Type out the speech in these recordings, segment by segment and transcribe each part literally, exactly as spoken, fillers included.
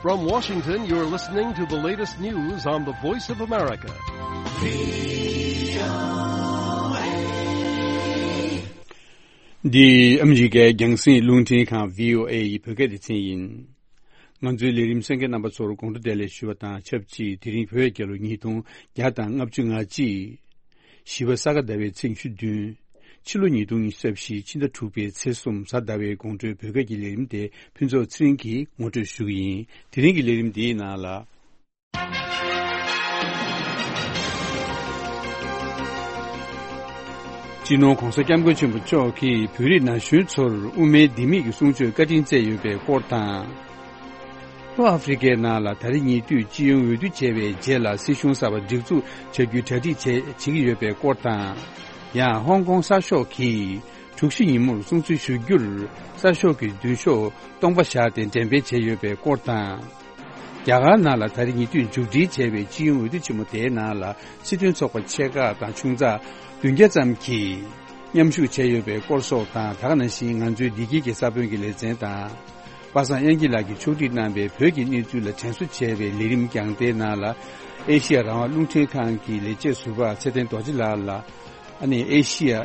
From Washington, you're listening to the latest news on the Voice of America. འདི་ཨ་མི་རི་ཀའི་རྒྱང་སྲིང་རླུང་འཕྲིན་ཁང་བྷི་ཨོ་ཨེ་ཡི་བོད་སྐད་སྡེ་ཚན་ཡིན། ང་ཚོའི་ལས་རིམ་གསན་མཁན་རྣམ་པ་ཚོར་དགོང་དྲོ་བདེ་ལེགས་ཞུ་བ་དང་ཆབས་ཅིག་དེ་རིང་བོད་རྒྱལ་ལོ་ཉིས་སྟོང་བརྒྱ་དང་ལྔ་བཅུ་ང་གཅིག་བཞི་པ་ས་ག་ཟླ་བའི་ཚེས་ཉི་ཤུ་བདུན། ཕྱི་ལོ་ཉིས་སྟོང་ཉི་ཤུ་རྩ་བཞི་ཕྱི་ཟླ་དྲུག་པའི་ཚེས་གསུམ་གཟའ་ཟླ་བའི་དགོང་དྲོའི་བོད་སྐད་ཀྱི་ལས་རིམ་དེ་ཕུན་ཚོགས་ཚེ་རིང་གིས་ངོ་སྤྲོད་ཞུ་གི་ཡིན། དེ་རིང་གི་ལས་རིམ་འདིའི་ནང་ལ། སྤྱི་ནོར་༧གོང་ས་༧སྐྱབས་མགོན་ཆེན་པོ་མཆོག་གིས་བོད་རིགས་ན་གཞོན་ཚོར་དབུ་མའི་ལྡེ་མིག་གི་གསུང་ཆོས་བཀའ་དྲིན་སྩལ་ཡོད་པའི་སྐོར་དང་། ལྷོ་ཨ་ཧྥེ་རི་ཀའི་ནང་ལ་ད་རེས་ཉེ་དུས་སྤྱི་ཡོངས་འོས་བསྡུ་བྱས་པའི་རྗེས་ལ་སྲིད་གཞུང་གསར་པ་སྒྲིག་འཛུགས་བྱ་རྒྱུའི་གྲ་སྒྲིག་བྱེད་བྱེད་ཀྱི་ཡོད་པའི་སྐོར་དང་། ཡང་ཧོང་ཀོང་གསར་ཤོག་གིས་དྲུག་བཞི་ཉིན་མོར་སྲུང་བརྩི་ཞུ་རྒྱུར་གསར་ཤོག་གི་མདུན་ཤོག་སྟོང་པ་བཞག་སྟེ་འགྲེམས་སྤེལ་བྱས་ཡོད་པའི་སྐོར་དང་། རྒྱ་གར་ནང་ལ་ད་རེས་ཉེ་དུས་མཇུག་སྒྲིལ་བྱས་པའི་སྤྱི་ཡོངས་འོས་བསྡུ་ཆེན་མོ་དེའི་ནང་ལ་སྲིད་དོན་ཚོགས་པ་ཆེ་ཁག་དང་ཆུང་ཚགས་བདུན་བརྒྱ་ཙམ་གྱིས་མཉམ་ཞུགས་བྱས་ཡོད་པའི་སྐོར་སོགས་དང་། ད་ག་ནང་བཞིན་ང་ཚོའི་བདེ་སྐྱིད་ཀྱི་ས་བོན་གྱི་ལེ་ཚན་དང་། པ་སངས་དབྱངས་སྐྱིད་ལགས་ཀྱིས་ཕྱོགས་སྒྲིག་གནང་བའི་བོད་ཀྱི་གནས་ཚུལ་ལ་དྲན་གསོ་བྱས་པའི་ལས་རིམ་རྒྱང་ལྟའི་ནང་ལ། ཨེ་ཤི་ཡ་རང་དབང་རླུང་འཕྲིན་ཁང་གི་ལས་བྱེད་ཟུར་པ་ཚེ་བརྟན་རྡོ་རྗེ་ལགས་ལ། ཨ་ནི་ཨེ་ཤི་ཡ་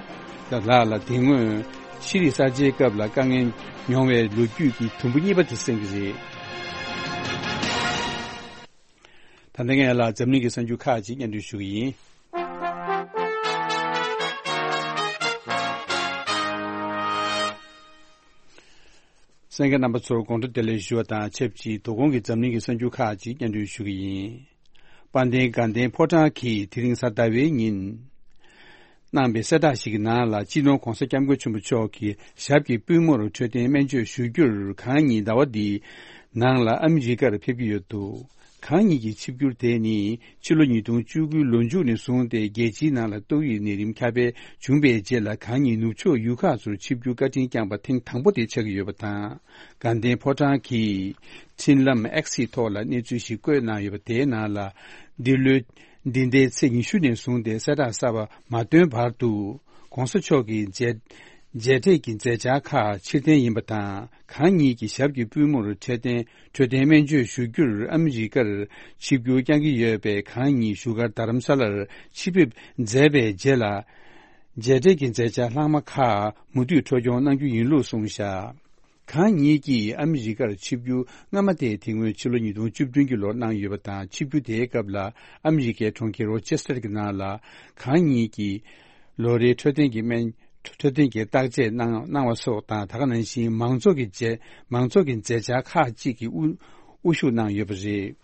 ལགས་ལ་དེ་སྔོན་ཤེས་རིག་གསར་བརྗེའི་སྐབས་ལ་དཀའ་ངལ་མྱོང་བའི་ལོ་རྒྱུས་ཀྱི་དུམ་བུ་གཉིས་པ་དེ་གསན་གྱི་རེད། ད་ལྟ་ངས་ལ་འཛམ་གླིང་གི་གསར་འགྱུར་ཁག་ཅིག་སྙན་སྒྲོན་ཞུ་གི་ཡིན། གསན་མཁན་རྣམ་པ་ཚོར་དགོང་དྲོ་བདེ་ལེགས་ཞུ་བ་དང་ཆབས་ཅིག་དོ་དགོང་གི་འཛམ་གླིང་གི་གསར་འགྱུར་ཁག་ཅིག་སྙན་སྒྲོན་ཞུ་གི་ཡིན། དཔལ་ལྡན་དགའ་ལྡན་ཕོ་བྲང་གིས་དེ་རིང་གཟའ་ཟླ་བའི་ཉིན་གནང་བའི་གསལ་བསྒྲགས་ཤིག་གི་ནང་ལ། སྤྱི་ནོར་༧གོང་ས་༧སྐྱབས་མགོན་ཆེན་པོ་མཆོག་གི་ཞབས་ཀྱི་པུས་མོར་འཕྲོད་བསྟེན་སྨན་བཅོས་ཞུ་རྒྱུར་གང་ཉིད་ཟླ་བ་འདིའི་ནང་ལ་ཨ་མི་རི་ཀར་ཕེབས་ཀྱི་ཡོད་འདུག་གང་ཉིད་ཀྱི་ཆིབས་བསྒྱུར་དེ་ནི་ཕྱི་ལོ་ཉིས་སྟོང་བཅུ་དགུའི་ལོ་མཇུག་ནས་བཟུང་སྟེ་རྒྱལ་སྤྱིའི་ནང་ལ་ཏོག་དབྱིབས་ནད་རིམས་ཁྱབ་སྤེལ་བྱུང་བའི་རྗེས་ལ་གང་ཉིད་ནུབ་ཕྱོགས་ཡུལ་ཁག་ཚོར་ཆིབས་བསྒྱུར་བཀའ་དྲིན་བསྐྱངས་པ་ཐེངས་དང་པོ་དེ་ཆགས་ཀྱི་ཡོད་པ་དང་། དགའ་ལྡན་ཕོ་བྲང་གིས་འཕྲིན་ལམ་X་ཐོག་ལ་གནས་ཚུལ་ཞིག་བཀོད་གནང་ཡོད་པ་དེའི་ནང་ལ། འདི་ལོའི་འདི་ཟླའི་ཚེས་ཉི་ཤུ་ནས་བཟུང་སྟེ་གསལ་བསྒྲགས་གསར་པ་མ་བཏོན་བར་དུ། ྋགོང་ས་མཆོག་གི་མཇལ་མཇལ་འཕྲད་ཀྱི་མཛད་འཆར་ཁག་ཕྱིར་འཐེན་ཡིན་པ་དང་། གང་ཉིད་ཀྱི་ཞབས་ཀྱི་པུས་མོར་འཕྲོད་བསྟེན་འཕྲོད་བསྟེན་སྨན་བཅོས་ཞུ་རྒྱུར་ཨ་མི་རི་ཀར་ཆིབས་བསྒྱུར་བསྐྱང་གི་ཡོད་པས། གང་ཉིད་བཞུགས་སྒར་རྡ་རམ་ས་ལར་ཆིབས་ཕེབས་མཛད་པའི་རྗེས་ལ། མཇལ་འཕྲད་ཀྱི་མཛད་འཆར་ལྷག་མ་ཁག་མུ་མཐུད་འཕྲོ་སྐྱོང་གནང་རྒྱུ་ཡིན་ལུགས་གསུངས་བཞག་གང་ཉིད་ཀྱིས་ཨ་མི་རི་ཀར་ཆིབས་བསྒྱུར་སྔ་མ་དེ་དེ་སྔོན་ཕྱི་ལོ་ཉིས་སྟོང་བཅུ་བདུན་གྱི་ལོར་གནང་ཡོད་པ་དང་། ཆིབས་བསྒྱུར་དེའི་སྐབས་ལ་ཨ་མི་རི་ཀའི་གྲོང་ཁྱེར་རོ་ཆེ་སི་ཊར་གྱི་ནང་ལ་གང་ཉིད་ཀྱིས་ལོ་རེའི་འཕྲོད་བསྟེན་གྱི་སྨན་འཕྲོད་བསྟེན་གྱི་བརྟག་དཔྱད་གནང་གནང་བ་སོགས་དང་། ད་ག་ནང་བཞིན་མང་ཚོགས་ཀྱི་མཛད་མང་ཚོགས་ཀྱི་མཛད་འཆར་ཁག་ཅིག་གི་དབུ་དབུ་བཞུགས་གནང་ཡོད་པ་རེད།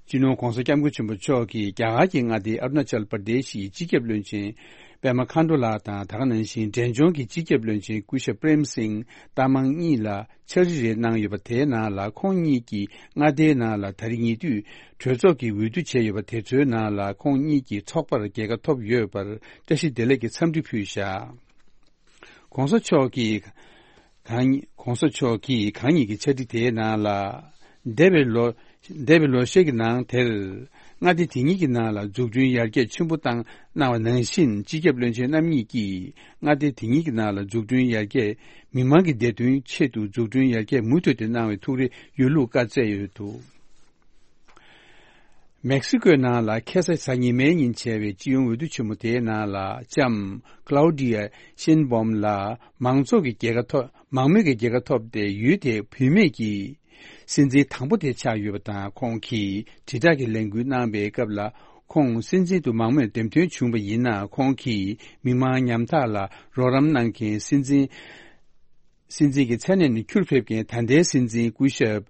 སྤྱི་ནོར་ྋགོང་ས་ྋསྐྱབས་མགོན་ཆེན་པོ་མཆོག་གིས་རྒྱ་གར་གྱི་མངའ་སྡེ་ཨ་རུ་ན་ཅལ་པར་དེ་ཤི་ཡི་སྤྱི་ཁྱབ་བློན་ཆེན་པད་མ་མཁའ་འགྲོ་ལགས་དང་། ད་ག་ནང་བཞིན་འབྲས་ལྗོངས་ཀྱི་སྤྱི་ཁྱབ་བློན་ཆེན་སྐུ་ཞབས་པྲེམ་སིང་ཏཱ་མང་གཉིས་ལ་ཕྱག་བྲིས་རེ་གནང་ཡོད་པ། དེའི་ནང་ལ་ཁོང་གཉིས་ཀྱིས་མངའ་སྡེའི་ནང་ལ་ད་རེས་ཉེ་དུས་གྲོས་ཚོགས་ཀྱི་འོས་བསྡུ་བྱས་ཡོད་པ་དེ་ཚོའི་ནང་ལ་ཁོང་གཉིས་ཀྱིས་ཚོགས་པར་རྒྱལ་ཁ་ཐོབ་ཡོད་པར་བཀྲ་ཤིས་བདེ་ལེགས་ཀྱི་འཚམས་འདྲི་ཕུལ་བཞག ྋགོང་ས་མཆོག་གིས་གང་ཉིད་ྋགོང་ས་མཆོག་གིས་གང་ཉིད་ཀྱི་ཕྱག་བྲིས་དེའི་ནང་ལ། འདས་པའི་ལོ་འདས་པའི་ལོ་ཤས་ཀྱི་ནང་དེར་མངའ་སྡེ་དེ་ཉིད་ཀྱི་ནང་ལ་འཛུགས་སྐྲུན་ཡར་རྒྱས་ཆེན་པོ་བཏང་གནང་བ་ནང་བཞིན། སྤྱི་ཁྱབ་བློན་ཆེན་རྣམ་གཉིས་ཀྱིས་མངའ་སྡེ་དེ་ཉིད་ཀྱི་ནང་ལ་འཛུགས་སྐྲུན་ཡར་རྒྱས། མི་མང་གི་བདེ་དོན་ཆེད་དུ་འཛུགས་སྐྲུན་ཡར་རྒྱས་མུ་མཐུད་དུ་གནང་བའི་ཐུགས་རེ་ཡོད་ལུགས་བཀའ་སྩལ་ཡོད་འདུག་མེག་སི་ཀོའི་ནང་ལ་ཁ་སང་གཟའ་ཉི་མའི་ཉིན་བྱས་པའི་སྤྱི་ཡོངས་འོས་བསྡུ་ཆེན་མོ་དེའི་ནང་ལ། ལྕམ་ཀླའུ་ཌི་ཡ་ཤེན་སྦོམ་ལགས་མང་ཚོགས་ཀྱི་རྒྱལ་ཁ་ཐོབ། མང་མོས་ཀྱི་རྒྱལ་ཁ་ཐོབ་སྟེ། ཡུལ་དེའི་བུད་མེད་ཀྱི་སྲིད་འཛིན་དང་པོ་དེ་ཆགས་ཡོད་པ་དང་། ཁོང་གིས་དྲིལ་བསྒྲགས་ཀྱི་ལས་འགུལ་གནང་བའི་སྐབས་ལ། ཁོང་སྲིད་འཛིན་དུ་མང་མོས་འདེམས་ཐོན་བྱུང་བ་ཡིན་ན། ཁོང་གིས་མི་མང་ཉམ་ཐག་ལ་རོགས་རམ་གནང་མཁན་སྲིད་འཛིན། སྲིད་འཛིན་གྱི་མཚན་གནས་ནས་ཁྱུར་ཕེབས་མཁན་ད་ལྟའི་སྲིད་འཛིན་སྐུ་ཞབས་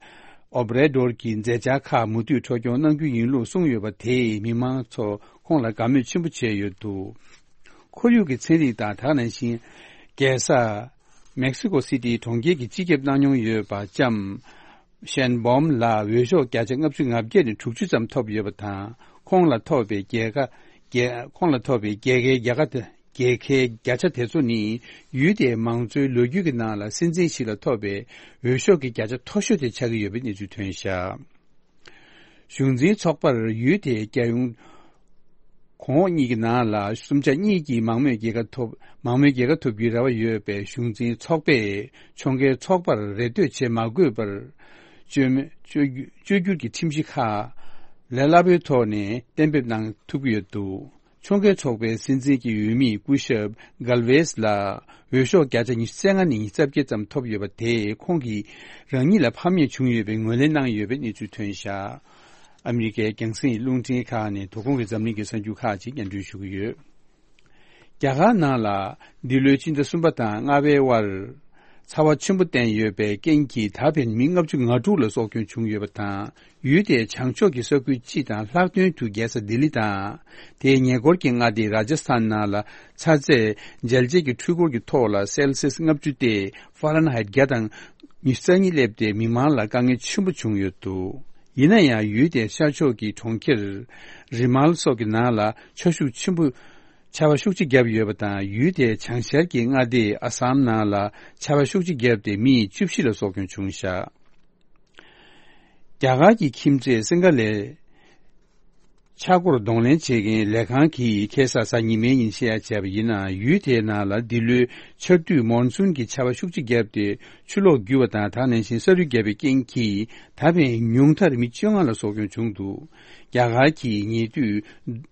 ཨོ་བྷ་རེ་ཌོར་གྱི་མཛད་འཆར་ཁག་མུ་མཐུད་འཕྲོ་སྐྱོང་གནང་རྒྱུ་ཡིན་ལུགས་གསུངས་ཡོད་པ་དེས་མི་མང་ཚོ་ཁོང་ལ་དགའ་མོས་ཆེན་པོ་བྱས་ཡོད་འདུག་ཁོར་ཡུག་གི་ཚན་རིག་དང་། ད་ག་ནང་བཞིན་རྒྱལ་ས་མེག་སི་ཀོ་སི་ཊིའི་གྲོང་ཁྱེར་གྱི་སྤྱི་ཁྱབ་གནང་མྱོང་ཡོད་པ་ལྕམ་ཤན་སྦོམ་ལ་འོས་ཤོག་བརྒྱ་ཆ་ལྔ་བཅུ་ང་བརྒྱད་ནས་དྲུག་ཅུ་ཙམ་ཐོབ་ཡོད་པ་དང་། ཁོང་ལ་ཐོབ་པའི་རྒྱལ་ཁ་རྒྱལ་ཁོང་ལ་ཐོབ་པའི་རྒྱལ་ཁའི་རྒྱལ་ཁ་དེ། རྒྱལ་ཁའི་བརྒྱ་ཆ་དེ་ཚོ་ནི་ཡུལ་དེའི་མང་གཙོའི་ལོ་རྒྱུས་ཀྱི་ནང་ལ་སྲིད་འཛིན་ཞིག་ལ་ཐོབ་པའི་འོས་ཤོག་གི་བརྒྱ་ཆ་མཐོ་ཤོས་དེ་ཆགས་ཀྱི་ཡོད་པའི་གནས་ཚུལ་ཐོན་བཞག་གཞུང་འཛིན་ཚོགས་པར་ཡུལ་དེའི་རྒྱལ་ཡོངས་ གོང་འོག་གཉིས་ཀྱི་ནང་ལ་གསུམ་ཆ་གཉིས་ཀྱིས་མང་མོས་རྒྱལ་ཁ་ཐོབ་མང་མོས་རྒྱལ་ཁ་ཐོབ་རྒྱུའི་རེ་བ་ཡོད་པའི་གཞུང་འཛིན་ཚོགས་པས་ཕྱོགས་འགལ་ཚོགས་པར་རེ་ལྟོས་བྱེད་མ་དགོས་པར་བཅོས་མ་བཅོས་བསྒྱུར་བཅོས་བསྒྱུར་གྱི་ཁྲིམས་གཞི་ཁག་ལས་སླ་པོའི་ཐོག་ནས་གཏན་འབེབས་གནང་ཐུབ་ཀྱི་ཡོད་འདུག་ཕྱོགས་འགལ་ཚོགས་པའི་སྲིད་འཛིན་གྱི་འོས་མི་སྐུ་ཞབས་གལ་ཝེས་ལ་འོས་ཤོག་བརྒྱ་ཆ་ཉི་ཤུ་རྩ་ལྔ་ནས་ཉི་ཤུ་རྩ་བརྒྱད་ཙམ་ཐོབ་ཡོད་པ་དེས་ཁོང་གིས་རང་ཉིད་ལ་ཕམ་ཉེས་བྱུང་ཡོད་པའི་ངོས་ལེན་གནང་ཡོད་པའི་གནས་ཚུལ་ཐོན་བཞག་ཨ་མི་རི་ཀའི་རྒྱང་སྲིང་རླུང་འཕྲིན་ཁག་ནས་དོ་དགོང་གི་འཛམ་གླིང་གི་གསར་འགྱུར་ཁག་ཅིག་སྙན་སྒྲོན་ཞུ་གི་ཡོད། རྒྱ་གར་ནང་ལ་འདི་ལོའི་ཕྱི་ཟླ་གསུམ་པ་དང་ལྔ་པའི་དབར་ཚ་བ་ཆེན་པོ་བསྟན་ཡོད་པའི་རྐྱེན་གྱིས་ད་ཕན་མི་ལྔ་བཅུ་ང་དྲུག་ལ་སྲོག་སྐྱོན་བྱུང་ཡོད་པ་དང་། ཡུལ་དེའི་བྱང་ཕྱོགས་ཀྱི་ས་ཁུལ་སྤྱི་དང་ལྷག་དོན་དུ་རྒྱལ་ས་ལྡི་ལི་དང་། དེའི་ཉེ་འཁོར་གྱི་མངའ་སྡེ་རཱ་ཇ་སི་ཐན་ནང་ལ་ཚ་ཚད་འཇལ་བྱེད་ཀྱི་འཕྲུལ་འཁོར་གྱི་ཐོག་ལ་སེལ་སི་ཡས་ལྔ་བཅུ་སྟེ་ཧྥ་རན་ཧའེ་བརྒྱ་དང་ཉི་ཤུ་རྩ་གཉིས་སླེབས་ཏེ་མི་མང་ལ་དཀའ་ངལ་ཆེན་པོ་བྱུང་ཡོད་འདུག་ཡིན་ན་ཡང་ཡུལ་དེའི་ཤར་ཕྱོགས་ཀྱི་གྲོང་ཁྱེར་རི་མལ་སོགས་ཀྱི་ནང་ལ་ཆར་ཤུགས་ཆེན་པོ་ཆར་པ་ཤུགས་ཆེ་བརྒྱབ་ཡོད་པ་དང་ཡུལ་དེའི་བྱང་ཤར་གྱི་མངའ་སྡེ་ཨ་སམ་ནང་ལ་ཆར་པ་ཤུགས་ཆེ་བརྒྱབ་སྟེ་མི་བཅུ་བཞི་ལ་སྲོག་སྐྱོན་བྱུང་བཞག་རྒྱ་གར་གྱི་ཁྱིམ་མཚེས་སིང་ག་ལའི་ཆག་སྒོར་གདོང་ལེན་བྱེད་མཁན་ལས་ཁང་གིས་ཁ་སང་གཟའ་ཉི་མའི་ཉིན་བཤད་ཡ་བྱས་པ་ཡིན་ན་ཡུལ་དེའི་ནང་ལ་འདི་ལོའི་ཆར་དུས་མོན་སུན་གྱི་ཆར་པ་ཤུགས་ཆེ་བརྒྱབ་སྟེ་ཆུ་ལོག་རྒྱུ་བ་དང་ད་ག་ནང་བཞིན་ས་རུད་བརྒྱབ་པའི་རྐྱེན་གྱིས་ད་ཕན་ཉུང་མཐར་མི་བཅོ་ལྔ་ལ་སྲོག་སྐྱོན་བྱུང་འདུག་རྒྱ་གར་གྱིས་ཉེ་དུས་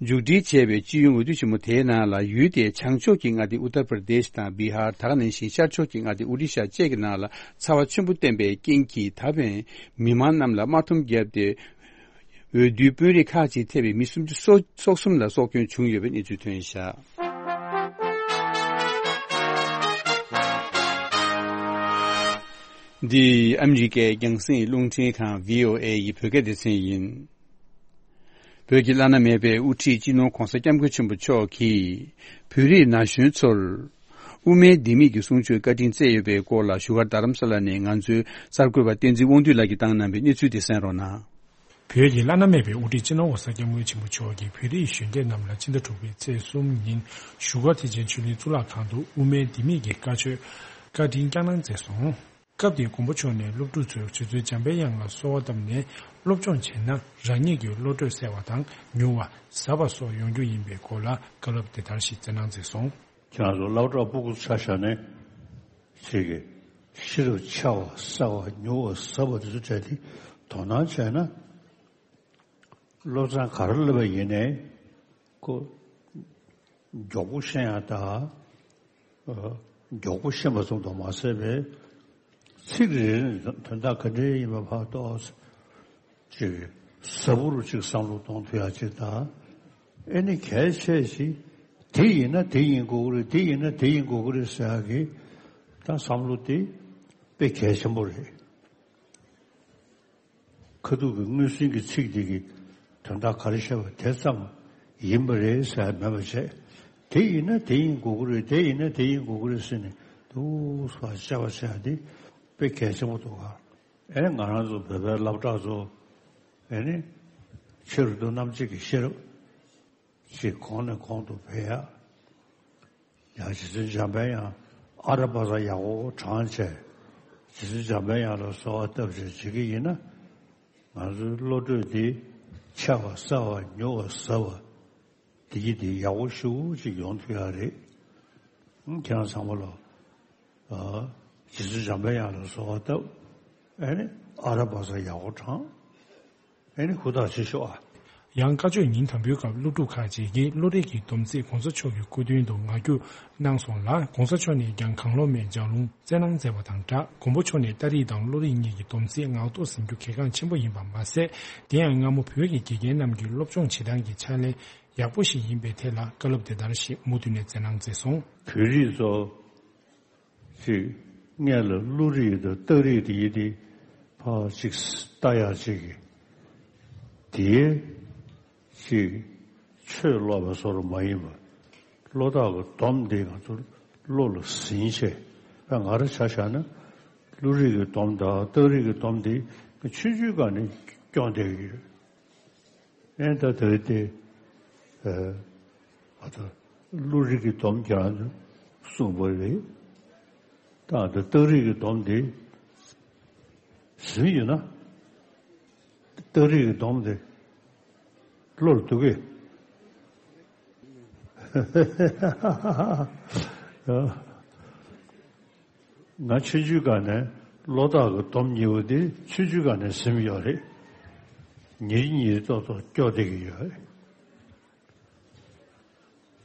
མཇུག་སྒྲིལ་བྱས་པའི་སྤྱི་ཡོངས་འོས་བསྡུ་ཆེན་མོ་དེའི་ནང་ལ་ཡུལ་དེའི་བྱང་ཕྱོགས་ཀྱི་མངའ་སྡེ་ཨུ་ཏར་པར་དེཤ་དང་བི་ཧར། ད་ག་ནང་བཞིན་ཤར་ཕྱོགས་ཀྱི་མངའ་སྡེ་ཨོ་ཌི་ཤ་བཅས་ཀྱི་ནང་ལ་ཚ་བ་ཆེན་པོ་བསྟན་པའི་རྐྱེན་གྱིས་ད་ཕན་མི་མང་རྣམས་ལ་དམར་འཐོམ་བརྒྱབ་སྟེ། འོས་བསྡུའི་དཔོན་རིགས་ཁག་ཅིག་ཐེ་བའི་མི་སུམ་ཅུ་སོ་སོ་གསུམ་ལ་སྲོག་སྐྱོན་བྱུང་ཡོད་པའི་གནས་ཚུལ་ཐོན་བཞག་འདི་ཨ་མི་རི་ཀའི་རྒྱང་སྲིང་རླུང་འཕྲིན་ཁང་བྷི་ཨོ་ཨེ་ཡི་བོད་སྐད་སྡེ་ཚན་ཡིན། བོད་ཀྱི་བླ་ན་མེད་པའི་དབུ་ཁྲིད་སྤྱི་ནོར་༧གོང་ས་༧སྐྱབས་མགོན་ཆེན་པོ་མཆོག་གིས་བོད་རིགས་ན་གཞོན་ཚོར་དབུ་མའི་ལྡེ་མིག་གི་གསུང་ཆོས་བཀའ་དྲིན་སྩལ་ཡོད་པའི་སྐོར་ལ་བཞུགས་སྒར་རྡ་རམ་ས་ལ་ནས་ང་ཚོའི་གསར་འགོད་པ་བསྟན་འཛིན་དབང་འདུས་ལགས་ཀྱིས་བཏང་གནང་བའི་གནས་ཚུལ་དེ་གསན་རོགས་གནང་། བོད་ཀྱི་བླ་ན་མེད་པའི་དབུ་ཁྲིད་སྤྱི་ནོར་༧གོང་ས་༧སྐྱབས་མགོན་ཆེན་པོ་མཆོག་གིས་བོད་རིགས་གཞོན་སྐྱེས་རྣམས་ལ་ཕྱི་ཟླ་དྲུག་པའི་ཚེས་གསུམ་ཉིན་བཞུགས་སྒར་ཐེག་ཆེན་ཆོས་གླིང་གཙུག་ལག་ཁང་དུ་དབུ་མའི་ལྡེ་མིག་གི་བཀའ་ཆོས་བཀའ་དྲིན་བསྐྱངས་གནང་མཛད་སོང་། སྐབས་དེའི་མགོན་པོ་མཆོག་ནས་སློབ་ཕྲུག་ཚོས་རྗེ་བཙུན་འཇམ་དཔལ་དབྱངས་ལ་གསོལ་བ་བཏབ་ནས་སློབ་སྦྱོང་བྱས་ན་རང་ཉིད་ཀྱི་བློ་གྲོས་གསལ་བ་དང་མྱུར་བ་ཟབ་པ་སོགས་ཡོང་རྒྱུ་ཡིན་པའི་སྐོར་ལ་བཀའ་སློབ་དེ་ལྟར་ཞིག་སྩལ་གནང་མཛད་སོང་། ཁྱེད་རང་ཚོ་སློབ་གྲྭ་ཕྲུ་གུ་ཆ་བཞག་ནས་ཅིག་གི་ཤེས་རབ་འཆར་བ་གསལ་བ་མྱུར་བ་ཟབ་པ་དེ་ཚོ་སྤྲད་དེ་དོ་སྣང་བྱས་ན། སློབ་ཚན་ག་རེ་སླེབས་པ་ཡིན་ནའི་ཁོ་མགྱོགས་པོ་ཤེས་ཡ་དང་མགྱོགས་པོ་ཤེས་པ་ཙམ་དུ་མ་ཟད་པའི་ཚིག་རེ་རེ་ནས་དོན་དག་ག་འདྲ་ཡིན་པ་ཕར་རྟོགས། ཅིག་ཟབ་པོ་རུ་ཅིག་བསམ་བློ་གཏོང་ཐུབ་ཡ་ཅིག་དང་། ཨེ་ནི་གལ་ཆེ་ཞིག་དེ་ཡིན་ན་དེ་ཡིན་དགོས་ཀྱི་རེད། དེ་ཡིན་ན་དེ་ཡིན་དགོས་ཀྱི་རེད་ཟེར་ཡ་གི་ད་བསམ་བློ་དེ་དཔེ་གལ་ཆེན་པོ་རེད། ཁ་ཐུག་གི་མངོན་སུམ་གྱི་ཚིག་དེ་གི་དོན་དག་ག་རེ་བཤད་པ་དེ་ཙམ་ཡིན་པ་རེད་ཟེར་མེད་པ་བྱས། དེ་ཡིན་ན་དེ་ཡིན་དགོས་ཀྱི་རེད། དེ་ཡིན་ན་དེ་ཡིན་དགོས་ཀྱི་རེད་ཟེར་ནས་འདུག་སེ་བཤད་པ་བྱས་དེ་དཔེ་གལ་ཆེན་པོ་འདུག་ག་ཨེ་ང་རང་ཚོ་བོད་པའི་སློབ་གྲྭ་ཚོ་ཨེ་ནི་ཕྱི་རུ་འདུག་རྣམ་དཔྱོད་ཀྱི་ཤེས་རབ་ཅིག་གོང་ནས་གོང་དུ་འཕེལ་ཡ། ཡང་རྗེ་བཙུན་འཇམ་དཔལ་དབྱངས་ཨ་ར་པ་ཙ་ཡག་པོ་བགྲངས་བྱས། རྗེ་བཙུན་འཇམ་དཔལ་དབྱངས་ལ་གསོལ་བ་བཏབ་བྱས་བྱེད་ཀྱི་ཡིན་ན། ང་ཚོའི་བློ་གྲོས་འདི་འཆར་བ་གསལ་བ་མྱུར་བ་ཟབ་པ་འདི་གི་འདི་ཡག་པོ་ཞེ་པོ་ཅིག་ཡོང་ཐུབ་ཡ་རེད། ཁྱེད་རང་ཚང་མ་ལ་རྗེ་བཙུན་འཇམ་དཔལ་དབྱངས་ལ་གསོལ་བ་བཏབ། ཨ་ནི་ཨ་ར་པ་ཙ་ཡག་པོ་བགྲངས། ཨེ་ནི་ཧུར་ཐག་བྱེད་ཤོག་ཨ། ཡང་བཀའ་ཆོས་ཉིན་དང་པོའི་སྐབས་སློབ་ཕྲུག་ཁག་ཅིག་གིས་བློ་རིག་གི་སྡོམ་ཚིག་༧གོང་ས་མཆོག་གི་སྐུ་མདུན་དུ་ངག་རྒྱུགས་གནང་སོང་ལ། ༧གོང་ས་མཆོག་ནས་ཀྱང་གང་བློ་མེད་ལྗགས་ལུང་སྩལ་གནང་མཛད་པ་དང་སྦྲགས། མགོན་པོ་མཆོག་ནས་ཏཱ་རིག་དང་བློ་རིག་གཉིས་ཀྱི་སྡོམ་ཚིག་ངག་ཐོག་ཟིན་རྒྱུ་གལ་འགངས་ཆེན་པོ་ཡིན་པ་མ་ཟད། དེ་ཡང་སྔ་མོ་བོད་ཀྱི་དགེ་རྒན་རྣམས་ཀྱི་སློབ་སྦྱོང་བྱེད་སྟངས་ཀྱི་ཕྱག་ལེན་ཡག་པོ་ཞིག་ཡིན་པའི་ཐད་ལ་བཀའ་སློབ་དེ་ལྟར་ཞིག་མུ་མཐུད་ནས་སྩལ་གནང་མཛད་སོང་། བོད་རིགས་ཚོ། ཅིག་སྔོན་ལ་བློ་རིག་དང་རྟགས་རིག་དེ་ཡི་དེ་ཕར་ཅིག་ལྟ་ཡག་ཅིག་གི་དེའི་ཅིག་ཆོས་ཀློག་པ་བཟོ་འདྲ་མ་ཡིན་པ། བློ་རྟགས་ཀྱི་སྡོམ་དེ་ང་ཚོ་བློ་ལ་ཟིན་བྱས། ད་ང་རང་ཆ་བཞག་ན་བློ་རིག་གི་སྡོམ་དང་རྟགས་རིག་གི་སྡོམ་དེ་ཆུང་ཆུང་སྒང་ནས་སྐྱོང་བསྡད་ཀྱི་ཡོད། ཨེ་ད་དེ་དེ་ཨ་ད་བློ་རིག་གི་སྡོམ་ཀྱང་གསུངས་པ་རེད། ད་ད་རྟགས་རིག་གི་སྡོམ་དེ་ཟིན་ཡོད་ན། རྟགས་རིག་གི་སྡོམ་དེ་བློར་འདུག་གས། ང་ཆུང་ཆུང་སྒང་ནས་བློ་ཐག་གི་སྡོམ་གཉིས་པོ་དེ་ཆུང་ཆུང་སྒང་ནས་ཟིན་ཡོད་རེད། ཉིན་ཉིན་ཏོག་ཏོག་སྐྱོ་བསྡད་ཀྱི་ཡོད་རེད།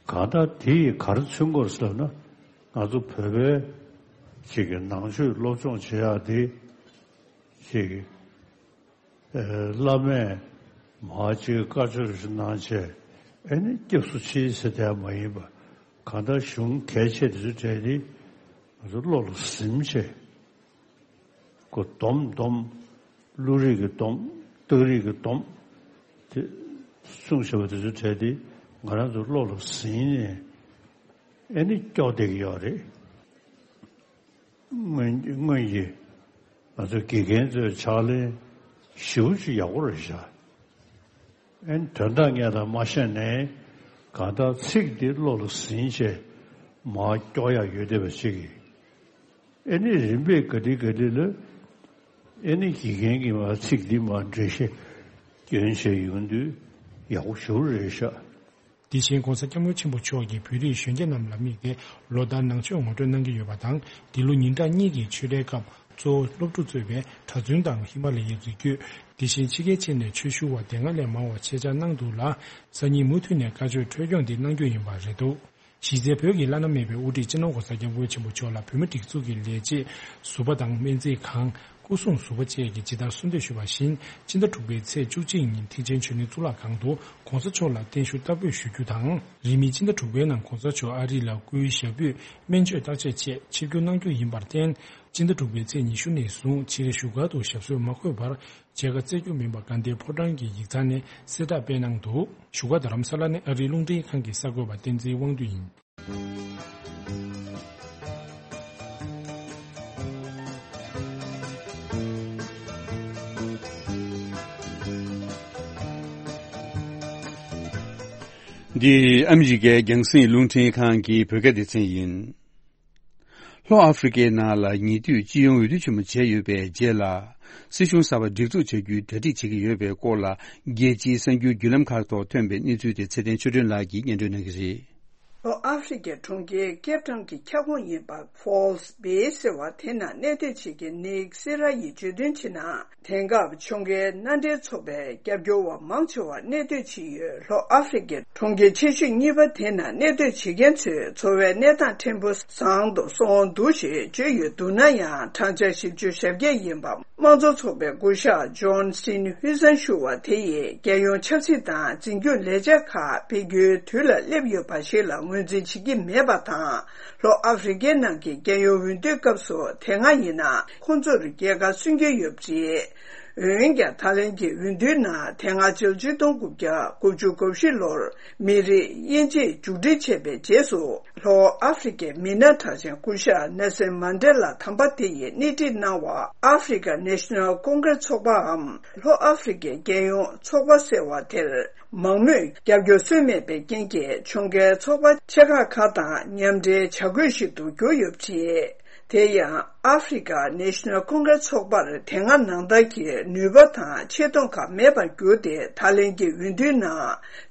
གང་ལྟར་དེ་ཡིས་ག་རེ་མཚོན་གྱི་ཡོད་ཟེར་ན། ང་ཚོ་བོད་པའི་ཅིག་གི་ནང་ཆོས་སློབ་སྦྱོང་བྱེད་ཡག་དེ་ཅིག་གི་ཨེ། བླ་མས་མར་ཅིག་བཀའ་ཆོས་ཤིག་གནང་བྱས། ཨེ་ནི་སྐྱབས་སུ་མཆི་ཟེར་དེ་མ་ཡིན་པ། གང་ལྟར་གཞུང་གལ་ཆེ་དེ་ཚོའི་གྲས་དེ་ང་ཚོ་བློ་ལ་ཟིན་བྱས། ཁོ་སྡོམ་སྡོམ། བློ་རིག་གི་སྡོམ། རྟགས་རིག་གི་སྡོམ། དེ་གསུངས་བཞག་པ་དེ་ཚོའི་གྲས་དེ་ང་རང་ཚོ་བློ་ལ་ཟིན་ནས་ཨེ་ནི་སྐྱོ་བསྡད་ཀྱི་ཡོད་རེད། སྔོན་སྔོན་གྱི་ང་ཚོ་དགེ་རྒན་ཚོའི་ཕྱག་ལེན་ཞེ་པོ་ཅིག་ཡག་པོ་རེད་ཤག་ཨེ་ནི་དོན་དག་སྙན་དང་མ་ཤེས་ནའི་གང་ལྟར་ཚིག་འདི་བློ་ལ་ཟིན་བྱས་མར་སྐྱོར་ཡག་ཡོད་བསྡད་པ་ཅིག་གིས། ཨེ་ནི་རིམ་པས་ག་དུས་ག་དུས་ལ་ཨེ་ནི་དགེ་རྒན་གྱིས་མར་ཚིག་འདི་མར་འགྲེལ་བཤད་སྐྱོན་བྱས་ཡོང་དུས་ཡག་པོ་ཞེ་པོ་རེད་ཤག་དེ་བཞིན་༸གོང་ས་༸སྐྱབས་མགོན་ཆེན་པོ་མཆོག་གིས་བོད་རིགས་གཞོན་སྐྱེས་རྣམས་ལ་དམིགས་ཏེ་ལོ་ལྟར་ནང་ཆོས་ངོ་སྤྲོད་གནང་གི་ཡོད་པ་དང་། འདི་ལོ་ཉིན་གྲངས་གཉིས་ཀྱི་ཆོས་རའི་སྐབས་གཙོ་བོ་སློབ་ཕྲུག་གཙོས་པའི་གྲྭ་བཙུན་དང་ཧི་མ་ལ་ཡའི་རི་རྒྱུད། དེ་བཞིན་ཕྱི་རྒྱལ་ཕྱིན་ནས་ཆོས་ཞུ་བ་སྡེ་ལྔ་ལས་མང་བ་ཆེད་བཅར་གནང་འདུག་ལ། སང་ཉིན་མུ་མཐུད་ནས་བཀའ་ཆོས་འཕྲོས་སྐྱོང་འདི་གནང་རྒྱུ་ཡིན་པ་རེད་འདུག་གཞི་རྩའི་བོད་ཀྱི་བླ་ན་མེད་པའི་དབུ་ཁྲིད་སྤྱི་ནོར་༸གོང་ས་༸སྐྱབས་མགོན་ཆེན་པོ་མཆོག་ལ་བོད་མི་སྒྲིག་འཛུགས་ཀྱི་ལས་བྱེད། ཟུར་པ་དང་སྨན་རྩིས་ཁང་། སྐུ་སྲུང་ཟུར་པ་བཅས་ཀྱིས་ཇི་ལྟར་གསོལ་འདེབས་ཞུས་པ་བཞིན། སྤྱི་ཟླ་དྲུག་པའི་ཚེས་བཅུ་གཅིག་ཉིན་ཐེག་ཆེན་ཆོས་གླིང་གཙུག་ལག་ཁང་དུ་༸གོང་ས་མཆོག་ལ་བརྟན་བཞུགས་བསྟར་འབུལ་ཞུ་རྒྱུ་དང་། རིང་མིན་སྤྱི་ཟླ་དྲུག་པའི་ནང་༸གོང་ས་མཆོག་ཨ་རི་ལ་སྐུའི་ཞབས་པུས་སྨན་བཅོས་བརྟག་དཔྱད་ཆེད་ཆིབས་བསྒྱུར་གནང་རྒྱུ་ཡིན་པར་བརྟེན། སྤྱི་ཟླ་དྲུག་པའི་ཚེས་ཉི་ཤུ་ནས་བཟུང་ཕྱིའི་བཞུགས་སྒར་དུ་ཞབས་སོར་མ་འཁོད་པར། མཇལ་ཁ་བསྩལ་རྒྱུ་མིན་པ་དགའ་ལྡན་ཕོ་བྲང་གི་ཡིག་ཚང་ནས་གསལ་བསྒྲགས་སྤེལ་གནང་འདུག་བཞུགས་སྒར་རྡ་རམ་ས་ལ་ནས་ཨ་རིའི་རླུང་འཕྲིན་ཁང་གི་གསར་འགོད་པ་བསྟན་འཛིན་དབང་འདུས་ཡིན། འདི་ཨ་མི་རི་ཀའི་རྒྱང་སྲིང་རླུང་འཕྲིན་ཁང་གི་བོད་སྐད་སྡེ་ཚན་ཡིན། ལྷོ་ཨ་ཧྥེ་རི་ཀའི་ནང་ལ་ཉེ་དུས་སྤྱི་ཡོངས་འོས་བསྡུ་ཆེན་མོ་བྱས་ཡོད་པའི་རྗེས་ལ། སྲིད་གཞུང་གསར་པ་སྒྲིག་འཛུགས་བྱ་རྒྱུའི་གྲ་སྒྲིག་བྱེད་ཀྱི་ཡོད་པའི་སྐོར་ལ། རྒྱལ་སྤྱིའི་གསར་འགྱུར་བརྒྱུད་ལམ་ཁག་ཐོག་ཐོན་པའི་གནས་ཚུལ་དེ་ཚེ་བརྟན་ཆོས་སྒྲོན་ལགས་ཀྱིས་སྙན་སྒྲོན་གནང་གི་རེད། ལྷོ་ཨ་ཧྥེ་རི་ཀའི་གྲོང་ཁྱེར་ཀེབ་ཊའུན་གྱི་ཁྱབ་ཁོངས་ཡིན་པ་ཕོལ་སི་བྷེ་ཟེར་བ་དེ་ན་གནས་སྡོད་བྱེད་མཁན་ནིག་སེ་ར་ཡིས་བརྗོད་དོན་བྱས་ན། དེང་སྐབས་ཕྱོགས་འགལ་མནའ་འབྲེལ་ཚོགས་པའི་རྒྱབ་སྐྱོར་བ་མང་ཆེ་བ་གནས་སྡོད་བྱེད་ཡུལ་ལྷོ་ཨ་ཧྥེ་རི་ཀའི་གྲོང་ཁྱེར་ཆེ་ཤོས་གཉིས་པ་དེ་ན་གནས་སྡོད་བྱེད་མཁན་ཚོའི་འཚོ་བའི་གནས་སྟངས་ཕྲན་བུ་བཟང་དུ་སོང་འདུག་ཞེས་བརྗོད་ཡོད་འདུག་ན་ཡང་། བགྲང་བྱ་བཞི་བཅུ་ཞེ་བརྒྱད་ཡིན་པ་དམངས་གཙོ་ཚོགས་པའི་སྐུ་ཞབས་ཇོན་སི་ཊིན་ཧུ་སན་ཞུ་བ་དེ་ཡིས་རྒྱལ་ཡོངས་ཆབ་སྲིད་དང་འཛིན་སྐྱོང་ལས་འཆར་ཁག་སྤེལ་རྒྱུའི་དུས་ལ་སླེབས་ཡོད་པ་ཞིག་ལ་ངོས་འཛིན་བྱེད་ཀྱི་མེད་པ་དང་། ལྷོ་ཨ་ཧྥེ་རི་ཀའི་ནང་གི་རྒྱལ་ཡོངས་འོས་བསྡུའི་སྐབས་སུ་དེ་སྔ་ཡིན་ན་ཁོང་ཚོར་རྒྱལ་ཁ་སོན་གྱི་ཡོད་པ་རེད། འོན་ཀྱང་ད་ལན་གྱི་འོས་བསྡུའི་ནང་དེ་སྔ་ཕྱི་ལོ་ཆིག་སྟོང་དགུ་བརྒྱ་དགུ་བཅུ་གོ་བཞི་ལོར་མི་རིགས་དབྱེ་འབྱེད་མཇུག་སྒྲིལ་བྱས་པའི་རྗེས་སུ། ལྷོ་ཨ་ཧྥེ་རི་ཀའི་མི་སྣ་གྲགས་ཅན་སྐུ་ཞབས་ནེལ་སན་མན་ཌེ་ལ་དམ་པ་དེ་ཡིས་སྣེ་ཁྲིད་གནང་བ་ཨ་ཧྥེ་རི་ཀ་ནེ་ཤ་ནལ་ཀོང་གྷི་རེ་སི་ཚོགས་པའམ་ལྷོ་ཨ་ཧྥེ་རི་ཀའི་རྒྱལ་ཡོངས་ཚོགས་པ་ཟེར་བ་དེར། མང་མོས་རྒྱབ་སྐྱོར་སོན་མེད་པའི་རྐྱེན་གྱིས་ཕྱོགས་འགལ་ཚོགས་པ་ཆེ་ཁག་ཁག་དང་མཉམ་འབྲེལ་བྱ་དགོས་ཤིག་ཏུ་གྱུར་ཡོད་པ་རེད། དེ་ཡང་ཨ་ཧྥེ་རི་ཀ་ནེ་ཤ་ནལ་ཀོང་གྷི་རེ་སི་ཚོགས་པར་དེ་སྔ་ནང་ལྟར་གྱི་ནུས་པ་དང་ཆེ་མཐོང་ཁག་མེད་པར་གྱུར་ཏེ། ད་ལན་གྱི་འོས་བསྡུའི་ནང་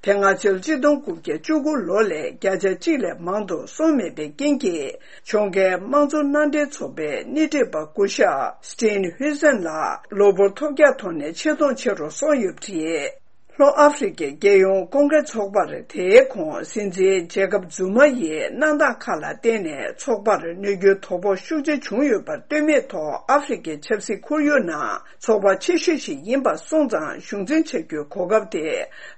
དེ་སྔ་ཕྱི་ལོ་ཆིག་སྟོང་དགུ་བརྒྱ་བཅུ་དགུ་ལོ་ལས་བརྒྱ་ཆ་གཅིག་ལས་མང་དུ་སོང་མེད་པའི་རྐྱེན་གྱིས། ཕྱོགས་འགལ་དམངས་གཙོ་མནའ་འབྲེལ་ཚོགས་པའི་སྣེ་ཁྲིད་པ་སྐུ་ཞབས་སི་ཊིན་ཧུ་སན་ལ་གློ་བུར་ཐོལ་རྒྱག་ཐོག་ནས་ཆེ་མཐོང་ཆེ་རུ་སོང་ཡོད་པ་རེད། ལྷོ་ཨ་ཧྥེ་རི་ཀའི་རྒྱལ་ཡོངས་ཀོང་གྷི་རེ་སི་ཚོགས་པར་དེའི་གོང་སྲིད་འཛིན་ཇེ་ཀབ་ཛུ་མ་ཡིས་གནང་སྟངས་ཁག་ལ་བརྟེན་ནས་ཚོགས་པར་གནོད་སྐྱོན་དོ་ཕོག་ཤུགས་ཆེ་བྱུང་ཡོད་པར་ལྟོས་མེད་ཐོག་ཨ་ཧྥེ་རི་ཀའི་ཆབ་སྲིད་ཁོར་ཡུག་ནང་ཚོགས་པ་ཆེ་ཤོས་ཤིག་ཡིན་པ་སོང་ཙང་གཞུང་འཛིན་བྱ་རྒྱུའི་གོ་སྐབས་དེ་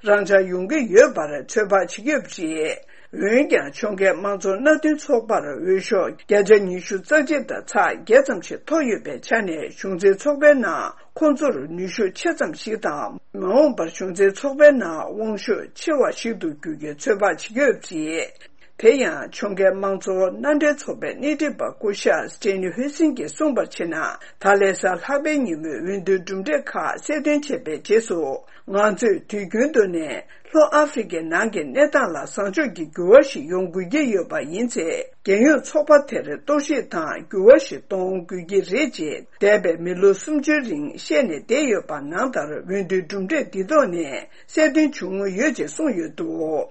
རང་འཇགས་ཡོང་གི་ཡོད་པར་ཚོད་དཔག་བྱེད་ཀྱི་ཡོད་པ་རེད། འོན་ཀྱང་ཕྱོགས་འགལ་དམངས་གཙོ་མནའ་མཐུན་ཚོགས་པར་འོས་ཤོག་བརྒྱ་ཆ་ཉི་ཤུ་རྩ་གཅིག་དང་ཚེག་བརྒྱད་ཙམ་ཞིག་ཐོབ་ཡོད་པའི་ཆ་ནས། གཞུང་འཛིན་ཚོགས་པའི་ནང་ཁོང་ཚོར་ནུས་ཤུགས་ཆེ་ཙམ་ཞིག་དང་། མ་འོངས་པར་གཞུང་འཛིན་ཚོགས་པའི་ནང་དབང་ཤུགས་ཆེ་བ་ཞིག་ཏུ་འགྱུར་རྒྱུའི་ཚོད་དཔག་བྱེད་ཀྱི་ཡོད་པ་རེད། དེ་ཡང་ཕྱོགས་འགལ་དམངས་གཙོ་མནའ་འབྲེལ་ཚོགས་པའི་སྣེ་ཁྲིད་པ་སྐུ་ཞབས་སི་ཊིན་ཧུ་སིན་གྱིས་གསུངས་པར་བྱས་ན། ད་ལན་གཟའ་ལྷག་པའི་ཉིན་མོའི་འོས་བསྡུའི་གྲུབ་འབྲས་ཁག་གསལ་སྟོན་བྱས་པའི་རྗེས་སུ། ང་ཚོས་དུས་རྒྱུན་དུ་ནས་ལྷོ་ཨ་ཧྥེ་རི་ཀའི་ནང་གི་གནས་སྟངས་ལ་བཟང་ཕྱོགས་ཀྱི་འགྱུར་བ་ཞིག་ཡོང་དགོས་ཀྱི་ཡོད་པ་ཡིན་ཚེ། རྒྱལ་ཡོངས་ཚོགས་པ་དེར་གཏོར་བཤིག་དང་འགྱུར་བ་ཞིག་གཏོང་དགོས་ཀྱི་རེད་ཅེས། འདས་པའི་མི་ལོ་སུམ་ཅུའི་རིང་བཤད་ནས་བསྡད་ཡོད་པ་ནང་ལྟར། འོས་བསྡུའི་གྲུབ་འབྲས་འདི་ཐོག་ནས་གསལ་སྟོན་བྱུང་མུས་ཡོད་ཅེས་གསུངས་ཡོད་འདུག་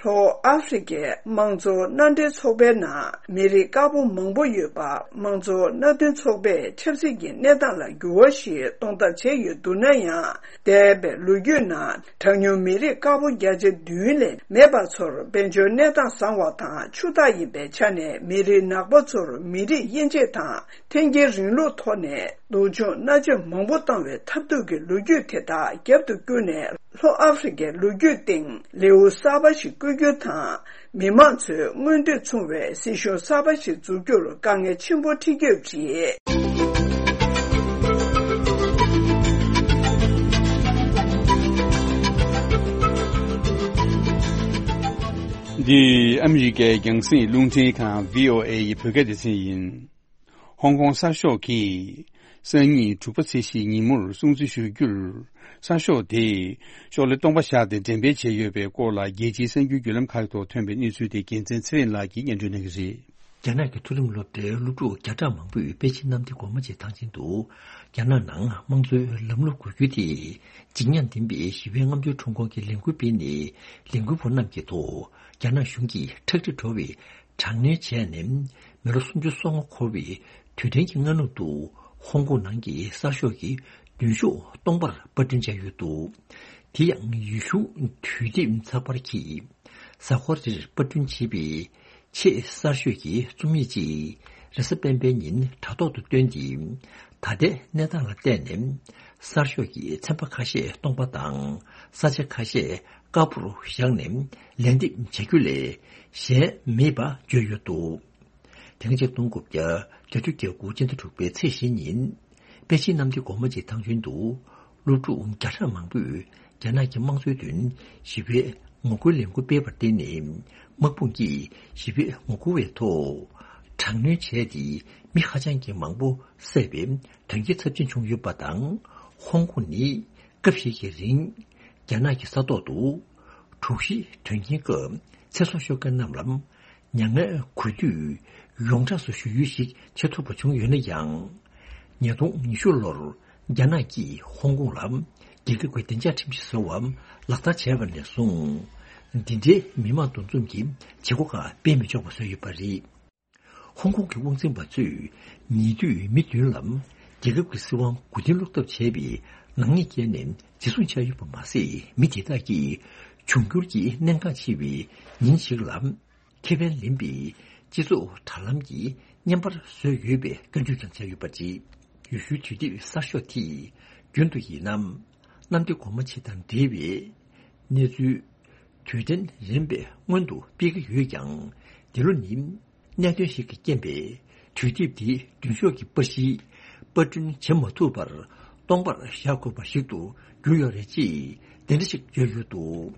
ལྷོ་ཨ་ཧྥེ་རི་ཁའི་དམངས་གཙོ་མནའ་འབྲེལ་ཚོགས་པའི་ནང་མི་རིགས་དཀར་པོ་མང་པོ་ཡོད་པ། དམངས་གཙོ་མནའ་མཐུན་ཚོགས་པས་ཆབ་སྲིད་ཀྱི་གནས་སྟངས་ལ་འགྱུར་བ་ཞིག་གཏོང་ཐབས་བྱས་ཡོད་འདུག་ན་ཡང་། འདས་པའི་ལོ་རྒྱུས་ནང་གྲངས་ཉུང་མི་རིགས་དཀར་པོ་བརྒྱ་ཆ་བདུན་ལས་མེད་པ་ཚོར་དཔལ་འབྱོར་གནས་སྟངས་བཟང་བ་དང་ཕྱུག་བདག་ཡིན་པའི་ཆ་ནས་མི་རིགས་ནག་པོ་ཚོར་མི་རིགས་དབྱེ་འབྱེད་དང་། འཐེན་འཁྱེར་རིང་ལུགས་ཐོག་ནས་སྡུག་སྦྱོང་མནར་གཅོད་མང་པོ་བཏང་བའི་ཐབས་སྡུག་གི་ལོ་རྒྱུས་དེ་དག་རྒྱབ་ཏུ་བསྐྱུར་ནས། ལྷོ་ཨ་ཧྥེ་རི་ཁའི་ལོ་རྒྱུས་སྟེང་ལེའུ་གསར་པ་ཞིག་བསྐྱོད་རྒྱུ་དང་། མི་མང་ཚོའི་མངོན་འདོད་མཚུངས་པའི་སྲིད་གཞུང་གསར་པ་ཞིག་འཛུགས་རྒྱུར་དཀའ་ངལ་ཆེན་པོ་འཕྲད་ཀྱི་ཡོད་པ་རེད། འདི་ཨ་མི་རི་ཀའི་རྒྱང་སྲིང་རླུང་འཕྲིན་ཁང་། བྷི་ཨོ་ཨེ་ཡི་བོད་སྐད་སྡེ་ཚན་ཡིན། ཧོང་ཀོང་གསར་ཤོག་གིས་སང་ཉིན་དྲུག་པ་ཚེས་བཞི་ཉིན་མོར་སྲུང་བརྩི་ཞུ་རྒྱུར། གསར་ཤོག་དེས་ཤོག་ལེ་སྟོང་པ་བཞག་སྟེ་འགྲེམས་སྤེལ་བྱས་ཡོད་པའི་སྐོར་ལ། རྒྱལ་སྤྱིའི་གསར་འགྱུར་བརྒྱུད་ལམ་ཁག་ཐོག་ཐོན་པའི་གནས་ཚུལ་དེ་རྒྱལ་མཚན་ཚེ་རིང་ལགས་ཀྱིས་སྙན་སྒྲོན་གནང་གི་རེད། རྒྱ་ནག་གི་མཐོ་རིམ་སློབ་གྲྭའི་སློབ་ཕྲུག་བརྒྱ་ཕྲག་མང་པོས་པེ་ཅིན་གནམ་བདེ་སྒོ་མོ་ཆེའི་ཐང་ཆེན་དུ། རྒྱ་ནག་ནང་དམངས་གཙོའི་ལམ་ལུགས་འགུལ་སྐྱོད་དེ། འཇིགས་ཉེན་ལྡན་པའི་ཞི་བའི་རྔམ་སྟོན་ཁྲོམ་སྐོར་གྱི་ལས་འགུལ་སྤེལ་ནས། ལས་འགུལ་བ་རྣམས་ཀྱི་ཐོག་རྒྱ་ནག་གཞུང་གིས་ཁྲག་དྲི་བྲོ་བའི་དྲག་གནོན་བྱས་ནས། མི་ལོ་སུམ་ཅུ་སོ་ལྔ་འཁོར་བའི་དུས་དྲན་གྱི་སྔ་ནུབ་ཏུ། ཧོང་ཀོང་ནང་གི་གསར་ཤོག་གི་མདུན་ཤོག་སྟོང་པར་པར་སྐྲུན་བྱས་ཡོད་འདུག་དེ་ཡང་ཡུལ་གཞུང་དུས་དེབ་ཚགས་པར་གྱིས། གཟའ་འཁོར་རེར་པར་སྐྲུན་བྱས་པའི་ཆེས་གསར་ཤོས་ཀྱི་རྩོམ་ཡིག་ཅིག་རེས་གཟའ་སྤེན་པའི་ཉིན་དྲ་ཐོག་ཏུ་བཏོན་ཏེ། ད་ལྟའི་གནས་སྟངས་ལ་བལྟས་ནས། གསར་ཤོག་གི་ཚན་པ་ཁ་ཤས་སྟོང་པ་དང་། ས་ཆ་ཁ་ཤས་དཀར་པོར་བཞག་ནས་ལན་འདེབས་བྱ་རྒྱུ་ལས་གཞན་མེད་པ་བརྗོད་ཡོད་འདུག་དེ་སྔ་ཕྱི་ལོ་ཆིག་སྟོང་དགུ་བརྒྱ་བརྒྱད་ཅུ་གྱ་དགུ་སྤྱི་ཟླ་དྲུག་པའི་ཚེས་བཞི་ཉིན། པེ་ཅིན་གནམ་བདེ་སྒོ་མོ་ཆེའི་ཐང་ཆེན་དུ། སློབ་ཕྲུག་བརྒྱ་ཕྲག་མང་པོས་རྒྱ་ནག་གི་དམངས་གཙོའི་དོན་ཞི་བའི་ངོ་རྒོལ་ལས་འགུལ་སྤེལ་བར་བརྟེན་ནས། དམག་དཔུང་གིས་ཞི་བའི་ངོ་རྒོལ་བའི་ཐོག་དྲག་གནོན་བྱས་ཏེ། མི་ཧ་ཅང་གི་མང་པོ་བསད་པའི་དོན་རྐྱེན་ཚབས་ཆེན་བྱུང་ཡོད་པ་དང་། ཧོང་ཀོང་ནི་སྐབས་ཤིག་གི་རིང་རྒྱ་ནག་གི་ས་ཐོག་ཏུ་དྲུག་བཞི་དོན་རྐྱེན་སྐབས་ཚེ་སྲོག་ཤོར་མཁན་རྣམས་ལ། མྱ་ངན་གུས་འདུད་ཡོངས་གྲགས་སུ་ཞུ་ཡུལ་ཞིག་བྱེད་ཐུབ་པ་བྱུང་ཡོད་ན་ཡང་། ཉིས་སྟོང་ཉི་ཤུ་ལོར་རྒྱ་ནག་གིས་ཧོང་ཀོང་ལ་རྒྱལ་ཁབ་ཀྱི་བདེ་འཇགས་ཁྲིམས་གཞི་བཟོ་བ་ལག་བསྟར་བྱས་པ་ནས་བཟུང་། འདི་འདྲའི་མི་མང་འདུ་འཛོམས་ཀྱི་བྱེད་སྒོ་ཁག་སྤེལ་མི་ཆོག་པ་བཟོས་ཡོད་པ་རེད། ཧོང་ཀོང་གི་དབང་འཛིན་པ་ཚོས་ཉེ་དུས་མི་བདུན་ལ་རྒྱལ་ཁབ་ཀྱི་སྲིད་དབང་མགོ་རྟིང་སློག་ཐབས་བྱས་པའི་ནག་ཉེས་བཀལ་ནས་འཛིན་བཟུང་བྱས་ཡོད་པ་མ་ཟད། མི་དེ་དག་གིས་འབྱུང་འགྱུར་གྱི་གནད་འགག་ཆེ་བའི་ཉིན་ཞིག་ལ། ཁེ་ཕན་ལེན་པའི་སྤྱི་ཚོགས་དྲ་ལམ་གྱི་བརྙན་པར་བཟོས་ཡོད་པའི་སྐྱོན་བརྗོད་ཀྱང་བྱས་ཡོད་པ་རེད། ཡུལ་ཤུལ་དུས་དེབ་གསར་ཤོག་དེས་རྒྱུན་དུ་ཡིན་ནམ། གནམ་བདེ་སྒོ་མོ་ཆེ་དང་འབྲེལ་བའི་གནས་ཚུལ་དུས་དྲན་རན་པའི་སྔོན་དུ་སྤེལ་གྱི་ཡོད་ཀྱང་། འདི་ལོ་ནི་གནད་དོན་ཞིག་གི་རྐྱེན་པས། དུས་དེབ་འདིའི་མདུན་ཤོག་གི་པར་གཞི་པར་སྐྲུན་བྱེད་མ་ཐུབ་པར་སྟོང་པར་བཞག་དགོས་པ་ཞིག་ཏུ་གྱུར་ཡོད་རེད་ཅེས་དེ་འདྲ་ཞིག་བརྗོད་ཡོད་འདུག་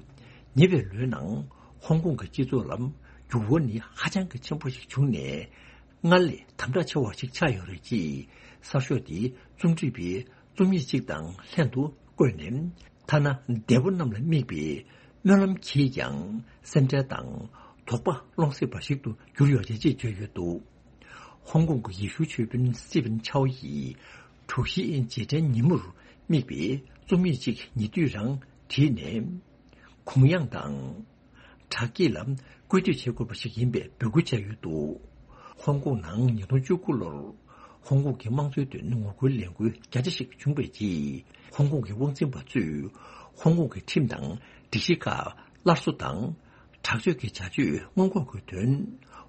ཉེ་བའི་ལོའི་ནང་ཧོང་ཀོང་གི་སྤྱི་ཚོགས་ལ་འགྱུར་བ་ནི་ཧ་ཅང་གི་ཆེན་པོ་ཞིག་བྱུང་ནས། སྔར་ལས་དམ་དྲག་ཆེ་བ་ཞིག་ཆགས་ཡོད་རེད་ཅེས་གསར་ཤོག་དེའི་རྩོམ་སྒྲིག་པས་རྩོམ་ཡིག་ཅིག་དང་ལྷན་དུ་བཀོད་ནས། ཐ་ན་འདས་པོ་རྣམས་ལ་དམིགས་པའི་སྨོན་ལམ་གྱིས་ཀྱང་སེམས་ཁྲལ་དང་དོགས་པ་སློང་སྲིད་པ་ཞིག་ཏུ་གྱུར་ཡོད་རེད་ཅེས་བརྗོད་ཡོད་འདུག་ཧོང་ཀོང་གི་ཡེ་ཤུ་ཆོས་དཔོན་སི་ཏི་ཕིན་ཆའོ་ཡིས་དྲུག་བཞི་རྗེས་དྲན་ཉིན་མོར་དམིགས་པའི་རྩོམ་ཡིག་ཅིག་ཉེ་དུས་རང་བྲིས་ནས། གུང་དབྱངས་དང་དྲག་སྐྱེད་ལ་སྐུལ་འདེད་བྱེད་དགོས་པ་ཞིག་ཡིན་པའི་འབོད་སྐུལ་བྱས་ཡོད་འདུག་ཧོང་ཀོང་ནང་ཉིས་སྟོང་བཅུ་དགུ་ལོར་ཧོང་ཀོང་གི་དམངས་གཙོའི་དོན་ངོ་རྒོལ་ལས་འགུལ་བརྒྱ་ཆ་ཞིག་བྱུང་བའི་རྗེས། ཧོང་ཀོང་གི་དབང་འཛིན་པ་ཚོས་ཧོང་ཀོང་གི་ཁྲིམས་དང་སྒྲིག་གཞི་ཁག་སླར་གསོ་དང་། དྲག་སྤྱོད་ཀྱི་བྱ་སྤྱོད་སྔོན་འགོག་གི་དོན།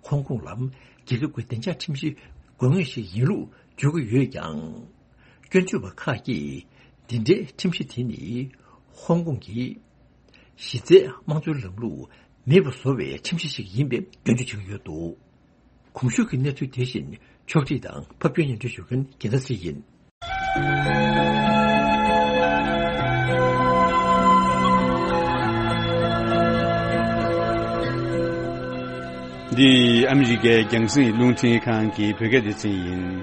ཧོང་ཀོང་ལ་རྒྱལ་ཁབ་ཀྱི་བདེ་འཇགས་ཁྲིམས་གཞི་དགོས་ངེས་ཤིག་ཡིན་ལུགས་བརྗོད་ཀྱི་ཡོད་ཀྱང་། སྐྱོན་བརྗོད་པ་ཁག་གིས་འདི་འདྲའི་ཁྲིམས་གཞི་དེ་ནི་ཧོང་ཀོང་གི་གཞི་རྩའི་དམངས་གཙོའི་ལམ་ལུགས་མེད་པར་བཟོ་བའི་ཁྲིམས་གཞི་ཞིག་ཡིན་པའི་སྐྱོན་བརྗོད་བྱེད་ཀྱི་ཡོད་འདུག་གོང་ཞུས་ཀྱི་གནས་ཚུལ་དེ་བཞིན་ཕྱོགས་སྒྲིག་དང་ཕབ་སྒྱུར་སྙན་སྒྲོན་ཞུ་མཁན་རྒྱལ་མཚན་ཚེ་རིང་ཡིན། འདི་ཨ་མི་རི་ཀའི་རྒྱང་སྲིང་རླུང་འཕྲིན་ཁང་གི་བོད་སྐད་སྡེ་ཚན་ཡིན།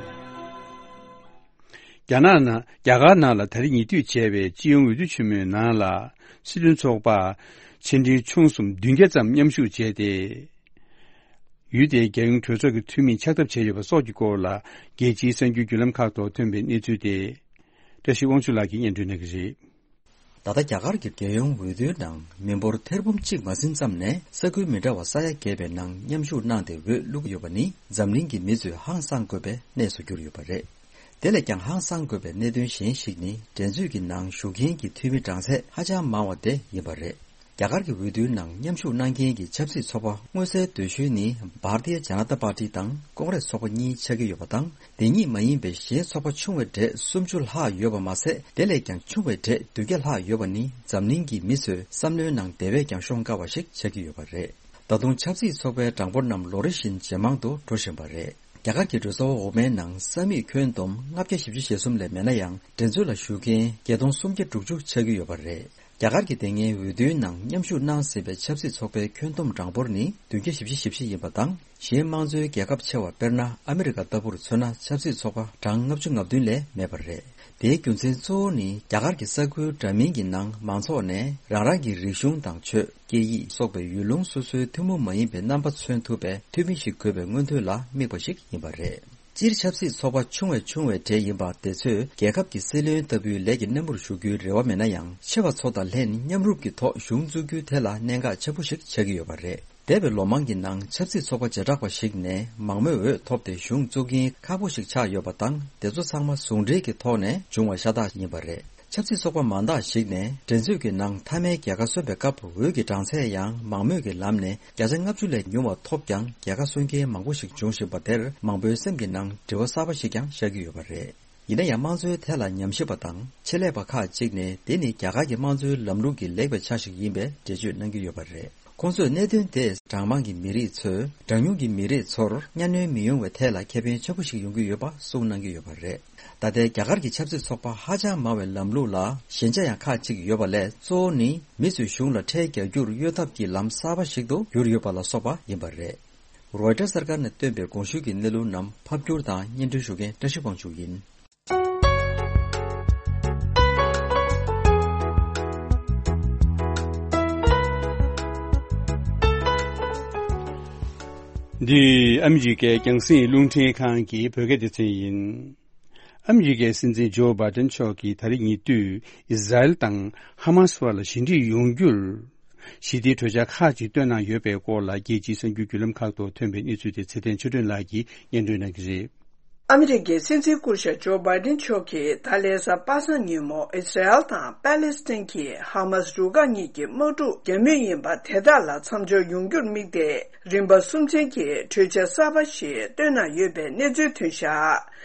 རྒྱ་ནག་ནང་། རྒྱ་གར་ནང་ལ་ད་རེས་ཉེ་དུས་བྱས་པའི་སྤྱི་ཡོངས་འོས་བསྡུ་ཆེན་མོའི་ནང་ལ། སྲིད་དོན་ཚོགས་པ་ཆེ་འབྲིང་ཆུང་གསུམ་བདུན་བརྒྱ་ཙམ་མཉམ་ཞུགས་བྱས་ཏེ། ཡུལ་དེའི་རྒྱལ་ཡོངས་གྲོས་ཚོགས་ཀྱི་འཐུས་མིས་ཕྱག་བཏབ་བྱས་ཡོད་པ་སོགས་ཀྱི་སྐོར་ལ། རྒྱལ་སྤྱིའི་གསར་འགྱུར་བརྒྱུད་ལམ་ཁག་ཐོག་ཐོན་པའི་གནས་ཚུལ་དེ། བཀྲ་ཤིས་དབང་ཕྱུག་ལགས་ཀྱིས་སྙན་སྒྲོན་གནང་གི་རེད། ད་ལྟ་རྒྱ་གར་གྱི་རྒྱལ་ཡོངས་འོས་བསྡུའི་ནང་མི་འབོར་ཐེར་འབུམ་གཅིག་མ་ཟིན་ཙམ་ནས་ས་ཁུལ་མི་འདྲ་བ་ས་ཡ་བརྒལ་བའི་ནང་མཉམ་ཞུགས་གནང་སྟེ་འོས་བླུགས་ཡོད་པ་ནི་འཛམ་གླིང་གི་མི་ཚོས་ཧང་སངས་དགོས་པའི་གནས་སུ་གྱུར་ཡོད་པ་རེད། དེ་ལས་ཀྱང་ཧང་སངས་དགོས་པའི་གནད་དོན་གཞན་ཞིག་ནི་འགྲན་རྩོད་ཀྱི་ནང་ཞུགས་མཁན་གྱི་འཐུས་མི་གྲངས་ཚད་ཧ་ཅང་མང་བ་དེ་ཡིན་པ་རེད། རྒྱ་གར་གྱི་འོས་བསྡུའི་ནང་མཉམ་ཞུགས་གནང་མཁན་གྱི་ཆབ་སྲིད་ཚོགས་པ་མངོན་གསལ་དོད་ཤོས་ནི་Bharatiya Janata Party དང་ཀོང་རེས་ཚོགས་པ་གཉིས་ཆགས་ཀྱི་ཡོད་པ་དང་། དེ་གཉིས་མ་ཡིན་པའི་གཞན་ཚོགས་པ་ཆུང་བའི་གྲས་སུམ་ཅུ་ལྷག་ཡོད་པ་མ་ཟད། དེ་ལས་ཀྱང་ཆུང་བའི་གྲས་བདུན་བརྒྱ་ལྷག་ཡོད་པ་ནི་འཛམ་གླིང་གི་མི་ཚོས་བསམ་བློའི་ནང་དེ་བས་ཀྱང་ཤོང་དཀའ་བ་ཞིག་ཆགས་ཀྱི་ཡོད་པ་རེད། ད་དུང་ཆབ་སྲིད་ཚོགས་པའི་གྲངས་འབོར་རྣམས་ལོ་རེ་བཞིན་ཇེ་མང་དུ་འགྲོ་བཞིན་པ་རེད། རྒྱ་གར་གྱི་གྲོས་ཚོགས་འོག་མའི་ནང་ས་མིག་ཁྱོན་བསྡོམས་ལྔ་བརྒྱ་བཞི་བཅུ་ཞེ་གསུམ་ལས་མེད་ན་ཡང་། འགྲན་རྩོད་ལ་ཞུགས་མཁན་བརྒྱད་སྟོང་སུམ་བརྒྱ་དྲུག་ཅུ་ཆགས་ཀྱི་ཡོད་པ་རེད། རྒྱ་གར་གྱི་དེ་སྔའི་འོས་བསྡུའི་ནང་མཉམ་ཞུགས་གནང་ཟིན་པའི་ཆབ་སྲིད་ཚོགས་པའི་ཁྱོན་བསྡོམས་གྲངས་འབོར་ནི་བདུན་བརྒྱ་བཞི་བཅུ་ཞེ་བཞི་ཡིན་པ་དང་། གཞན་དམངས་གཙོའི་རྒྱལ་ཁབ་ཆེ་བ་དཔེར་ན་ཨ་མི་རི་ཀ་ལྟ་བུར་མཚོན་ན་ཆབ་སྲིད་ཚོགས་པ་གྲངས་ལྔ་བཅུ་ང་བདུན་ལས་མེད་པ་རེད། དེའི་རྒྱུ་མཚན་གཙོ་བོ་ནི་རྒྱ་གར་གྱི་ས་ཁུལ་འདྲ་མིན་གྱི་ནང་མང་ཚོགས་ནས་རང་རང་གི་རིག་གཞུང་དང་ཆོས། སྐད་ཡིག་སོགས་པའི་ཡུལ་ལུང་སོ་སོའི་ཐུན་མོང་མ་ཡིན་པའི་རྣམ་པ་མཚོན་ཐུབ་པའི་འཐུས་མི་ཞིག་དགོས་པའི་མངོན་འདོད་ལ་དམིགས་པ་ཞིག་ཡིན་པ་རེད། སྤྱིར་ཆབ་སྲིད་ཚོགས་པ་ཆུང་བས་ཆུང་བའི་གྲས་ཡིན་པ་དེ་ཚོས་རྒྱལ་ཁབ་ཀྱི་སྲིད་བློན་ལྟ་བུའི་ལས་ཀྱི་སྣེ་མོར་ཞུགས་རྒྱུའི་རེ་བ་མེད་ན་ཡང་། ཆེ་བ་ཚོ་དང་ལྷན་མཉམ་རུབ་ཀྱི་ཐོག་གཞུང་བཙུགས་རྒྱུ་དེ་ལ་གནད་འགག་ཆེན་པོ་ཞིག་ཆགས་ཀྱི་ཡོད་པ་རེད། འདས་པའི་ལོ་མང་གི་ནང་ཆབ་སྲིད་ཚོགས་པ་བྱེ་བྲག་པ་ཞིག་ནས་མང་མོས་འོས་ཐོབ་སྟེ་གཞུང་བཙུགས་མཁན་ཁག་པོ་ཞིག་ཆགས་ཡོད་པ་དང་། དེ་ཚོ་ཚང་མ་ཟུང་འབྲེལ་གྱི་ཐོག་ནས་བྱུང་བ་ཤ་སྟག་ཡིན་པ་རེད། ཆབ་སྲིད་ཚོགས་པ་མང་དག་ཞིག་ནས་འགྲན་རྩོད་ཀྱི་ནང་མཐའ་མའི་རྒྱལ་ཁ་སོན་པའི་སྐབས་འོས་ཀྱི་གྲངས་ཚད་ཡང་མང་མོས་ཀྱི་ལམ་ནས་བརྒྱ་ཆ་ལྔ་བཅུ་ལས་ཉུང་བ་ཐོབ་ཀྱང་རྒྱལ་ཁ་སོན་མཁན་མང་པོ་ཞིག་འབྱུང་བཞིན་པ་དེར་མང་པོའི་སེམས་ཀྱི་ནང་དྲི་བ་གསར་པ་ཞིག་ཀྱང་ཤར་གྱི་ཡོད་པ་རེད། ཡིན་ན་ཡང་དམངས་གཙོའི་ཐད་ལ་ཉམས་ཞིབ་པ་དང་ཆེད་ལས་པ་ཁག་ཅིག་ནས་དེ་ནི་རྒྱ་གར་གྱི་དམངས་གཙོའི་ལམ་ལུགས་ཀྱི་ལེགས་པའི་ཆ་ཞིག་ཡིན་པའི་འགྲེལ་བརྗོད་གནང་གི་ཡོད་པ་རེད། ཁོང་ཚོས་གནད་དོན་དེ་གྲངས་མང་གི་མི་རིགས་ཚོས་གྲངས་ཉུང་གི་མི་རིགས་ཚོར་གཉའ་གནོན་མི་ཡོང་བའི་ཐད་ལ་ཁེ་ཕན་ཆེན་པོ་ཞིག་ཡོང་གི་ཡོད་པ་གསུངས་གནང་གི་ཡོད་པ་རེད། ད་ལྟའི་རྒྱ་གར་གྱི་ཆབ་སྲིད་ཚོགས་པ་ཧ་ཅང་མང་བའི་ལམ་ལུགས་ལ་ཞན་ཆ་ཡང་ཁག་ཅིག་ཡོད་པ་ལས། གཙོ་བོ་ནི་མི་ཚོས་གཞུང་ལ་ཁྲལ་རྒྱག་རྒྱུར་གཡོལ་ཐབས་ཀྱི་ལམ་གསར་པ་ཞིག་ཏུ་གྱུར་ཡོད་པ་ལ་སོགས་པ་ཡིན་པ་རེད། རོའི་ཊར་གསར་ཁང་ནས་བཏོན་པའི་གོང་ཞུས་ཀྱི་གནས་ལུགས་རྣམས་ཕབ་བསྒྱུར་དང་སྙན་སྒྲོན་ཞུ་མཁན་བཀྲ་ཤིས་དབང་ཕྱུག་ཡིན། འདི་ཨ་མི་རི་ཀའི་རྒྱང་སྲིང་རླུང་འཕྲིན་ཁང་གི་བོད་སྐད་སྡེ་ཚན་ཡིན། ཨ་མི་རི་ཀའི་སྲིད་འཛིན་ཇོ་བྷའི་ཏན་མཆོག་གིས་ད་རེས་ཉེ་དུས་ཨི་ཟ་རེལ་དང་ཧ་མ་སི་བར་ལ་ཞི་འགྲིག་ཡོང་རྒྱུར་ཞི་བདེའི་གྲོས་འཆར་ཁག་ཅིག་བཏོན་གནང་ཡོད་པའི་སྐོར་ལ། རྒྱལ་སྤྱིའི་གསར་འགྱུར་བརྒྱུད་ལམ་ཁག་ཏུ་ཐོན་པའི་གནས་ཚུལ་དེ་ཚེ་བརྟན་ཆོས་སྒྲོན་ལགས་ཀྱིས་སྙན་སྒྲོན་གནང་གི་རེད། ཨ་མི་རི་ཀའི་སྲིད་འཛིན་སྐུ་ཞབས་ཇོ་བྷའི་ཏན་མཆོག་གིས་ད་ལན་གཟའ་པ་སངས་ཉིན་མོ་ཨི་སི་རལ་དང་པ་ལེ་སི་ཐན་གྱི་ཧ་མ་སི་རུ་ཁག་གཉིས་ཀྱི་དམག་འཁྲུག་རྒྱག་མུས་ཡིན་པ་དེ་དག་ལ་མཚམས་འཇོག་ཡོང་རྒྱུར་དམིགས་ཏེ། རིམ་པ་གསུམ་ཅན་གྱི་གྲོས་འཆར་གསར་པ་ཞིག་བཏོན་གནང་ཡོད་པའི་གནས་ཚུལ་ཐོན་བཞག་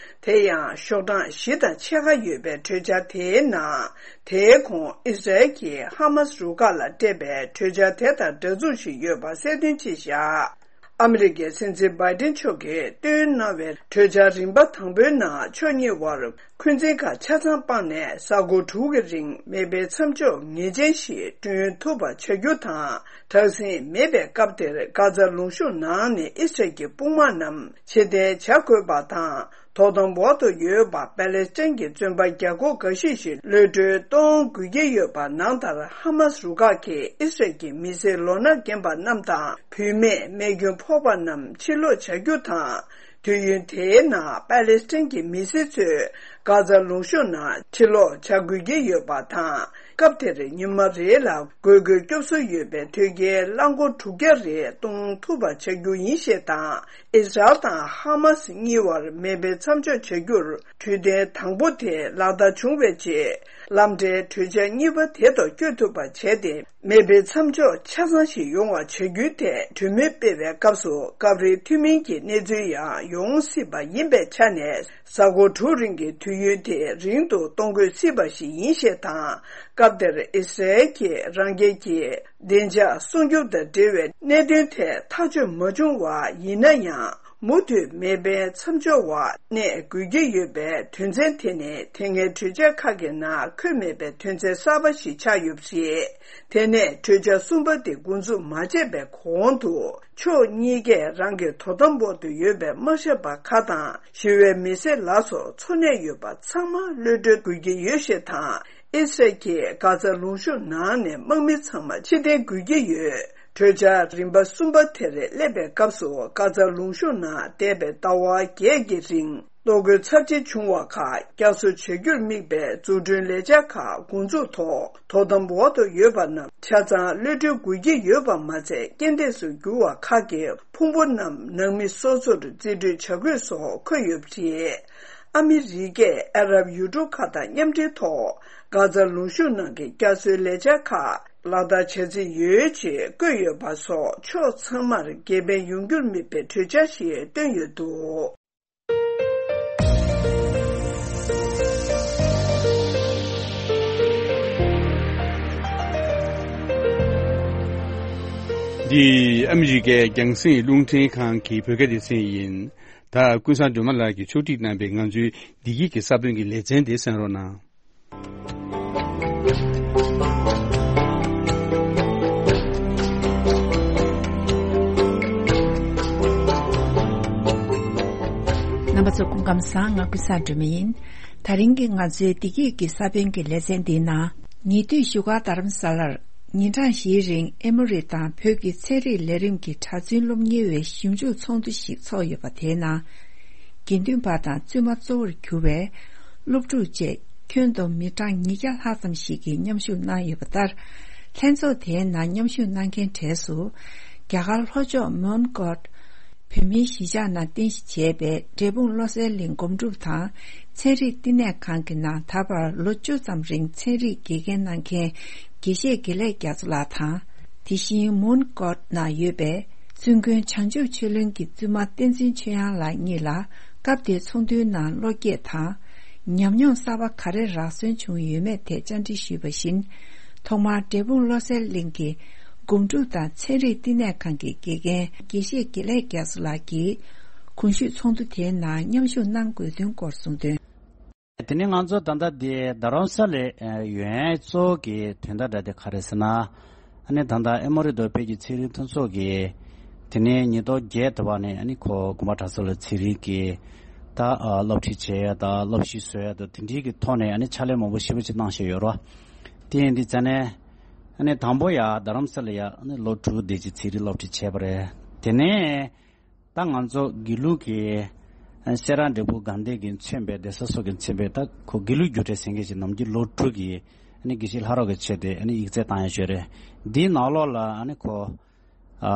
དེ་ཡང་ཤོག་གྲངས་བཞི་དང་ཕྱེད་ཀ་ཡོད་པའི་གྲོས་འཆར་དེའི་ནང་། དེའི་གོང་ཨི་སི་རལ་གྱིས་ཧ་མ་སི་རུ་ཁག་ལ་སྤྲད་པའི་གྲོས་འཆར་དེ་དང་འདྲ་མཚུངས་ཤིག་ཡོད་པ་གསལ་སྟོན་བྱས་བཞག་ཨ་མི་རི་ཀའི་སྲིད་འཛིན་བྷའི་ཏན་མཆོག་གིས་བཏོན་གནང་བའི་གྲོས་འཆར་རིམ་པ་དང་པོའི་ནང་ཕྱོགས་གཉིས་དབར་འཁོན་འཛིན་ཁག་ཆ་ཚང་སྤངས་ནས་གཟའ་འཁོར་དྲུག་གི་རིང་མེ་འཕེན་མཚམས་འཇོག་ངེས་ཅན་ཞིག་བསྐྲུན་ཐུབ་པ་བྱ་རྒྱུ་དང་། དྲག་ཟིང་མེད་པའི་སྐབས་དེར་གྷ་ཛ་ལུང་གཤོང་ནང་ནས་ཨི་སི་རལ་གྱི་དཔུང་དམག་རྣམས་ཕྱིར་འཐེན་བྱ་དགོས་པ་དང་། དོ་དམ་འོག་ཏུ་ཡོད་པ་པ་ལེ་སི་ཐན་གྱི་བཙོན་པ་བརྒྱ་སྐོར་འགའ་ཤས་ཤིག་གློད་གྲོལ་གཏོང་དགོས་ཀྱི་ཡོད་པ་ནང་ལྟར། ཧ་མ་སི་རུ་ཁག་གིས་ཨི་སི་རལ་གྱི་མི་སེར་ལོ་ན་རྒན་པ་རྣམས་དང་། བུད་མེད། རྨས་སྐྱོན་ཕོག་པ་རྣམས་ཕྱིར་སློག་བྱ་རྒྱུ་དང་། དུས་ཡུན་དེའི་ནང་པ་ལེ་སི་ཐན་གྱི་མི་སེར་ཚོས་གྷ་ཛ་ལུང་གཤོང་ནང་ཕྱིར་སློག་བྱ་དགོས་ཀྱི་ཡོད་པ་དང་། སྐབས་དེར་ཉི་མ་རེ་ལ་དགོས་མཁོའི་སྐྱོབ་གསོ་ཡོད་པའི་དོས་སྐྱེལ་རླངས་འཁོར་དྲུག་བརྒྱ་རེ་གཏོང་ཐུབ་པ་བྱ་རྒྱུ་ཡིན་ཞེས་དང་། ཨི་སི་རལ་དང་ཧ་མ་སི་གཉིས་བར་མེ་འཕེན་མཚམས་འཇོག་བྱ་རྒྱུར་གྲོས་མཐུན་དང་པོ་དེ་ལག་བསྟར་བྱུང་བའི་རྗེས། ལམ་འབྲེལ་གྲོས་འཆར་གཉིས་པ་དེ་ཐོག་བསྐྱོད་ཐུབ་པ་བྱས་ཏེ། མེ་འཕེན་མཚམས་འཇོག་ཆ་ཚང་ཞིག་ཡོང་བ་བྱ་རྒྱུའི་ཐད་གྲོས་མོལ་སྤེལ་བའི་སྐབས་སུ། སྐབས་རེའི་མཐུན་མིན་གྱི་གནས་ཚུལ་ཡང་ཡོང་སྲིད་པ་ཡིན་པའི་ཆ་ནས། གཟའ་འཁོར་དྲུག་རིང་གི་དུས་ཡུན་དེ་རིང་དུ་གཏོང་དགོས་སྲིད་པ་ཞིག་ཡིན་ཞེས་དང་། སྐབས་དེར་ཨི་སི་རལ་གྱིས་རང་རྒྱལ་གྱི་བདེ་འཇགས་སྲུང་སྐྱོབ་དང་འབྲེལ་བའི་གནད་དོན་ཐད་ཐག་གཅོད་མ་བྱུང་བ་ཡིན་ན་ཡང་། མུ་མཐུད་མེ་འཕེན་མཚམས་འཇོག་འོག་གནས་དགོས་ཀྱི་ཡོད་པའི་དོན་ཚན་དེ་ནི་དེ་སྔའི་གྲོས་འཆར་ཁག་གི་ནང་འཁོད་མེད་པའི་དོན་ཚན་གསར་པ་ཞིག་ཆགས་ཡོད་པ་རེད། དེ་ནས་གྲོས་འཆར་གསུམ་པ་དེ་འགོ་འཛུགས་མ་བྱས་པའི་གོང་དུ། ཕྱོགས་གཉིས་ཀས་རང་གི་དོ་དམ་འོག་ཏུ་ཡོད་པའི་དམག་ཞབས་པ་ཁག་དང་། ཞི་བའི་མི་སེར་ལ་སོགས་འཚོ་གནས་ཡོད་པ་ཚང་མ་གློད་གྲོལ་དགོས་ཀྱི་ཡོད་ཞེས་དང་། ཨི་སི་རལ་གྱིས་གྷ་ཛ་ལུང་གཤོང་ནང་ནས་དམག་མི་ཚང་མ་ཕྱིར་འཐེན་དགོས་ཀྱི་ཡོད། གྲོས་འཆར་རིམ་པ་གསུམ་པ་དེར་སླེབས་པའི་སྐབས་སུ། གྷ་ཛ་ལུང་གཤོང་ནང་འདས་པའི་ཟླ་བ་བརྒྱད་ཀྱི་རིང་ གློག་སྒོའི་ཚབས་ཆེ་བྱུང་བ་ཁག་བསྐྱར་གསོ་བྱ་རྒྱུར་དམིགས་པའི་འཛུགས་སྐྲུན་ལས་འཆར་ཁག་འགོ་འཛུགས་ཐོག་དོ་དམ་འོག་ཏུ་ཡོད་པ་རྣམས་ཆ་ཚང་གློད་གྲོལ་དགོས་ཀྱི་ཡོད་པ་མ་ཚད། རྐྱེན་འདས་སུ་གྱུར་བ་ཁག་གི་ཕུང་པོ་རྣམས་ནང་མི་སོ་སོར་རྩིས་སྤྲོད་བྱ་དགོས་སོགས་འཁོད་ཡོད་པ་རེད། ཨ་མི་རི་ཀས་ཨ་རབ་ཡུལ་གྲུ་ཁག་དང་མཉམ་འབྲེལ་ཐོག་གྷ་ཛ་ལུང་གཤོང་ནང་གི་བསྐྱར་གསོའི་ལས་འཆར་ཁག་ལག་བསྟར་བྱ་རྩིས་ཡོད་ཅེས་བཀོད་ཡོད་པ་སོགས་ཕྱོགས་ཚང་མར་དགེ་ཕན་ཡོང་རྒྱུར་དམིགས་པའི་གྲོས་འཆར་ཞིག་བཏོན་ཡོད་འདུག། འདི་ཨ་མི་རི་ཀའི་རྒྱང་སྲིང་རླུང་འཕྲིན་ཁང་གི་བོད་སྐད་སྡེ་ཚན་ཡིན། ད་ཀུན་བཟང་སྒྲོལ་མ་ལགས་ཀྱིས་ཕྱོགས་སྒྲིག་གནང་བའི་ང་ཚོའི་བདེ་སྐྱིད་ཀྱི་ས་བོན་གྱི་ལེ་ཚན་དེ་གསན་རོགས་གནང་། རྣམ་པ་ཚོ་སྐུ་ཁམས་བཟང་། ང་ཀུན་བཟང་སྒྲོལ་མ་ཡིན། དེ་རིང་གི་ང་ཚོའི་བདེ་སྐྱིད་ཀྱི་ས་བོན་གྱི་ལེ་ཚན་འདིའི་ནང་། ཉེ་དུས་བཞུགས་སྒར་རྡ་རམ་ས་ལར་ཉིན་གྲངས་བཞིའི་རིང་ཨེ་མོ་རི་དང་བོད་ཀྱི་ཚན་རིག་ལས་རིམ་གྱི་གྲྭ་བཙུན་སློབ་གཉེར་བའི་ཞིབ་འཇུག་ཚོགས་འདུ་ཞིག་ཚོགས་ཡོད་པ། དེའི་ནང་དགེ་འདུན་པ་དང་བཙུན་མ་གཙོ་བོར་གྱུར་བའི་སློབ་ཕྲུག་བཅས་ཁྱོན་བསྡོམས་མི་གྲངས་ཉིས་བརྒྱ་ལྷག་ཙམ་ཞིག་གིས་མཉམ་ཞུགས་གནང་ཡོད་པ་ལྟར། ལྷན་ཚོགས་དེའི་ནང་མཉམ་ཞུགས་གནང་མཁན་གྲས་སུ། རྒྱ་གར་ལྷོ་ཕྱོགས་མོན་གྷོར་བོད་མིའི་གཞིས་ཆགས་ནང་རྟེན་གཞི་བྱས་པའི་འབྲས་སྤུངས་བློ་གསལ་གླིང་སྒོམ་སྒྲུབ་དང་ཚན་རིག་བསྟི་གནས་ཁང་གི་ནང་ད་བར་ལོ་བཅུ་ཙམ་རིང་ཚན་རིག་དགེ་རྒན་གནང་མཁན་དགེ་བཤེས་དགེ་ལེགས་རྒྱ་མཚོ་ལགས་དང་། དེ་བཞིན་མོན་གྷོ་ནང་ཡོད་པའི་བཙུན་དགོན་བྱང་ཆུབ་ཆོས་གླིང་གི་བཙུན་མ་བསྟན་འཛིན་ཆོས་དབྱངས་ལགས་གཉིས་ལ་སྐབས་དེའི་ཚོགས་འདུའི་ནང་བློ་སྐྱེད་དང་། ཉམས་མྱོང་གསར་པ་ག་རེ་རག་སོན་བྱུང་ཡོད་མེད་ཐད་བཅར་འདྲི་ཞུས་པ་བཞིན། ཐོག་མར་འབྲས་སྤུངས་བློ་གསལ་གླིང་གི་སྒོམ་སྒྲུབ་དང་ཚན་རིག་བསྟི་གནས་ཁང་གི་དགེ་རྒན་དགེ་བཤེས་དགེ་ལེགས་རྒྱ་མཚོ་ལགས་ཀྱིས་གོང་ཞུས་ཚོགས་འདུ་དེའི་ནང་མཉམ་ཞུགས་གནང་དགོས་དོན་སྐོར་གསུངས་དོན། དེ་ནས་ང་ཚོ་ད་ལྟ་འདི་རྡ་རམ་ས་ལའི་ཡོང་ཡས་གཙོ་བོ་གི་དོན་དག་འདྲ་དེ་ག་རེ་ཟེར་ན། ཨ་ནི་ད་ལྟ་ཨེ་མོ་རི་རྡོ་སྦིས་ཀྱི་ཚན་རིག་མཐུན་ཚོགས་ཀྱིས་དེ་ནས་ཉིས་སྟོང་བརྒྱད་དུ་བ་ནས་ཨ་ནི་ཁོ་དགོན་པ་གྲྭ་ཚང་ལ་ཚན་རིག་གི་ད་སློབ་ཁྲིད་བྱེད་ཡ་དང་སློབ་ཞུགས་བཟོ་ཡ་དང་དེ་འདྲའི་གི་ཐོག་ནས་ཨ་ནི་ཕྱག་ལས་མང་པོ་ཞེ་པོ་ཅིག་གནང་བཞིན་ཡོད་རེད་བ། དེ་ཡིན་དུས་ཙ་ནས་ཨ་ནི་དང་པོ་ཡ་རྡ་རམ་ས་ལ་ཡ་ཨ་ནི་ལོ་དྲུག་དེ་ཅིག་ཚན་རིག་སློབ་ཁྲིད་བྱས་པ་རེད། དེ་ནས། ད་ང་ཚོ་དགེ་ལུགས་ཀྱི་སེ་ར་འབྲས་སྤུངས་དགའ་ལྡན་གྱིས་མཚོན་པའི་གདན་ས་སོགས་ཀྱིས་མཚོན་པའི་ད་ཁོ་དགེ་ལུགས་རྒྱུགས་སྤྲོད་ཟེར་མཁན་ཞིག་ནམ་རྒྱུན་ལོ་དྲུག་གི་ཨ་ནི་དགེ་བཤེས་ལྷ་རབ་ཀྱི་ཆེད་དུ་ཨ་ནི་ཡིག་ཚད་བཏང་ཡ་ཅིག་ཡོད་རེད། འདིའི་ནང་ལོགས་ལ་ཨ་ནི་ཁོ་ཨ་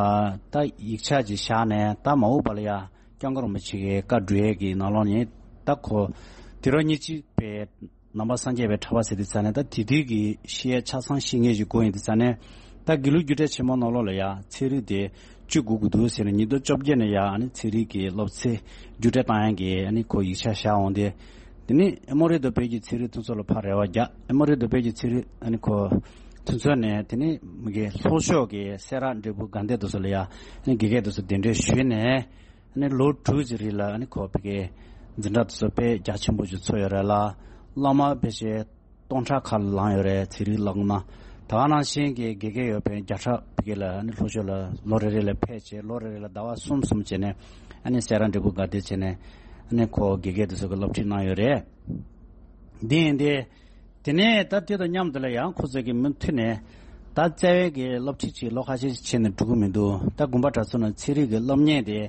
ད་ཡིག་ཆ་ཅིག་བཞག་ནས་ད་མ་འོངས་པ་ལ་ཡ་སྐྱབས་མགོན་རིན་པོ་ཆེ་གི་བཀའ་སྒྲུབ་ཡས་ཀྱི་ནང་ལོགས་ནས་ད་ཁོ་དུས་རབས་ཉེར་གཅིག་པའི་ནང་པ་སངས་རྒྱས་པའི་གྲགས་པ་ཟེར་དུས་ཙ་ནས་ད་དེ་དུས་ཀྱི་ཤེས་ཡ་ཆ་ཚང་ཤེས་མཁན་ཞིག་དགོས་ཡིན་དུས་ཙ་ནས་ད་དགེ་ལུགས་རྒྱུགས་སྤྲོད་ཆེན་མོ་ནང་ལོགས་ལ་ཡ་ཚན་རིག་དེ་བཅུག་དགོས་ཀྱི་འདུག་ཟེར་ནས་ཉིས་སྟོང་བཅོ་བརྒྱད་ནས་ཡ་ཨ་ནི་ཚན་རིག་གི་སློབ་ཚན་རྒྱུགས་སྤྲོད་བཏང་ཡ་གི་ཨ་ནི་ཁོ་ཡིག་ཆ་བཞག་འོང་དེ། དེ་ནི་ཨེ་མོ་རི་རྡོ་སྦིས་ཀྱི་ཚན་རིག་མཐུན་ཚོགས་ལ་ཕར་རེ་བ་རྒྱག་ཨེ་མོ་རི་རྡོ་སྦིས་ཀྱི་ཚན་རིག་ཨ་ནི་ཁོ་མཐུན་ཚོགས་ནས་དེ་ནི་མི་གི་ལྷོ་ཕྱོགས་ཀྱི་སེ་ར་འབྲས་སྤུངས་དགའ་ལྡན་དེ་ཚོ་ལ་ཡ་ཨ་ནི་དགེ་རྒན་དེ་ཚོ་གདན་འདྲེན་ཞུས་ནས། ཨ་ནི་ལོ་དྲུག་ཅིག་རིང་ལ་ཨ་ནི་ཁོ་ཕ་གིའི་འཛིན་གྲྭ་དེ་ཚོ་དཔེ་རྒྱ་ཆེན་པོ་ཅིག་ཚོགས་ཡོད་རེད་ལ། སློབ་མ་ཕལ་ཆེར་སྟོང་ཕྲག་ཁ་ལ་ལངས་ཡོད་རེད། ཚན་རིག་སློབ་མ་ད་ག་ནང་བཞིན་གྱི་དགེ་རྒན་ཡོད་པའི་བརྒྱ་ཕྲག་ཕ་གི་ལ་ཨ་ནི་ལྷོ་ཕྱོགས་ལ་ལོ་རེ་རེ་ལ་ཕེབས་བྱས་ལོ་རེ་རེ་ལ་ཟླ་བ་གསུམ་གསུམ་བྱས་ནས་ཨ་ནི་སེ་ར་འབྲས་སྤུངས་དགའ་ལྡན་བྱས་ནས་ཨ་ནི་ཁོ་དགེ་རྒན་དེ་ཚོ་གི་སློབ་ཁྲིད་གནང་ཡོད་རེད། འདི་ཡིན་ཏེ། དེ་ནས་ད་དེ་དང་མཉམ་དུ་ལ་ཡང་ཁོ་ཚོ་གི་མུ་མཐུད་ནས་ད་རྩ་བའི་གི་སློབ་ཁྲིད་ཅིག་ལོ་ཁ་ཤས་ཤིག་བྱས་ནས་འགྲོ་གི་མི་འདུག་ད་དགོན་པ་གྲྭ་ཚང་ནང་ཚན་རིག་གི་སློབ་གཉེར་དེ་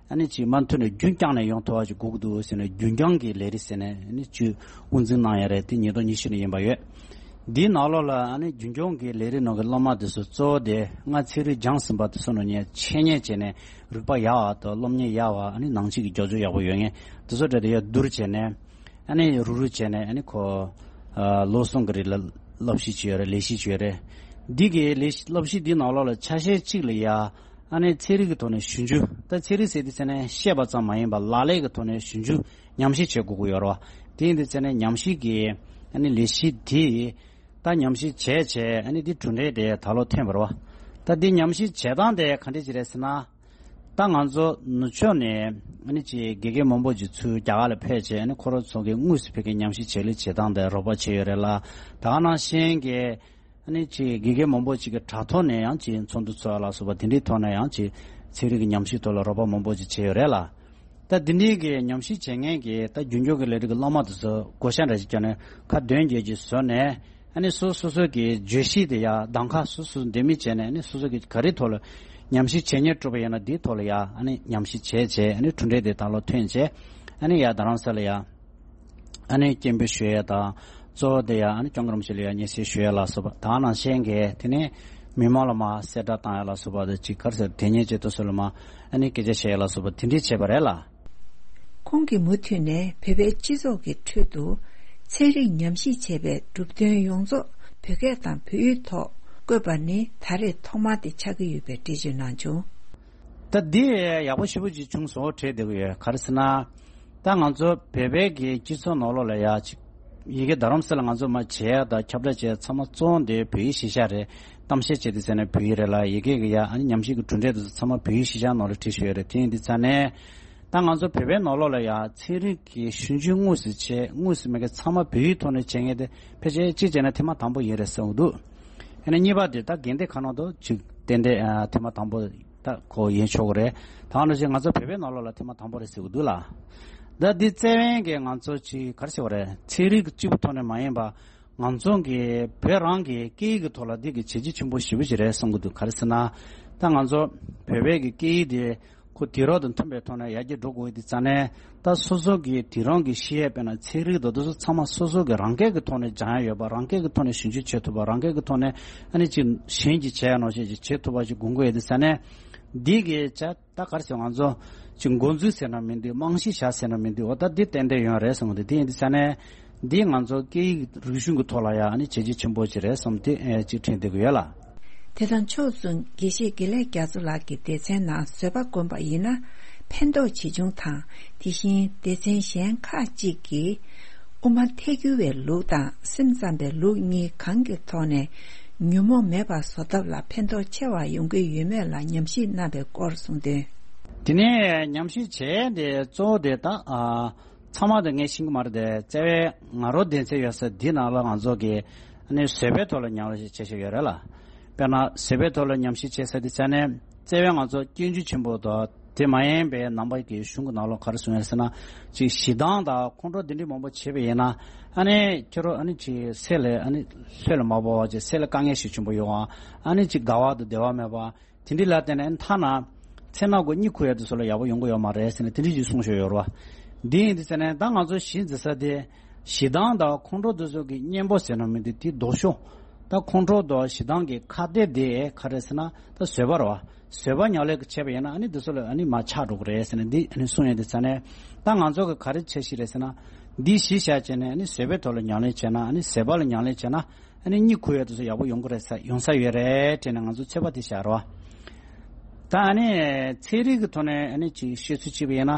ཨ་ནི་ཅིག་མུ་མཐུད་ནས་རྒྱུན་བསྐྱངས་ནས་ཡོང་ཐུབ་པ་ཅིག་དགོས་ཀྱི་འདུག་ཟེར་ནས་རྒྱུན་སྐྱོང་གི་ལས་རིགས་ཟེར་ནས་ཨ་ནི་ཅིག་དབུ་འཛུགས་གནང་ཡ་རེད། དེ་ཉིས་སྟོང་ཉི་ཤུ་ནས་ཡིན་པ་ཡོད། འདིའི་ནང་ལོགས་ལ་ཨ་ནི་རྒྱུན་སྐྱོང་གི་ལས་རིགས་ནང་གི་སློབ་མ་དེ་ཚོ་གཙོ་བོ་དེ་སྔ་ཚན་རིག་སྦྱངས་ཟིན་པ་དེ་ཚོ་ནང་ནས་འཆད་ཉན་བྱས་ནས་རིག་པ་ཡག་པ་དང་སློབ་གཉེར་ཡག་པ་ཨ་ནི་ནང་ཆོས་ཀྱི་རྒྱབ་སྐྱོར་ཡག་པོ་ཡོད་མཁན་དེ་ཚོ་གྲས་དེ་ཡར་བསྡུར་བྱས་ནས། ཨ་ནི་རུག་རུག་བྱས་ནས་ཨ་ནི་ཁོ་ཨ་ལོ་གསུམ་གྱི་རིང་ལ་སློབ་གཞི་བྱས་ཡོད་རེད། ལས་གཞི་བྱས་ཡོད་རེད། འདི་གི་ལས་གཞི་སློབ་གཞི་འདི་ནང་ལོགས་ལ་ཆ་ཤས་གཅིག་ལ་ཡ་ཨ་ནི་ཚན་རིག་གི་ཐོག་ནས་ཞིབ་འཇུག་ད་ཚན་རིག་ཟེར་དུས་ཙ་ནས་བཤད་པ་ཙམ་མ་ཡིན་པར་ལག་ལེན་གྱི་ཐོག་ནས་ཞིབ་འཇུག་ཉམས་ཞིབ་བྱེད་དགོས་ཀྱི་ཡོད་རེད་བ། དེ་ཡིན་དུས་ཙ་ནས་ཉམས་ཞིབ་ཀྱི་ཨ་ནི་ལས་གཞི་འདི་ད་ཉམས་ཞིབ་བྱས་བྱས་ཨ་ནི་འདི་གྲུབ་འབྲས་དེ་ད་ལོ་ཐོན་པ་རེད་བ། ད་འདི་ཉམས་ཞིབ་བྱེད་སྟངས་དེ་ག་འདྲས་ཅིག་རེད་ཟེར་ན། ད་ང་ཚོ་ནུབ་ཕྱོགས་ནས་ཨ་ནི་ཅིག་དགེ་རྒན་མང་པོ་ཅིག་ཚུར་རྒྱ་གར་ལ་ཕེབས་བྱས་ཨ་ནི་ཁོ་རང་ཚོ་གི་དངོས་སུ་ཕ་གིའི་ཉམས་ཞིབ་བྱེད་ལས་བྱེད་སྟངས་དེ་རོགས་པ་བྱས་ཡོད་རེད་ལ། ད་ག་ནང་བཞིན་གྱི་ཨ་ནི་ཅིག་དགེ་རྒན་མང་པོ་ཅིག་གི་དྲ་ཐོག་ནས་ཡང་ཅིག་ཚོགས་འདུ་ཚོགས་ཡ་ལ་སོགས་པ་དེ་འདྲའི་ཐོག་ནས་ཡང་ཅིག་ཚན་རིག་གི་ཉམས་ཞིབ་ཐོག་ལ་རོགས་པ་མང་པོ་ཅིག་བྱས་ཡོད་རེད་ལ། ད་འདི་འདྲའི་གི་ཉམས་ཞིབ་བྱེད་མཁན་གྱི་ད་རྒྱུན་སྐྱོང་གི་ལས་རིགས་ཀྱི་སློབ་མ་དེ་ཚོ་བགོ་བཤའ་འདྲ་ཞིག་བརྒྱབ་ནས་ཁ་འདོན་རྒྱག་རྒྱུ་བཟོས་ནས། ཨ་ནི་སོ་སོ་སོ་གི་བརྗོད་གཞི་དེ་ཡ་གདམ་ཁ་སོ་སོ་འདེམས་མི་བྱས་ནས་ཨ་ནི་སོ་སོ་གི་ག་རེ་ཐོག་ལ་ཉམས་ཞིབ་བྱེད་སྙིང་བྲོ་བ་ཡོད་ན་དེའི་ཐོག་ལ་ཡ་ཨ་ནི་ཉམས་ཞིབ་བྱས་བྱས་ཨ་ནི་གྲུབ་འབྲས་དེ་ད་ལོ་ཐོན་བྱས། ཨ་ནི་ཡ་རྡ་རམ་ས་ལ་ཡ་ཨ་ནི་སྐད་འབོད་ཞུ་ཡ་དང་གཙོ་བོ་དེ་ཡ་ཨ་ནི་སྐྱབས་མགོན་རིན་པོ་ཆེ་ལ་ཡ་སྙན་སེང་ཞུ་ཡ་ལ་སོགས་པ་དེ་ནང་བཞིན་གྱི་དེ་ནས་མི་མང་ལ་མར་གསལ་བསྒྲགས་བཏང་ཡ་ལ་སོགས་པ་དང་ཅིག་ག་རེ་ཟེར་དེ་ཉིད་ཅིག་ཏུ་སོགས་ལ་མར་ཨ་ནི་སྐད་ཆ་བཤད་ཡ་ལ་སོགས་པ་དེ་འདྲས་བྱས་པ་རེད་ལ། ཁོང་གིས་མུ་མཐུད་ནས་བོད་པའི་སྤྱི་ཚོགས་ཀྱི་ཁྲོད་དུ་ཚན་རིག་ཉམས་ཞིབ་བྱས་པའི་གྲུབ་དོན་ཡོངས་རྫོགས་བོད་སྐད་དང་བོད་ཡིག་ཐོག་བཀོད་པ་ནི་ད་རེས་ཐོག་མ་དེ་ཆགས་ཀྱི་ཡོད་པའི་འགྲེལ་བརྗོད་གནང་བྱུང་། ད་འདི་ཡག་པོ་ཞེ་པོ་ཅིག་བྱུང་སོང་དྲན་བསྡད་ཀྱི་ཡོད། ག་རེ་ཟེར་ན། ད་ང་ཚོ་བོད་པའི་གི་སྤྱི་ཚོགས་ནང་ལོགས་ལ་ཡ་ཅིག་ཡི་གེ་རྡ་རམ་ས་ལ་ང་ཚོ་མར་བྱེད་ཡ་དང་ཁྱབ་བསྒྲགས་བྱེད་ཡ་ཚང་མ་བཙོང་དེ་བོད་ཡིག་གཞི་བཞག་རེད། གཏམ་བཤད་བྱེད་དུས་ཟེར་ན་བོད་ཡིག་རེད་ལ། ཡི་གེ་གི་ཡ་ཨ་ནི་ཉམས་ཞིབ་ཀྱི་གྲུབ་འབྲས་དེ་ཚོ་ཚང་མ་བོད་ཡིག་གཞི་བཞག་ནང་ལ་བྲིས་བཞག་ཡོད་རེད། དེ་ཡིན་དུས་ཙང་ནས་ད་ང་ཚོ་བོད་པའི་ནང་ལོགས་ལ་ཡ་ཚན་རིག་གི་ཞིབ་འཇུག་དངོས་སུ་བྱེད་དངོས་སུ་མེད་མཁན་ཚང་མ་བོད་ཡིག་ཐོག་ནས་བྱེད་མཁན་དེ་ཕལ་ཆེར་གཅིག་བྱས་ན་ཐེངས་མ་དང་པོ་ཡིན་རེད་བསམ་གྱི་འདུག་ཨ་ནི་གཉིས་པ་དེ་ད་དགོན་སྡེ་ཁག་ནང་དུ་ཅིག་ཏན་ཏན་ཨ་ཐེངས་མ་དང་པོ་ད་ཁོ་ཡིན་ཆོག་གི་རེད། ད་ག་ནང་བཞིན་ང་ཚོ་བོད་པའི་ནང་ལོགས་ལ་ཐེངས་མ་དང་པོ་རེད་ཟེར་གྱི་འདུག་ལ། ད་འདི་བཙན་བྱོལ་གྱི་ང་ཚོ་ཅིག་ག་རེ་ཟེར་བ་རེད། ཚན་རིག་གི་གཅིག་པུ་ཐོག་ནས་མ་ཡིན་པ་ང་ཚོ་གི་བོད་རང་གི་སྐད་ཡིག་གི་ཐོག་ལ་འདི་གི་བྱས་རྗེས་ཆེན་པོ་ཞེ་པོ་ཅིག་རེད་བསམ་གྱི་འདུག་ག་རེ་ཟེར་ན། ད་ང་ཚོ་བོད་པའི་གི་སྐད་ཡིག་དེ་ཁོ་དུས་རབས་དང་མཐུན་པའི་ཐོག་ནས་ཡར་རྒྱས་འགྲོ་དགོས་ཡོད་དུས་ཙང་ནས་ད་སོ་སོ་གི་དེང་རབས་ཀྱི་ཤེས་ཡོན་དཔེར་ན་ཚན་རིག་དང་དེ་ཚོ་ཚང་མ་སོ་སོ་གི་རང་སྐད་ཀྱི་ཐོག་ནས་སྦྱང་ཡ་ཡོད་པ། རང་སྐད་ཀྱི་ཐོག་ནས་ཞིབ་འཇུག་བྱེད་ཐུབ་པ། རང་སྐད་ཀྱི་ཐོག་ནས་ཨ་ནི་ཅིག་གཞན་གྱིས་བྱས་ཡ་ནང་བཞིན་ཅིག་བྱེད་ཐུབ་པ་ཞིག་དགོས་ཀྱི་ཡོད་དུས་ཙང་ནས་འདི་གི་ཆ་ད་ག་རེ་ཟེར། ང་ཚོ་ཅིག་འགོ་འཛུགས་ཟེར་ན་མི་འདུག་རྨང་གཞི་བཞག་ཟེར་ན་མི་འདུག་འོ་ད་འདི་ཏན་ཏན་ཡོད་རེད་བསམ་གི་འདུག་དེ་ཡིན་དུས་ཙང་ནས་འདི་ང་ཚོ་སྐད་ཡིག་རིག་གཞུང་གི་ཐོག་ལ་ཡ་ཨ་ནི་བྱས་རྗེས་ཆེན་པོ་ཅིག་རེད་བསམ་དེ་ཨེ་ཅིག་དྲན་བསྡད་ཀྱི་ཡོད་ལ། དེ་དང་ཕྱོགས་མཚུངས་དགེ་བཤེས་དགེ་ལེགས་རྒྱ་མཚོ་ལགས་ཀྱི་སྡེ་ཚན་ནང་བཟོད་པ་བསྒོམ་པ་ཡིན་ན་ཕན་ཐོགས་ཇི་བྱུང་དང་། དེ་བཞིན་སྡེ་ཚན་གཞན་ཁག་ཅིག་གིས་དབུ་མ་ཐལ་འགྱུར་བའི་ལུགས་དང་སེམས་ཙམ་པའི་ལུགས་གཉིས་གང་གི་ཐོག་ནས་ཉོན་མོངས་མེད་པ་བཟོ་ཐབས་ལ་ཕན་ཐོགས་ཆེ་བ་ཡོང་གི་ཡོད་མེད་ལ་ཉམས་ཞིབ་གནང་བའི་སྐོར་གསུངས་དོན། དེ་ནས་ཉམས་ཞིབ་བྱས་ཏེ་གཙོ་བོ་དེ་ད་ཨ། ཚང་མ་དེ་ངས་ཤེས་ཀྱི་མ་རེད་དེ། རྩ་བའི་ང་རང་སྡེ་ཚན་ཡོད་ས་འདི་ནང་ལ་ང་ཚོ་གི་ཨ་ནི་བཟོད་པའི་ཐོག་ལ་ཉམས་ཞིབ་བྱེད་བཞིན་ཡོད་རེད་ལ། དཔེར་ན་བཟོད་པའི་ཐོག་ལ་ཉམས་ཞིབ་བྱེད་ས་དེ་ཆ་ནས་རྩ་བའི་ང་ཚོ་སྐྱོན་བརྗོད་ཆེན་པོ་དང་དེ་མ་ཡིན་པའི་ནང་པ་གི་གཞུང་གི་ནང་ལོགས་ག་རེ་གསུངས་ཡོད་ཟེར་ན། ཅིག་ཞེ་སྡང་དང་ཁོང་ཁྲོ་འདི་འདྲའི་མང་པོ་བྱས་པ་ཡིན་ན་ཨ་ནི་ཁྱོད་རང་ཨ་ནི་ཅིག་སེམས་ལ་ཨ་ནི་ལྷོད་ལ་མ་བབས་པ། ཅིག་སེམས་ལ་དཀའ་ངལ་ཞིག་ཆེན་པོ་ཡོང་བ། ཨ་ནི་ཅིག་དགའ་བ་དང་བདེ་བ་མེད་པ། དེ་འདྲའི་ལ་བརྟེན་ནས་ཐ་ན་མཚན་ནག་གི་གཉིད་ཁུག་ཡ་དེ་ཚོ་ལ་ཡག་པོ་ཡོང་གི་ཡོད་མ་རེད་ཟེར་ནས་དེ་འདྲའི་ཅིག་གསུངས་བཞག་ཡོད་རེད་བ། འདི་ཡིན་དུས་ཙང་ནས་ད་ང་ཚོ་གཞི་འཛིན་ས་དེ་ཞེ་སྡང་དང་ཁོང་ཁྲོ་དེ་ཚོ་གི་གཉེན་པོ་ཟེར་ན་མི་འདུག་དེ་ལྡོག་ཕྱོགས། ད་ཁོང་ཁྲོ་དང་ཞེ་སྡང་གི་ཁ་གཏད་དེ་ག་རེ་ཟེར་ན་ད་བཟོད་པ་རེད་བ། བཟོད་པ་ཉམས་ལེན་བྱས་པ་ཡིན་ན་ཨ་ནི་དེ་ཚོ་ལ་ཨ་ནི་མར་ཆགས་འགྲོ་གི་རེད་ཟེར་ནས་འདི་ཨ་ནི་གསུངས་ཡོད་དུས་ཙང་ནས་ད་ང་ཚོ་གི་ག་རེ་བྱེད་ཤེས་རེད་ཟེར་ན། འདི་གཞི་བཞག་བྱས་ནས་ཨ་ནི་བཟོད་པའི་ཐོག་ལ་ཉམས་ལེན་བྱས་ན། ཨ་ནི་བཟོད་པ་ལ་ཉམས་ལེན་བྱས་ན། ཨ་ནི་གཉིད་ཁུག་ཡ་དེ་ཚོ་ཡག་པོ་ཡོང་གི་རེད་ས་ཡོང་ས་ཡོད་རེད་དྲན་ནས་ང་ཚོ་ཚོད་དཔག་དེ་བཞག་རོགས། ད་ཨ་ནི་ཚན་རིག་གི་ཐོག་ནས་ཨ་ནི་ཅིག་བཤད་ཚུལ་བྱས་པ་ཡིན་ན།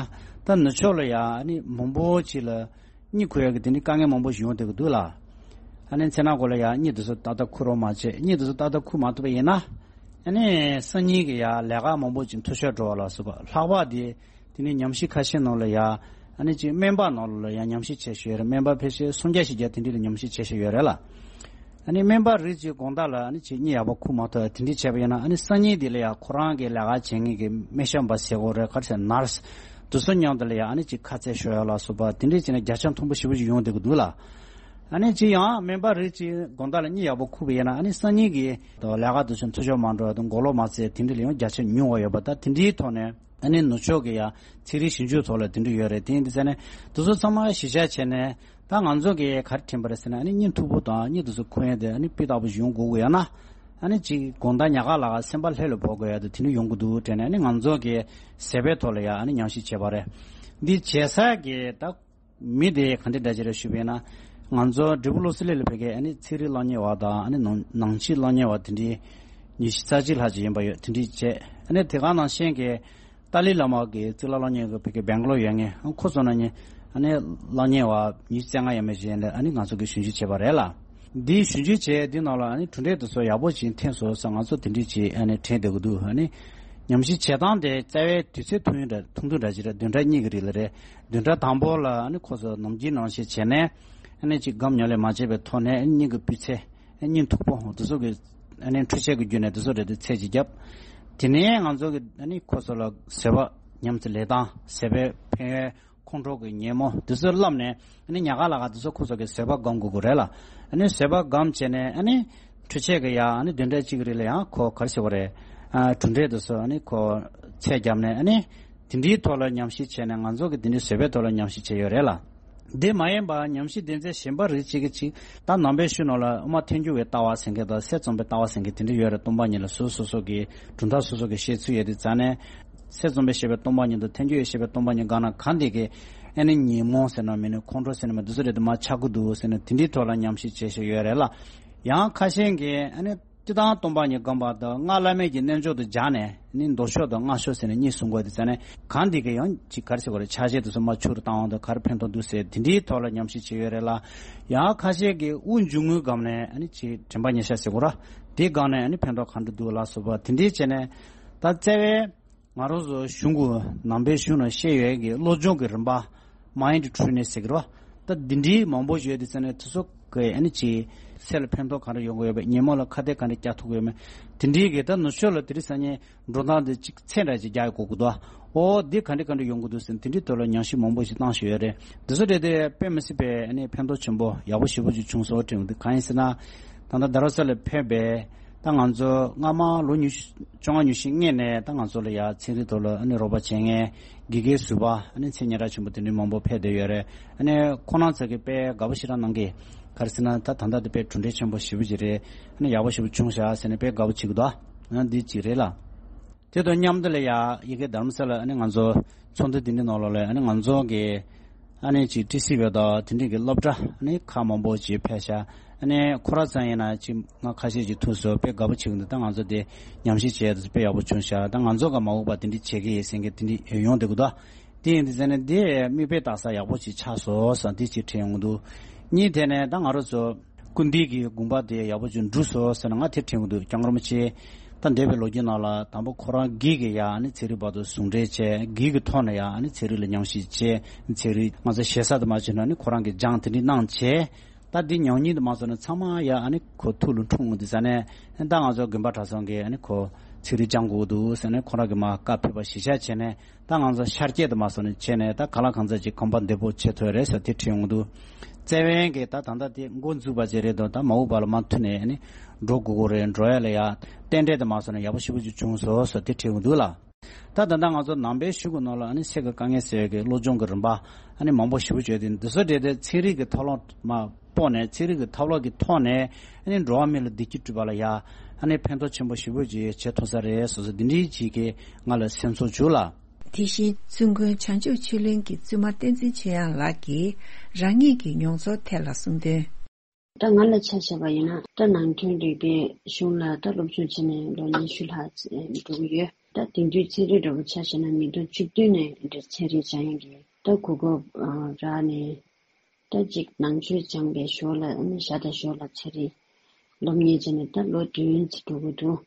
ད་ནུབ་ཕྱོགས་ལ་ཡ་ཨ་ནི་མང་པོ་ཅིག་ལ་གཉིད་ཁུག་ཡ་གི་དེ་འདྲའི་དཀའ་ངལ་མང་པོ་ཞིག་ཡོང་བསྡད་ཀྱི་འདུག་ལ། ཨ་ནི་མཚན་ནག་གི་ལ་ཡ་གཉིད་དེ་ཚོ་ཏག་ཏག་ཁུག་རོགས་མ་བྱེད། གཉིད་དེ་ཚོ་ཏག་ཏག་ཁུག་མ་ཐུབ་པ་ཡིན་ན། ཨ་ནི་སང་ཉིན་གི་ཡ་ལས་ཀ་མང་པོ་ཅིག་འཐུས་ཤོར་འགྲོ་བ་ལ་སོགས་པ། ལྷག་པར་དེ། དེ་ནས་ཉམས་ཞིབ་ཁ་ཤས་ནང་ལ་ཡ། ཨ་ནི་ཅིག་སྨན་པ་ནང་ལ་ཡ་ཉམས་ཞིབ་བྱས་བཞག་ཡོད་རེད། སྨན་པ་ཕལ་ཆེར་སུམ་བརྒྱ་བཞི་བརྒྱ་དེ་འདྲ་ལ་ཉམས་ཞིབ་བྱས་བཞག་ཡོད་རེད་ལ། ཨ་ནི་སྨན་པ་རིགས་གཅིག་དགོང་དག་ལ་ཨ་ནི་ཅིག་གཉིད་ཡག་པོ་ཁུག་མ་ཐུབ་དེ་འདྲ་བྱས་པ་ཡིན་ན། ཨ་ནི་སང་ཉིན་དེ་ལ་ཡ་ཁོ་རང་གི་ལས་ཀ་བྱེད་མཁན་གྱི་སྨན་ཞབས་པ་ཟེར་དགོས་རེད། ག་རེ་ཟེར། ནར་སི་དེ་ཚོ་མཉམ་དུ་ལ་ཡ་ཨ་ནི་ཅིག་ཁ་རྩོད་ཤོར་ཡ་ལ་སོགས་པ་དེ་འདྲ་བྱས་ན་བརྒྱ་ཆ་མཐོན་པོ་ཞེ་པོ་ཞིག་ཡོང་བསྡད་ཀྱི་འདུག་ལ། ཨ་ནི་ཅིག་ཡང་སྨན་པ་རིགས་གཅིག་དགོང་དག་ལ་གཉིད་ཡག་པོ་ཁུག་པ་ཡིན་ན། ཨ་ནི་སང་ཉིན་གྱི་ལས་ཀ་དེ་ཚོ་འཐུས་ཤོར་མ་འགྲོ་བ་དང་མགོ་ལོག་མ་བཙལ་དེ་འདྲ་ལ་ཡང་བརྒྱ་ཆ་ཉུང་བ་ཡོད་པ། ད་དེ་འདྲའི་ཐོག་ནས། ཨ་ནི་ནུབ་ཕྱོགས་ཀྱི་ཡ་ཚན་རིག་ཞིབ་འཇུག་ཐོག་ལ་དེ་འདྲ་ཡོད་རེད། དེ་ཡིན་དུས་ཙང་ནས་དེ་ཚོ་ཚང་མ་གཞི་བཞག་བྱས་ནས་ད་ང་ཚོ་གིས་ག་རེ་དྲན་པ་རེད་ཟེར་ན། ཨ་ནི་གཉིད་མཐུག་པོ་དང་གཉིད་དེ་ཚོ་ཁུག་ཡ་དེ་ཨ་ནི་སྤུས་དག་པོ་ཞིག་ཡོང་དགོས་ཀྱི་ཡོད་ན། ཨ་ནི་ཅིག་དགོང་དག་ཉལ་ཁ་ལ་སེམས་པ་ལྷོད་ལྷོད་འབབ་དགོས་ཡ་དེ་དེ་འདྲ་ཡོང་གི་འདུག་དྲན་ནས། ཨ་ནི་ང་ཚོ་གིས་བཟོད་པའི་ཐོག་ལ་ཡ་ཨ་ནི་ཉམས་ཞིབ་བྱས་པ་རེད། འདི་བྱེད་ས་གི་ད། མི་དེ་ག་འདྲ་འདྲ་ཅིག་རེད་ཞུས་པ་ཡིན་ན། ང་ཚོ་འབྲས་སྤུངས་བློ་གསལ་གླིང་ལ་ཕ་གིའི་ཨ་ནི་ཚན་རིག་སློབ་གཉེར་བ་དང་། ཨ་ནི་ནང་ནང་ཆོས་སློབ་གཉེར་བ་དེ་འདྲའི་ཉི་ཤུ་རྩ་གཅིག་ལྷག་ཅིག་ཡིན་པ་ཡོད། དེ་འདྲའི་བྱས། ཨ་ནི་དེ་ག་ནང་བཞིན་གྱི་ཏཱ་ལའི་བླ་མ་གི་གཙུག་ལག་སློབ་གཉེར་གྱི་ཕ་གི་སྦེང་ལོར་ཡོད་མཁན། ཨ་ཁོ་ཚོ་ནང་ནས་ཨ་ནི་སློབ་གཉེར་བ་ཉི་ཤུ་རྩ་ལྔ་ཡས་མས་ཅིག་ཡིན་ལ། ཨ་ནི་ང་ཚོ་གིས་ཞིབ་འཇུག་བྱས་པ་རེད་ལ། འདིའི་ཞིབ་འཇུག་བྱས་འདི་ནང་ལ་ཨ་ནི་གྲུབ་འབྲས་དེ་ཚོ་ཡག་པོ་ཅིག་ཐོན་སོང་ཟེར་ང་ཚོ་དེ་འདྲ་ཅིག་ཨ་ནི་དྲན་བསྡད་ཀྱི་འདུག་ཨ་ནི་ཉམས་ཞིབ་བྱེད་སྟངས་དེ་རྩ་བའི་དུས་ཚོད་ཐུང་ཡུན་འདྲ་ཐུང་ཐུང་འདྲ་ཅིག་རེད། བདུན་ཕྲག་གཉིས་ཀྱི་རིང་ལ་རེད། བདུན་ཕྲག་དང་པོ་ལ་ཨ་ནི་ཁོ་ཚོ་ནམ་རྒྱུན་ནང་བཞིན་བྱས་ནས་ཨ་ནི་ཅིག་སྒམ་ཉམས་ལེན་མ་བྱས་པའི་ཐོག་ནས་ཨ་ནི་གཉིད་ཀྱི་སྤུས་ཚད། ཨ་ནི་མཐུག་པོ་དེ་ཚོ་གི་ཨ་ནི་འཕྲུལ་ཆས་ཀྱི་བརྒྱུད་ནས་དེ་ཚོ་རེད་དེ་ཚད་ཅིག་བརྒྱབ། དེ་ནས་ང་ཚོ་གི་ཨ་ནི་ཁོ་ཚོ་ལ་བཟོད་པ་ཉམས་སུ་ལེན་སྟངས། བཟོད་པའི་ཕན་ཡོན། ཁོང་ཁྲོ་གི་ཉོན་མོངས་དེ་ཚོ་བསླབས་ནས། ཨ་ནི་ཉལ་ཁ་ལ་ག་དེ་ཚོ་ཁོ་ཚོ་གི་བཟོད་པ་སྒོམ་དགོས་ཀྱི་རེད་ལ། ཨ་ནི་བཟོད་པ་སྒོམ་བྱས་ནས་ཨ་ནི་འཕྲུལ་ཆས་ཀྱི་ཡང་ཨ་ནི་བདུན་ཕྲག་གཅིག་གི་རིང་ལ་ཡང་ཁོ་ག་རེ་ཟེར་དགོས་རེད། ཨ་གྲུབ་འབྲས་དེ་ཚོ་ཨ་ནི་ཁོ་ཚད་བརྒྱབ་ནས། ཨ་ནི་ དེ་འདྲའི་ཐོག་ལ་ཉམས་ཞིབ་བྱས་ནས་ང་ཚོ་གི་དེ་འདྲའི་བཟོད་པའི་ཐོག་ལ་ཉམས་ཞིབ་བྱས་ཡོད་རེད་ལ། དེ་མ་ཡིན་པ་ཉམས་ཞིབ་སྡེ་ཚན་གཞན་པ་རིགས་གཅིག་གིས་ཅིག་ད་ནང་པའི་ཤུལ་ནང་ལ་དབུ་མ་ཐལ་འགྱུར་བའི་ལྟ་བ་ཟེར་མཁན་དང་སྲས་བཙོན་པའི་ལྟ་བ་ཟེར་མཁན་དེ་འདྲ་ཡོད་རེད། སྟོང་པ་ཉིད་ལ་སོ་སོ་སོ་གི་གྲུབ་མཐའ་སོ་སོ་གི་བཤད་ཚུལ་ཡོད་དུས་ཙང་ནས། སྲས་བཙོན་པས་བཤད་པའི་སྟོང་པ་ཉིད་དང་ཐལ་འགྱུར་བས་བཤད་པའི་སྟོང་པ་ཉིད་སྒང་ན་གང་དེ་གི་ཨ་ནི་ཉོན་མོངས་ཟེར་ན་མིན་ནི་ཁོང་ཁྲོ་ཟེར་ན་མིན་འདི་ཚོ་རེད་དུ་མ་ཆགས་ཀྱི་འདུག་ཟེར་ནས་དེ་འདྲའི་ཐོག་ལ་ཉམས་ཞིབ་བྱེད་བཞིན་ཡོད་རེད་ལ། ཡང་ཁ་ཤས་ཀྱིས་ཨ་ནི་སྤྱིར་བཏང་སྟོང་པ་ཉིད་སྒོམ་པ་དང་སྔགས་བླ་མེད་ཀྱི་རྣལ་འབྱོར་དུ་སྦྱར་ནས་ནི་མདོ་ཕྱོགས་དང་སྔགས་ཕྱོགས་ཟེར་ནས་གཉིས་གསུང་དགོས་དེ་ཟེར་ནས་གང་འདི་གི་ཡང་ཅིག་ག་རེ་ཟེར་དགོས་རེད། ཆ་ཤས་དེ་ཚོ་མ་ཆུ་རུ་བཏང་བ་དང་ག་རེ་ཕན་ཐོགས་འདུག་ཟེར་དེ་འདྲའི་ཐོག་ལ་ཉམས་ཞིབ་བྱས་ཡོད་རེད་ལ། ཡང་ཁ་ཤས་ཀྱིས་དབུགས་འབྱུང་རྔུབ་སྒོམ་ནས་ཨ་ནི་ཅིག་དྲན་པ་ཉེར་བཞག་ཟེར་དགོས་ར། དེ་སྒང་ནས་ཨ་ནི་ཕན་ཐོགས་ག་འདྲ་འདུག་ལ་སོགས་པ་དེ་འདྲའི་བྱས་ནས་ད་རྩ་བའི་ང་རང་ཚོ་གཞུང་གི་ནང་པའི་གཞུང་ནང་བཤད་ཡོད་ཀྱི་བློ་སྦྱོང་གི་རིམ་པ། Mind Training ཟེར་གི་རེད་བ། ད་འདི་འདྲའི་མང་པོ་ཡོད་དེ་ཟེར་ནས་དེ་ཚོ་གི་ཨ་ནི་ཅིག་སེམས་ལ་ཕན་ཐོགས་ག་འདྲ་ཡོང་གི་ཡོད་པ། ཉིན་མོ་ལ་ཁ་གཏད་ག་འདྲ་བཀྱག་ཐུབ་ཀྱི་ཡོད་མེད། དེ་འདྲའི་གི་ད་ནུབ་ཕྱོགས་ལ་དེ་རིང་སང་ཉིན་འགྲོ་སྟངས་དེ་ཅིག་ཚད་འདྲ་ཅིག་རྒྱག་དགོས་ཀྱི་འདུག་ཨོ་འདི་ག་འདྲ་ག་འདྲ་ཡོང་གི་འདུག་ཟེར་ནས་དེ་འདྲའི་ཐོག་ལ་ཉམས་ཞིབ་མང་པོ་ཞིག་བཏང་བཞིན་ཡོད་རེད། འདི་ཚོ་དེ་དེ་དཔེ་མི་སྲིད་པའི་ཨ་ནི་ཕན་ཐོགས་ཆེན་པོ་ཡག་པོ་ཞེ་པོ་ཅིག་བྱུང་སོང་དྲན་གི་འདུག་གང་ཡིན་ཟེར་ན། ད་ལྟ་རྡ་རམ་ས་ལ་ཕེབས་པའི་ད་ང་ཚོ་སྔ་མ་ལོ་ཉི་ཤུ་བཅོ་ལྔ་ཉི་ཤུ་སྔོན་ནས་ད་ང་ཚོ་ལ་ཡ་ཚན་རིག་ཐོག་ལ་ཨ་ནི་རོགས་པ་བྱེད་མཁན་དགེ་རྒན་ཟུར་པ་ཨ་ནི་མཚན་སྙན་གྲགས་ཆེན་པོ་དེ་འདྲའི་མང་པོ་ཕེབས་བསྡད་ཡོད་རེད། ཨ་ནི་ཁོང་རྣམ་ཚོ་གིས་དཔེ་དགའ་པོ་ཞེ་དྲག་གནང་གི། ག་རེ་ཟེར་ན་ད་ད་ལྟ་དེ་དཔེ་གྲུབ་འབྲས་ཆེན་པོ་ཞེ་པོ་ཅིག་རེད། ཨ་ནི་ཡག་པོ་ཞེ་པོ་བྱུང་ཤག་ཟེར་ནས་དཔེ་དགའ་པོ་བྱེད་ཀྱི་འདུག་ཨ་འདི་གཅིག་རེད་ལ། དེ་དང་མཉམ་དུ་ལ་ཡ་ཡ་གི་རྡ་རམ་ས་ལ་ཨ་ནི་ང་ཚོ་ཚོགས་འདུ་འདི་འདྲའི་ནང་ལོགས་ལ་ཨ་ནི་ང་ཚོ་གི་ཨ་ནི་ཅིག་ཊི་སི་ཝི་དང་དེ་འདྲའི་གི་སློབ་གྲྭ་ཨ་ནི་ཁག་མང་པོ་ཅིག་ཕེབས་ཤག་ཨ་ནི་ཁོ་རང་ཚོ་ཡིན་ན་ཅིག་ང་ཁ་ཤས་ཅིག་ཐུག་སོང་། དཔེ་དགའ་པོ་བྱེད་ཀྱི་འདུག་ད་ང་ཚོ་དེ་ཉམས་ཞིབ་བྱས་དུས་དཔེ་ཡག་པོ་བྱུང་ཤག་ད་ང་ཚོ་ག་མ་འོངས་པ་དེ་འདྲའི་བྱེད་ཀྱི་ཡིན་ཟེར་མཁན་དེ་འདྲའི་ཡོང་བསྡད་ཀྱི་འདུག་དེ་ཡིན་དུས་ཟེར་ན་དེ་མིག་དཔེ་ལྟ་ས་ཡག་པོ་ཅིག་ཆགས་སོང་ཟེར་དེ་ཅིག་དྲན་ཡོང་གི་འདུག་གཉིས་དེ་ནས་ད་ང་རང་ཚོ་སྐུ་མདུན་གྱི་དགོངས་པ་དེ་ཡག་པོ་ཅིག་འགྲུབ་སོང་ཟེར་ན་ང་དེ་དྲན་གྱི་འདུག་སྐྱབས་མགོན་རིན་པོ་ཆེ་ད་འདས་པའི་ལོ་རྒྱུས་ནང་ལ་དང་པོ་ཁོ་རང་སྒེར་གྱི་ཡ་ཨ་ནི་ཚན་རིག་བར་དུ་ཟུང་འབྲེལ་བྱས། སྒེར་གྱི་ཐོག་ནས་ཡ་ཨ་ནི་ཚན་རིག་ལ་ཉམས་ཞིབ་བྱས། ཚན་རིག་ང་ཚོ་ཞེ་ས་དུ་མ་བྱས་ན་ཨ་ནི་ཁོ་རང་གིས་སྦྱངས་དེ་འདྲ་གནང་བྱས། ད་འདི་ཉམས་ཉིན་དུ་མ་སོང་ན་ཚང་མ་ཡ་ཨ་ནི་ཁོ་ཐུགས་ལ་འཁྲུངས་འདི་ཟ་ནས་ད་ང་ཚོ་དགོན་པ་གྲྭ་ཚང་གིས་ཨ་ནི་ཁོ་ཚན་རིག་སྦྱང་དགོས་འདུག་ཟེར་ནས་ཁོ་རང་གིས་མ་བཀའ་ཕེབས་པ་གཞི་བཞག་བྱས་ནས་ད་ང་ཚོ་ཤར་སྐྱེད་དུ་མ་སོང་ནས་བྱས་ནས་ད་ག་ལ་གང་ཚ་ཅིག་གོམ་པ་བདེ་པོ་བྱེད་ཐུབ་རེད་ཟེར་དེ་དྲན་ཡོང་འདུག་རྩ་བའི་གི་ད་ད་ལྟ་དེ་འགོ་འཛུགས་པ་ཅིག་རེད་དོ། ད་མ་འོངས་པ་ལ་མ་མཐུད་ནས་ཨ་ནི་འགྲོ་དགོས་ཀྱི་རེད། འགྲོ་ཡ་ལ་ཡ་རྟེན་འབྲེལ་དུ་མ་སོང་ནས་ཡག་པོ་ཞེ་པོ་ཅིག་བྱུང་སོང་ཟེར་དེ་དྲན་ཡོང་འདུག་ལ། ད་ད་ལྟ་ང་ཚོ་ནང་པའི་གཞུང་གི་ནང་ལ་ཨ་ནི་སེམས་ཀྱི་དཀའ་ངལ་སེལ་བའི་བློ་སྦྱོང་གི་རིམ་པ་ཨ་ནི་མང་པོ་ཞེ་པོ་བརྗོད་དེ་འདི་ཚོ་འབྲེལ་ཏེ་ཚན་རིག་གི་ཐབས་ལམ་མ་སྤོས་ནས་ཚན་རིག་གི་ཐབས་ལམ་གྱི་ཐོག་ནས་ཨ་ནི་འགྲོ་བ་མི་ལ་བདེ་སྐྱིད་སྒྲུབ་པ་ལ་ཡ་ཨ་ནི་ཕན་ཐོགས་ཆེན་པོ་ཞེ་པོ་ཅིག་བྱེད་ཐུབ་ས་རེད་སོ་སོ་འདི་འདྲའི་ཅིག་གིས་ང་ལ་སེམས་ཚོར་བྱུང་ལ། དེ་བཞིན་བཙུན་དགོན་བྱང་ཆུབ་ཆོས་གླིང་གི་བཙུན་མ་བསྟན་འཛིན་ཆོས་དབྱངས་ལགས་ཀྱིས་རང་ཉིད་ཀྱི་མྱོང་ཚོར་ཐད་ལ་གསུངས་དོན། ད་ང་ལ་ཆ་བཞག་པ་ཡིན་ན་ད་ནང་དོན་རིག་པའི་གཞུང་ལ་ད་སློབ་སྦྱོང་བྱས་ནས་ལོ་ཉི་ཤུ་ལྷག་འགྲོ་གི་ཡོད། ད་དེང་དུས་ཚན་རིག་འདྲ་པོ་ཆ་བཞག་ན་མི་ཐོག་བཅུ་བདུན་ནས་འདིར་ཚན་རིག་སྦྱང་ཡག་གི་ད་གོ་སྐབས་རག་ནས་ད་ཅིག་ནང་ཆོས་སྦྱངས་པའི་ཞོར་ལ་ཨ་ནི་ཞག་དང་ཞོར་ལ་ཚན་རིག་སློབ་གཉེར་བྱས་ནས་ད་ལོ་བདུན་ཙམ་འགྲོ་གི་འདུག་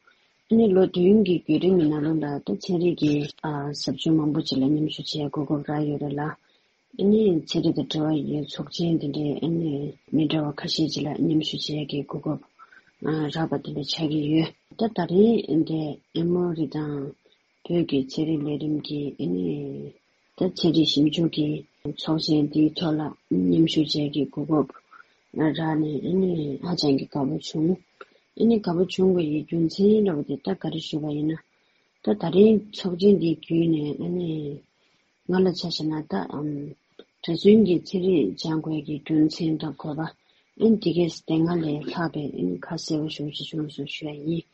ཨ་ནི་ལོ་བདུན་གྱི་བརྒྱུད་རིམ་གྱི་ནང་ལོགས་ལ་ད་ཚན་རིག་གི་ཟབ་སྦྱོང་མང་པོ་ཅིག་ལ་མཉམ་ཞུགས་བྱེད་ཡག་གོ་སྐབས་རག་ཡོད་རེད་ལ། ཨ་ནི་ཚན་རིག་དང་འབྲེལ་བ་ཡོད་ཚོགས་ཆེན་དེ་འདྲའི་ཨ་ནི་མི་འདྲ་བ་ཁ་ཤས་ཅིག་ལ་མཉམ་ཞུགས་བྱེད་ཡག་གི་གོ་སྐབས་རག་པ་དེ་འདྲ་ཆགས་ཀྱི་ཡོད། ད་ད་རེས་འདི་ཨེ་མོ་རི་དང་བོད་ཀྱི་ཚན་རིག་ལས་རིམ་གྱི་ཨ་ནི་ད་ཚན་རིག་ཞིབ་འཇུག་གི་ཚོགས་ཆེན་འདིའི་ཐོག་ལ་མཉམ་ཞུགས་བྱེད་ཡག་གི་གོ་སྐབས་རག་ནས་ཨ་ནི་ཧ་ཅང་གི་དགའ་པོ་བྱུང་། ཨ་ནི་དགའ་པོ་བྱུང་བའི་རྒྱུ་མཚན་ལབ་པ་དེ་ད་ག་རེ་ཞུ་བ་ཡིན་ན། ད་ད་རེས་ཚོགས་ཆེན་འདི་བརྒྱུད་ནས་ཨ་ནི་ང་ལ་ཆ་བཞག་ན་ད་ཨམ་གྲྭ་བཙུན་གྱི་ཚན་རིག་སྦྱང་དགོས་ཀྱི་རྒྱུ་མཚན་དང་དགོས་པ་ཨ་ནི་དེ་གས་དེ་སྔ་ལས་ལྷག་པའི་ཨ་ནི་ཁ་གསལ་པོ་ཞེ་པོ་ཅིག་བྱུང་སོང་ཞུ་ཡ་ཡིན།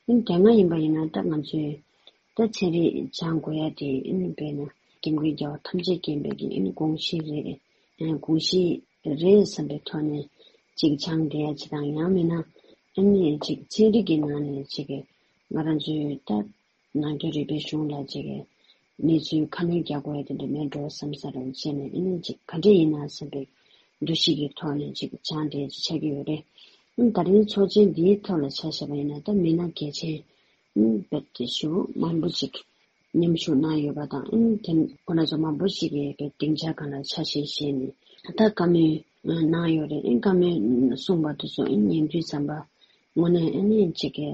ཨ་ནི་དེ་སྔ་ཡིན་པ་ཡིན་ན་ད་ང་ཚོས་ད་ཚན་རིག་སྦྱང་དགོས་ཡ་དེ་ཨ་ནི་དཔེར་ན་སྐྱབས་མགོན་རྒྱལ་བ་ཐམས་ཅད་མཁྱེན་པའི་གི་ཨ་ནི་དགོངས་གཞི་རེད། ཨ་དགོངས་གཞི་རེད་བསམ་པའི་ཐོག་ནས་ཅིག་སྦྱངས་བསྡད་ཡ་ཅིག་དང་ཡང་མིན་ན་ཨ་ནི་ཅིག་ཚན་རིག་གི་ནང་ནས་ཅིག་ང་རང་ཚོའི་ད་ནང་དོན་རིག་པའི་གཞུང་ལ་ཅིག་གི་གནས་ཚུལ་ཁ་སྣོན་རྒྱག་དགོས་ཡ་དེ་འདྲ་མེད་འགྲོ་བསམ་ས་རང་བྱས་ནས་ཨ་ནི་ཅིག་ག་འདྲ་ཡིན་ན་བསམ་པའི་འདུ་ཤེས་ཀྱི་ཐོག་ནས་ཅིག་སྦྱངས་བསྡད་ཡ་ཅིག་ཆགས་ཀྱི་ཡོད་རེད། ཨ་ནི་ད་རིང་ཚོགས་ཆེན་འདིའི་ཐོག་ལ་ཆ་བཞག་པ་ཡིན་ན་ད་མི་སྣ་གལ་ཆེན་ཨ་ནི་རྦད་དེ་ཞེ་པོ་མང་པོ་ཅིག་མཉམ་ཞུགས་གནང་ཡོད་པ་དང་ཨ་ནི་དེ་ཁོ་ན་ཚོ་མང་པོ་ཞིག་གིས་དཔེ་སྡིངས་ཆ་སྒང་ལ་ཆ་ཤས་བཞེས་ནས་ད་བཀའ་མོལ་གནང་ཡོད་རེད། ཨ་ནི་བཀའ་མོལ་གསུངས་པ་དེ་ཚོ་ཨ་ནི་ཉན་དུས་ཙམ་པ་དངོས་གནས་ཨ་ནི་ཅིག་གི་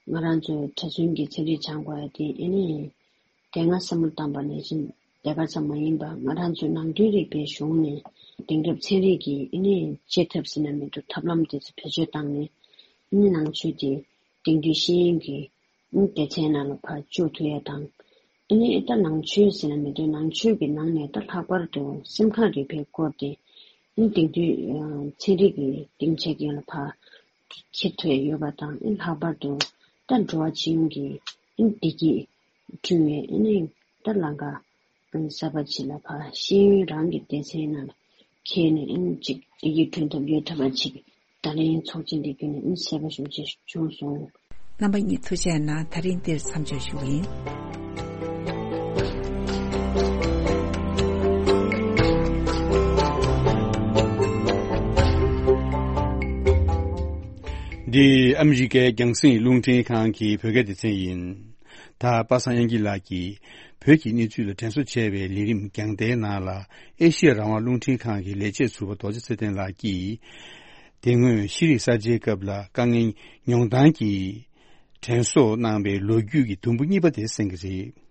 ང་རང་ཚོའི་གྲྭ་བཙུན་གྱི་ཚན་རིག་སྦྱང་དགོས་ཡ་དེ་ཨ་ནི་དེ་སྔ་བསམ་བློ་བཏང་པ་ནང་བཞིན་དེ་ག་ཙམ་མ་ཡིན་པ་ང་རང་ཚོའི་ནང་དོན་རིག་པའི་གཞུང་ནས་དེང་རབས་ཚན་རིག་གི་ཨ་ནི་བྱེད་ཐབས་ཟེར་ན་མི་འདུག་ཐབས་ལམ་དེ་ཚོ་བེད་སྤྱོད་བཏང་ནས་ཨ་ནི་ནང་ཆོས་དེ་དེང་དུས་ཤེས་ཡོན་གྱི་སྡེ་ཚན་ནང་ལ་ཕར་བཅུག་ཐུབ་ཡ་དང་ ཨ་ནི་ད་ནང་ཆོས་ཟེར་ན་མི་འདུག་ནང་ཆོས་ཀྱི་ནང་ནས་ད་ལྷག་པར་དུ་སེམས་ཁམས་རིག་པའི་སྐོར་དེ་ཨ་ནི་དེང་དུས་ཚན་རིག་གི་སྡིངས་ཆ་ཅན་ལ་ཕར་ཁྱེར་ཐུབ་ཡོད་པ་དང་། ཨ་ནི་ལྷག་པར་དུ་ད་འགྲོ་བ་སྤྱི་ཡོངས་ཀྱི་ཨ་ནི་བདེ་སྐྱིད་བསྐྲུན་ཡས་ཨ་ནི་ད་ལམ་ཁ་གསར་པ་ཅིག་ལ་ཕར་ཤེས་ཡོན་རང་གི་སྡེ་ཚན་ནང་ལ་འཁྱེར་ནས་ཨ་ནི་ཅིག་བདེ་སྐྱིད་བསྐྲུན་ཐབས་ཡོད་ཐབས་པ་ཅིག་ད་ལན་ཚོགས་ཆེན་འདི་བརྒྱུད་ནས་ཨ་ནི་གསལ་པོ་ཞེ་པོ་ཅིག་བྱུང་སོང་། རྣམ་པ་གཉིས་ཐུགས་རྗེ་གནང་། ད་རིང་འདིར་མཚམས་འཇོག་ཞུ་གི་ཡིན། འདི་ཨ་མི་རི་ཀའི་རྒྱང་སྲིང་རླུང་འཕྲིན་ཁང་གི་བོད་སྐད་སྡེ་ཚན་ཡིན། ད་པ་སངས་དབྱངས་སྐྱིད་ལགས་ཀྱིས་བོད་ཀྱི་གནས་ཚུལ་ལ་དྲན་གསོ་བྱས་པའི་ལས་རིམ་རྒྱང་ལྟའི་ནང་ལ། ཨེ་ཤི་ཡ་རང་དབང་རླུང་འཕྲིན་ཁང་གི་ལས་བྱེད་ཟུར་པ་རྡོ་རྗེ་ཚེ་བརྟན་ལགས་ཀྱིས། དེ་སྔོན་ཤེས་རིག་གསར་བརྗེའི་སྐབས་ལ་དཀའ་ངལ་མྱོང་སྟངས་ཀྱི་དྲན་གསོ་གནང་བའི་ལོ་རྒྱུས་ཀྱི་དུམ་བུ་གཉིས་པ་དེ་གསན་གྱི་རེད།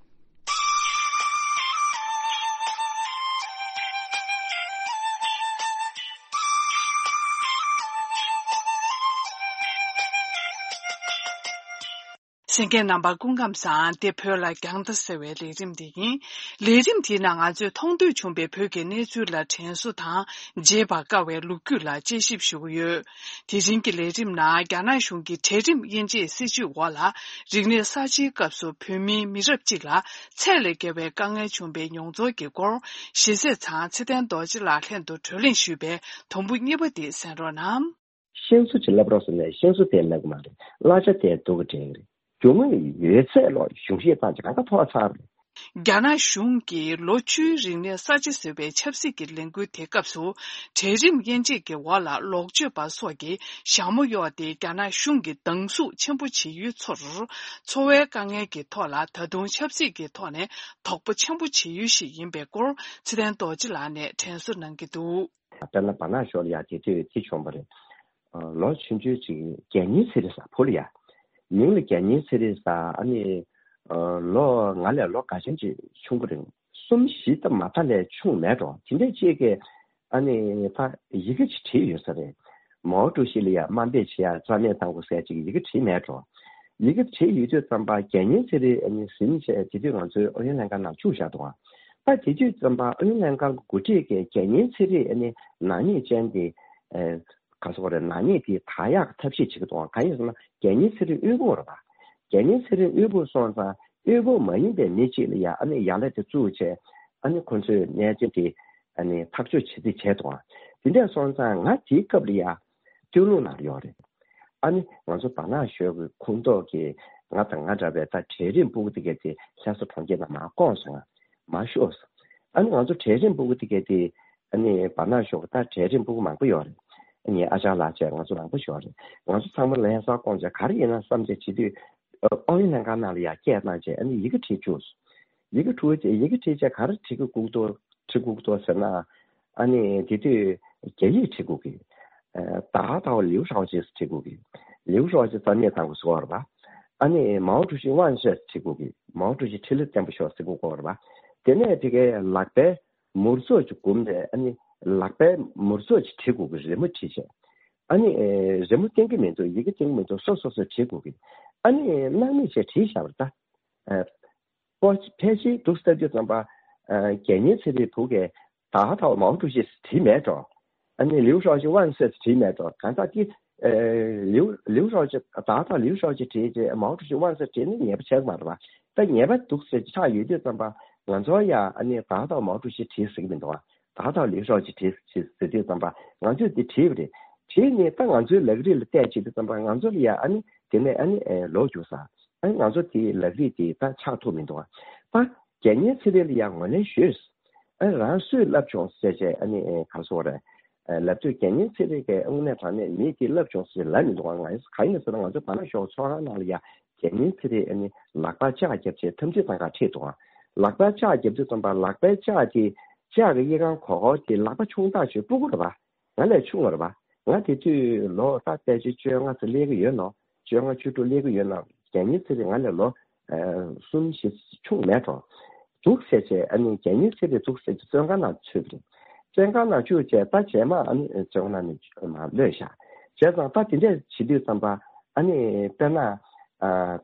གསན་མཁན་རྣམ་པ་སྐུ་ཁམས་བཟང་། འདི་བོད་ལ་རྒྱང་ལྟ་ཟེར་བའི་ལས་རིམ་དེ་ཡིན། ལས་རིམ་དེའི་ནང་ང་ཚོས་མཐོང་ཐོས་བྱུང་བའི་བོད་ཀྱི་གནས་ཚུལ་ལ་དྲན་གསོ་དང་། བརྗེད་པར་དཀའ་བའི་ལོ་རྒྱུས་ལ་དཔྱད་ཞིབ་ཞུ་གི་ཡོད། དེ་རིང་གི་ལས་རིམ་ནང་རྒྱ་ནག་གཞུང་གི་གྲལ་རིམ་དབྱེ་འབྱེད་སྲིད་བྱུས་འོག་ལ། རིག་གནས་གསར་བརྗེའི་སྐབས་སུ་བོད་མིའི་མི་རབས་གཅིག་ལ་ཚད་ལས་བརྒལ་བའི་དཀའ་ངལ་བྱུང་བའི་མྱོང་ཚོར་གྱི་སྐོར། ཞེ་ཚད་ཚང་ཚེ་བརྟན་རྡོ་རྗེ་ལགས་ལྷན་དུ་བགྲོ་གླེང་ཞུས་པའི་དུམ་བུ་གཉིས་པ་དེ་གསན་རོགས་གནང་། ཤེས་བཟོ་ཅིག་ལབ་རོགས་ཟེར་ནས་ཤེས་བཟོ་དེ་ལབ་གི་མ་རེད། གླ་ཆ་དེ་སྡུག་གི་དྲན་གི་རེད། རྒྱུ་དངོས་ཡོད་ཚད་ལོ་གཞུང་བཞེས་བཏང་ཅིག་གང་ག་ཐོག་ཚར་རེད། རྒྱ་ནག་གཞུང་གིས་ལོ་བཅུའི་རིང་ནས་གསར་བརྗེ་ཟེར་བའི་ཆབ་སྲིད་ཀྱི་ལས་འགུལ་དེ་སྐབས་སུ། གྲལ་རིམ་དབྱེ་འབྱེད་ཀྱི་འོག་ལ་ལོག་སྤྱོད་པ་སོགས་ཀྱིས་ཞྭ་མོ་གཡོགས་ཏེ་རྒྱ་ནག་གཞུང་གི་སྡང་ཟུག་ཆེན་པོ་བྱེད་ཡུལ་ཚོར། འཚོ་བའི་དཀའ་ངལ་གྱི་ཐོག་ལ་ད་དུང་ཆབ་སྲིད་ཀྱི་ཐོག་ནས་དོགས་པ་ཆེན་པོ་བྱེད་ཡུལ་ཞིག་ཡིན་པའི་སྐོར་ཚེ་བརྟན་རྡོ་རྗེ་ལགས་ནས་དྲན་གསོ་གནང་གི་འདུག་དཔེར་ན་བར་ནག་ཞོར་ལ་ཡ་དེ་དུས་དེ་བྱུང་བ་རེད། ལོ་ཆུང་ཆུང་ཅིག་རྒྱལ་གཉེར་ཚེ་རིང་ཟེར་བུ་ལ་ཡ། མིང་ལ་རྒྱལ་གཉེར་ཚེ་རིང་ཟེར། ཨ་ནི་ལོ་ང་ལས་ལོ་འགའ་ཤས་ཅིག་ཆུང་གི་རེད། གསུམ་བཞི་ཙམ་མ་མཐའ་ལས་ཆུང་མེད་འགྲོ། དེ་འདྲས་ཅིག་གི་ཨ་ནི་ད་ཡི་གེ་ཅིག་བྲིས་ཡོད་ས་རེད། མའོ་ཀྲུའུ་ཞི་ལ་ཡ་དམའ་འབེབས་བྱེད་ཡ་རྩ་མེད་བཏང་དགོས་ཟེར་ཅིག་ཡི་གེ་བྲིས་མེད་འགྲོ། ཡི་གེ་བྲིས་ཡོད་དུས་ཙམ་པ་རྒྱལ་གཉེར་ཚེ་རིང་ཨ་ནི་ཟིན་བྱས་དེ་དུས་ང་ཚོའི་ཨུ་ཡོན་ལྷན་ཁང་ནང་བཅུག་བཞག་འདུག་ད་དེ་དུས་ཙམ་པ་ཨུ་ཡོན་ལྷན་ཁང་གི་འགོ་ཁྲིད་ཀྱིས་རྒྱལ་གཉེར་ཚེ་རིང་ཨ་ནི་ནག་ཉེས་ཅན་དེ། ག་ཟེར་དགོས་རེད། ནག་ཉེས་དེ་དག་ཡག་གི་ཐབས་ཤེས་བྱེད་ཀྱི་འདུག་གང་ཡིན་ཟེར་ན་རྒྱལ་གཉེར་ཚེ་རིང་དབུལ་པོ་རེད་པ། རྒྱལ་གཉེར་ཚེ་རིང་དབུལ་པོ་སོང་ཙང་དབུལ་པོ་མ་ཡིན་པའི་མི་གཅིག་ལ་ཡ་ཨ་ནི་ཡ་ལན་དེ་བཙུགས་བྱས། ཨ་ནི་ཁོ་ཚོས་གནས་ཚུལ་དེ་ཨ་ནི་ཐག་གཅོད་བྱེད་རྩིས་བྱས་འདུག་དེ་འདྲས་སོང་ཙང་ང་དེའི་སྐབས་ལ་ཡ་སྟོད་ལུང་ནང་ཡོད་རེད། ཨ་ནི་ང་ཚོ་བར་ནག་ཞོལ་གྱི་ཁོངས་གཏོགས་ཀྱི་ང་དང་ང་འདྲ་བའི་ད་གྲལ་རིམ་སྤུ་གུ་དེ་གས་དེ་ལྷ་ས་གྲོང་ཁྱེར་ནང་མར་བསྐོངས་སོང་། མར་ཤོག་སོང་། ཨ་ནི་ང་ཚོ་གྲལ་རིམ་སྤུ་གུ་དེ་གས་དེ། ཨ་ནི་བར་ནག་ཞོགས་ཀྱི་ད་གྲལ་རིམ་སྤུ་གུ་མང་པོ་ཡོད་རེད། ཨ་ནི་ཨ་ཅག་ལགས་བཅས་ང་ཚོ་མང་པོ་ཞིག་ཡོད་རེད། ང་ཚོ་ཚང་མ་ལྷ་ས་བསྐོངས་བྱས་ག་རེ་ཡིན་ན་བསམ་བྱས་བྱེད་དུས། ཨ་ཨུ་ཡོན་ལྷན་ཁང་ནང་ལ་ཡར་སྐད་བཏང་བྱས་ཨ་ནི་ཡི་གེ་བྲིས་བཅུག་ཡི་གེ་བྲིས་བྱས་ཡི་གེ་བྲིས་བྱས་ག་རེ་བྲིས་ཀྱི་སྒུག་འདུག་བྲིས་སྒུག་འདུག་ཟེར་ན། ཨ་ནི་དེ་དུས་རྒྱ་ཡིག་བྲིས་སྒུག་གི། ཨ་ད་ད་ལིའུ་ཧྲའོ་ཅི་བྲིས་སྒུག་གི། ལིའུ་ཧྲའོ་ཅི་རྩ་མེད་བཏང་དགོས་བཟོ་བ་རེད་པ། ཨ་ནི་མའོ་ཀྲུའུ་ཞི་万岁བྲིས་སྒུག་གི། མའོ་ཀྲུའུ་ཞི་འཕྲིན་ལས་བརྟན་པོ་ཤོག་ཟེར་སྒུག་གི་ཡོད་རེད་པ། དེ་ནས་དེ་གའི་ལག་པའི་མུར་ཚོགས་ཅིག་བསྒུམས་ནས་ཨ་ནི་ལག་པའི་མུར་ཚོགས་ཅིག་བྲིས་དགོས་ཀྱི་རི་མོ་བྲིས་བྱས། ཨ་ནི་ཨེ་རི་མོ་བསྟན་གྱི་མི་འདུག་ཡི་གེ་བསྟན་གྱི་མི་འདུག་སོ་སོ་སོས་བྲིས་དགོས་ཀྱི། ཨ་ནི་སྣང་མེད་བྱས་བྲིས་བཞག་པ་རེད་ད། ཨེ་ཕལ་ཆེར་འདུག་ཟེར་དུས་ཙམ་པ། ཨེ་རྒྱལ་གཉེར་ཚེ་རིང་བུ་གས་ད་ད་མའོ་ཀྲུའུ་ཞི་བྲིས་མེད་འགྲོ། ཨ་ནི་ལིའུ་ཧྲའོ་ཅི་万岁བྲིས་མེད་འགྲོ། གང་ལྟར་གྱི། ཨེ་ལིའུ་ལིའུ་ཧྲའོ་ཅི་ད་ལྟ་ལིའུ་ཧྲའོ་ཅི་བྲིས་རྗེས་མའོ་ཀྲུའུ་ཞི་万岁བྲིས་ནི་ངེས་པ་ཆགས་ཀྱི་མ་རེད་པ། ད་ངེས་པ་འདུག་ཟེར་ཆགས་ཡོད་དུས་ཙམ་པ་ང་ཚོ་ཡ་ཨ་ནི་ད་ལྟ་མའོ་ཀྲུའུ་ཞི་བྲིས་ཟེར་གྱི་མི་འདུག་ད་ལྟ་ལིའུ་ཧྲའོ་ཅི་བྲིས་ཟེར་དུས་ཙམ་པ་ང་ཚོས་འདི་བྲིས་པ་རེད། བྲིས་ནས་ད་ང་ཚོའི་ལག་རིས་ལ་བལྟས་བྱེད་དུས་ཙམ་པ་ང་ཚོ་ལ་ཡ་ཨ་ནི་དེ་ནས་ཨ་ནི་ལོག་རྒྱུགས་ས། ཨ་ནི་ང་ཚོ་དེའི་ལག་རིས་དེ་ད་ཆགས་ཐུབ་མི་འདུག་ད་རྒྱལ་གཉེར་ཚེ་རིང་ལ་ཡ་ངོས་ལེན་ཞུས། ཨ་རང་སུས་བསླབ་བྱུང་ཟེར་བྱས་ཨ་ནི་ག་རེ་ཟེར་དགོས་རེད། ལབ་དུས་རྒྱལ་གཉེར་ཚེ་རིང་གི་དངོས་གནས་དྲང་གནས་མི་དེ་བསླབ་བྱུང་ཟེར་ལབ་མི་འདུག་ང་ཡིན་གང་ཡིན་ཟེར་ན་ང་ཚོ་བར་ན་ཞོག་ཚོགས་ཁང་ནང་ལ་ཡ་རྒྱལ་གཉེར་ཚེ་རིང་ཨ་ནི་ལག་པ་ལྕགས་བརྒྱབ་བྱས་འཐམ་འཁྲུག་བཏང་ག་ཁྲིད་འདུག་ལག་པ་ལྕགས་བརྒྱབ་དུས་ཙམ་པ་ལག་པའི་ལྕགས་དེ་ལྕགས་ཀྱི་དབྱེ་ཁང་གོག་གོག་དེ་ལག་པ་ཆུང་ཐག་ཆོད་སྤུ་གུ་རེད་པ། ང་ལས་ཆུང་བ་རེད་པ། ང་དེ་དུས་ལོ་ད་ཕལ་ཆེར་བཅོ་ལྔ་ཙམ་སླེབས་ཀྱི་ཡོད་ནོ། བཅོ་ལྔ་བཅུ་དྲུག་སླེབས་ཀྱི་ཡོད་ན་རྒྱལ་གཉེར་ཚེ་རིང་ང་ལས་ལོ་གསུམ་བཞི་ཆུང་མེད་འགྲོ། འདུག་ཟེར་བྱས་ཨ་ནི་རྒྱལ་གཉེར་ཚེ་རིང་འདུག་ཟེར་བྱས་བཙོན་ཁང་ནང་ཚུད་པ་རེད། བཙོན་ཁང་ནང་བཅུག་བྱས་ད་རྗེས་མ་ཨ་ནི་བཙོན་ཁང་ནང་ནས་མར་གློད་བཞག་བྱས་ཙང་ད་དེ་འདྲས་བྱེད་དུས་ཙམ་པ་ཨ་ནི་དཔེར་ན་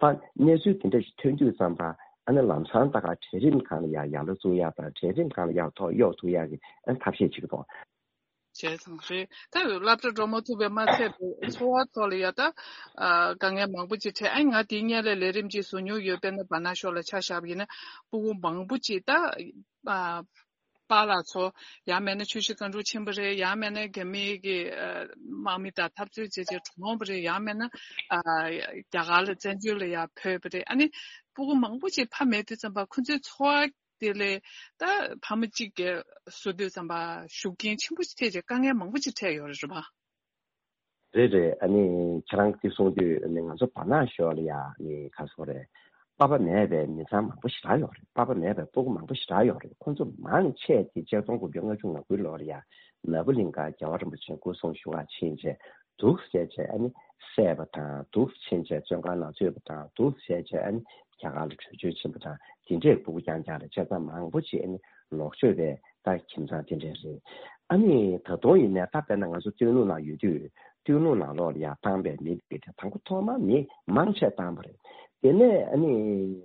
ད་གནས་ཚུལ་དེ་འདྲས་ཞིག་ཐོན་དུས་ཙམ་པ་ ཨ་ནི་ལམ་སང་ད་ག་གྲལ་རིམ་སྒང་ལ་ཡ་ཡར་ལ་བཙུགས་ཡ་དང་གྲལ་རིམ་སྒང་ལ་ཡར་ཐོག་གཡོག་ཐུབ་ཡ་གི་ཨ་ནི་ཐབས་ཤེས་བྱེད་ཀྱི་འདུག་བྱས་ཙང་རེད། ད་སློབ་གྲྭ་འགྲོ་མ་ཐུབ་པའི་མ་ཚད་པའི་འཚོ་བ་ཐོག་ལ་ཡ་ད་ཨ་དཀའ་ངལ་མང་པོ་ཅིག་འཕྲད། ཨ་ང་དེའི་སྔོན་ལ་ལས་རིམ་ཅིག་བཟོ་མྱོང་ཡོད། དཔེར་ན་བ་ན་ཤོག་ལ་ཆ་བཞག་པ་ཡིན་ན་སྤུ་གུ་མང་པོ་ཅིག་ད་ཨ་པཱ་ལགས་ཚོ་ཡང་མིན་ན་ཆུ་བཞི་སྒང་དྲུག་ཕྱིན་པ་རེད། ཡང་མིན་ན་རྒྱ་མིའི་གི་ཨ་དམག་མི་དང་འཐབ་རྩོད་བྱས་བྱས་གྲོངས་པ་རེད། ཡང་མིན་ན་ཨ་རྒྱ་གར་ལ་བཙན་བྱོལ་ལ་ཡ་ཕེབས་པ་རེད། ཨ་ནི་སྤུ་གུ་མང་པོ་ཅིག་ཕ་མེད་དུས་ཙམ་པ་ཁོ་ཚོའི་འཚོ་བ་དེ་ལས་ད་ཕ་མ་གཅིག་གི་བཟོ་དུས་ཙམ་པ་ཤུགས་རྐྱེན་ཆེན་པོ་ཞིག་ཐེབས་བྱས་དཀའ་ངལ་མང་པོ་ཞིག་འཕྲད་ཡོད་རེད། རེད་པ། རེད་རེད། ཨ་ནི་ཁྱེད་རང་གིས་གསུངས་དུས་ཨ་ནི་ང་ཚོ་བར་ནག་ཤོག་ལ་ཡ་ཨ་ནི་ག་སོ་རེད། པ་ཕ་མེད་པའི་མི་ཚང་མང་པོ་ཞེ་དྲག་ཡོད་རེད། པ་ཕ་མེད་པའི་སྤུ་གུ་མང་པོ་ཞེ་དྲག་ཡོད་རེད། ཁོང་ཚོ་མང་ཆེ་དེ་ཆིག་སྟོང་དགུ་བརྒྱ་ལྔ་བཅུ་ང་དགུའི་ལོར་ཡ་ནཱ་བུ་ལིང་ག་རྒྱལ་བ་རིན་པོ་ཆེ་སྐུ་གསུང་བཞུགས་ག་ཕྱིན་བྱས་འདུག་བྱས་བྱས་ཨ་ནི་བསད་པ་དང་འདུག་ཕྱིན་བྱས་བཙོན་ཁང་ནང་ཚུད་པ་དང་འདུག་བྱས་བྱས་ཨ་ནི་རྒྱ་གར་ལ་བྲོས་བྱོལ་ཕྱིན་པ་དང་དེ་འདྲའི་སྤུ་གུ་རྐྱང་རྐྱང་རེད། བྱས་ཙང་མང་པོ་ཅིག་ཨ་ནི་ལོག་སྤྱོད་པའི་ད་ཁྱིམ་ཚང་དེ་འདྲ་རེད། ཨ་ནི་ད་དུང་ཡིན་ནའི་ད་དཔེར་ན་ང་ཚོ་སྟོད་ལུང་ནང་ཡོད་དུས་སྟོད་ལུང་ནང་ལོགས་ལ་ཡ་བཏང་པའི་མི་དེ་དང་པོ་ཐོག་མ་མི་མང་ཆེ་བཏང་པ་རེད། དེ་ནས་ཨ་ནི་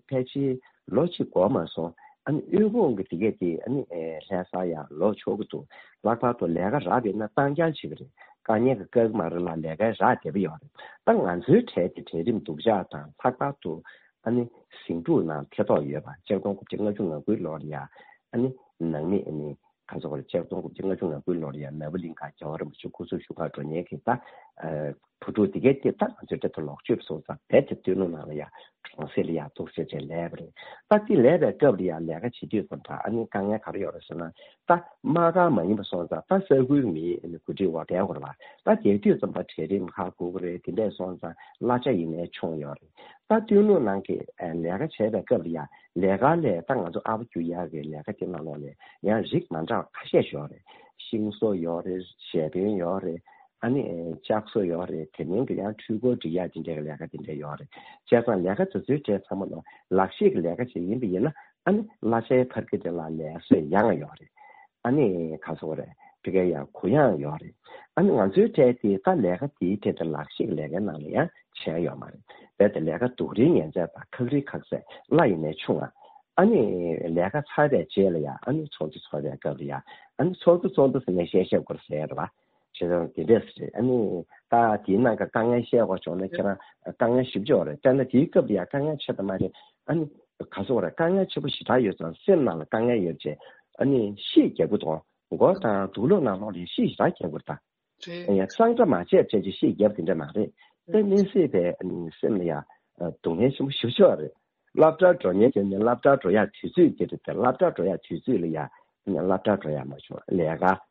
ཕལ་ཆེར་ལོ་གཅིག་འགོར་མ་སོང་ཨ་ནི་དབུལ་ཕོངས་ཀྱི་དེ་གས་དེ་ཨ་ནི་ལྷ་ས་ཡ་ལོག་ཆོག་གི་འདུག་ལྷག་པར་དུ་ལས་ཀ་རག་པ་ཡིན་ན་བཏང་རྐྱང་བྱེད་ཀྱི་རེད། དཀའ་ངལ་གྱི་དཀའ་གི་མ་རེད་ལ་ལས་ཀ་རག་བསྡད་པ་ཡོད་རེད། ད་ང་ཚོའི་གྲས་དེ་གྲལ་རིམ་སྡུག་ཅག་དང་ལྷག་པར་དུ་ཨ་ནི་ཟིང་འཁྲུག་ནང་ཐེ་གཏོགས་ཡོད་པ་ཆིག་སྟོང་དགུ་བརྒྱ་ལྔ་བཅུ་ང་དགུའི་ལོར་ཡ་ཨ་ནི་ནང་མི་ཨ་ནི་ག་ཚོད་རེད། ཆིག་སྟོང་དགུ་བརྒྱ་ལྔ་བཅུ་ང་དགུའི་ལོར་ཡ་ནཱ་བུ་ལིང་ག་རྒྱལ་བ་རིན་པོ་ཆེ་སྐུ་གསུང་བཞུགས་ག་འགྲོ་མཁན་གྱི་ད་ཨ་བུ་ཕྲུག་དེ་གས་དེ་ད་ང་ཚོའི་གྲས་དུ་ལོག་སྤྱོད་སོང་ཙང་རྦད་དེ་སྟོད་ལུང་ནང་ལ་ཡ་གྲོང་གསེབ་ལ་ཡ་འདུག་སེ་བྱས་ལས་པ་རེད། ད་དེ་ལས་པའི་སྐབས་ལ་ཡ་ལས་ཀ་བྱེད་དུས་ཙམ་པ་ཨ་ནི་དཀའ་ངལ་ག་རེ་ཡོད་རེད་ཟེར་ན་ད་དམག་སྒར་མ་ཡིན་པ་སོང་ཙང་ད་ས་ཁུལ་མི་ཨ་ནི་འགོ་ཁྲིད་འོག་བསྡད་དགོས་རེད་པ། ད་དེ་དུས་ཙམ་པ་གྲལ་རིམ་ཁག་དགོས་ཀྱི་རེད། དེ་འདྲས་སོང་ཙང་གླ་ཆ་ཡིན་ནའི་ཆུང་ཡོད་རེད། ད་སྟོད་ལུང་ནང་གི་ཨ་ལས་ཀ་བྱས་པའི་སྐབས་ལ་ཡ་ལས་ཀ་ལས་ད་ང་ཚོ་ཨ་ཕོ་རྒྱུག་ཡག་གི་ལས་ཀ་དེ་ནང་ལོགས་ལས་ཡང་རིགས་མ་འདྲ་བ་ཁ་ཤས་ཤིག་ཡོད་རེད། ཤིང་བཟོ་ཡོད་རེད། ཞལ་འཕེན་ཡོད་རེད། ཨ་ནི་ལྕགས་བཟོ་ཡོད་རེད། དེ་མིན་གྱི་ཡང་འཕྲུལ་འཁོར་སྒྲིག་ཡག་དེ་འདྲའི་ལས་ཀ་དེ་འདྲ་ཡོད་རེད། བྱས་ཙང་ལས་ཀ་དེ་ཚོའི་གྲས་ཚང་མ་ལ་ལག་ཤེས་ཀྱི་ལས་ཀ་ཅིག་ཡིན་པ་ཡིན་ན་ཨ་ནི་གླ་ཆའི་འཕར་གྱི་དེ་ལ་ལས་བསོད་ཡང་ཡོད་རེད། ཨ་ནི་ག་ཚོད་རེད། དེ་གའི་ཡང་གུ་ཡངས་ཡོད་རེད། ཨ་ནི་ང་ཚོའི་གྲས་དེ་ད་ལས་ཀ་དེའི་གྲས་དེ་ལག་ཤེས་ཀྱི་ལས་ཀའི་ནང་ལ་ཡང་བྱས་ཡོད་མ་རེད། རྦད་དེ་ལས་ཀ་སྡུག་རིགས་ངན་ཚད་དང་ཁག་རིགས་ཁག་ཚད་གླ་ཡིན་ནའི་ཆུང་ང་། ཨ་ནི་ལས་ཀ་ཚར་བའི་རྗེས་ལ་ཡང་ཨ་ནི་ཚོགས་འདུ་ཚོགས་པའི་སྐབས་ལ་ཡང་ཨ་ནི་ཚོགས་འདུ་ཚོགས་འདུ་ཟེར་ནས་བཤད་བཤད་དགོས་ཟེར་རེད་པ། བྱས་ཙང་དེ་འདྲས་རེད། ཨ་ནི་ད་དེའི་ནང་གི་དཀའ་ངལ་བཤད་དགོས་བྱུང་ན་ཁྱེད་རང་དཀའ་ངལ་ཞེ་པོ་ཅིག་ཡོད་རེད། དཔེར་ན་དེའི་སྐབས་ལ་ཡང་དཀའ་ངལ་ཆེ་ད་མ་རེད། ཨ་ནི་ག་ཚོད་རེད། དཀའ་ངལ་ཆེ་པོ་ཞེ་དྲག་ཡོད་ཙང་སེམས་ནང་ལ་དཀའ་ངལ་ཡོད་ཅེས་ཨ་ནི་གཤིས་རྒྱག་གི་འདུག་མགོ་དང་དུག་ལོག་ནང་ལོགས་ལ་གཤིས་ཞེ་དྲག་རྒྱག་གི་རེད་ད། རེད། ཡང་གཙང་སྦྲ་མ་བྱས་བྱས་ཀྱི་གཤིས་རྒྱབ་དེ་འདྲ་མ་རེད། དཔེ་གནས་སྲིད་པའི་སེམས་ལ་ཡང་སྡུག་བསྔལ་ཆེན་པོ་ཞེ་པོ་ཅིག་ཡོད་རེད། སློབ་གྲྭར་འགྲོ་མཁན་དེ་ནི་སློབ་གྲྭར་འགྲོ་ཡག་དུས་ཚོད་དེ་རེད་དེ། སློབ་གྲྭར་འགྲོ་ཡག་དུས་ཚོད་ལ་ཡང་སློབ་གྲྭར་འགྲོ་ཡག་མ་བྱུང་། ལས་ཀ་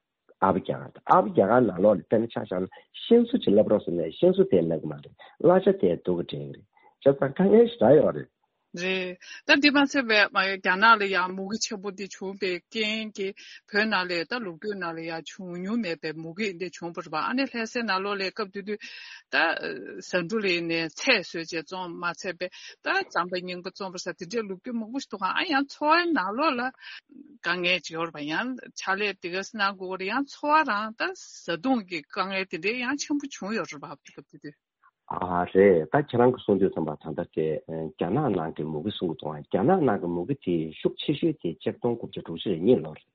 ཨ་ཕ་རྒྱ་གར་དང་། ཨ་ཕ་རྒྱ་གར་ནང་ལོགས་ལ་དཔེར་ན་ཆ་བཞག་ན་ཤིང་བཟོ་ཅིག་བསླབ་རོགས་ཟེར་ནས་ཤིང་བཟོ་དེ་བསླབ་ཀྱི་མ་རེད། གླ་ཆ་དེ་སྡུག་གི་འགྲིག་གི་རེད། བྱས་ཙང་དཀའ་ངལ་ཞེ་དྲག་ཡོད་རེད། རེད། ད་འདི་མ་ཟད་པའི་མ་རྒྱ་ནག་ལ་ཡང་མུ་གེ་ཆེན་པོ་འདི་བྱུང་བའི་རྐྱེན་གྱིས་བོད་ནང་ལ་ད་ལོ་རྒྱུས་ནང་ལ་ཡང་བྱུང་མྱོང་མེད་པའི་མུ་གེ་འདི་བྱུང་བ་རེད་པ། ཨ་ནི་ལྷ་སའི་ནང་ལོགས་ལ་སྐབས་དེ་དུས་ད་ཟ་འབྲུ་ལ་ཡིན་ནའི་ཚལ་བཟོས་བྱས་བཙོང་། མ་ཚད་པའི་ད་རྩམ་པ་རྙིང་པ་བཙོང་བ་ཟེར་དེ་འདྲའི་ལོ་རྒྱུས་མང་པོ་ཞིག་འདུག་ག་ཨ་ཡང་འཚོ་བའི་ནང་ལོགས་ལ་དཀའ་ངལ་ཅིག་ཡོད་རེད་པ། ཡང་ཕྱག་ལས་དེ་ག་ཙམ་གནང་དགོས་རེད། ཡང་འཚོ་བ་རང་ད་བཟའ་བཏུང་གི་དཀའ་ངལ་དེ་འདྲའི་ཡང་ཆེན་པོ་བྱུང་ཡོད་རེད་པ། སྐབས་དེ་དུས། ཨ་རེད། ད་ཁྱེད་རང་གིས་གསུང་དུས་ཙམ་པ་ད་ལྟ་དེ་ཨ་རྒྱ་ནག་ནང་གི་མུ་གེ་གསུང་གི་འདུག་རྒྱ་ནག་ནང་གི་མུ་གེ་དེ་ཤུགས་ཆེ་ཤོས་དེ་ཆིག་སྟོང་དགུ་བརྒྱ་དྲུག་ཅུ་རེ་གཉིས་ལོར་རེད།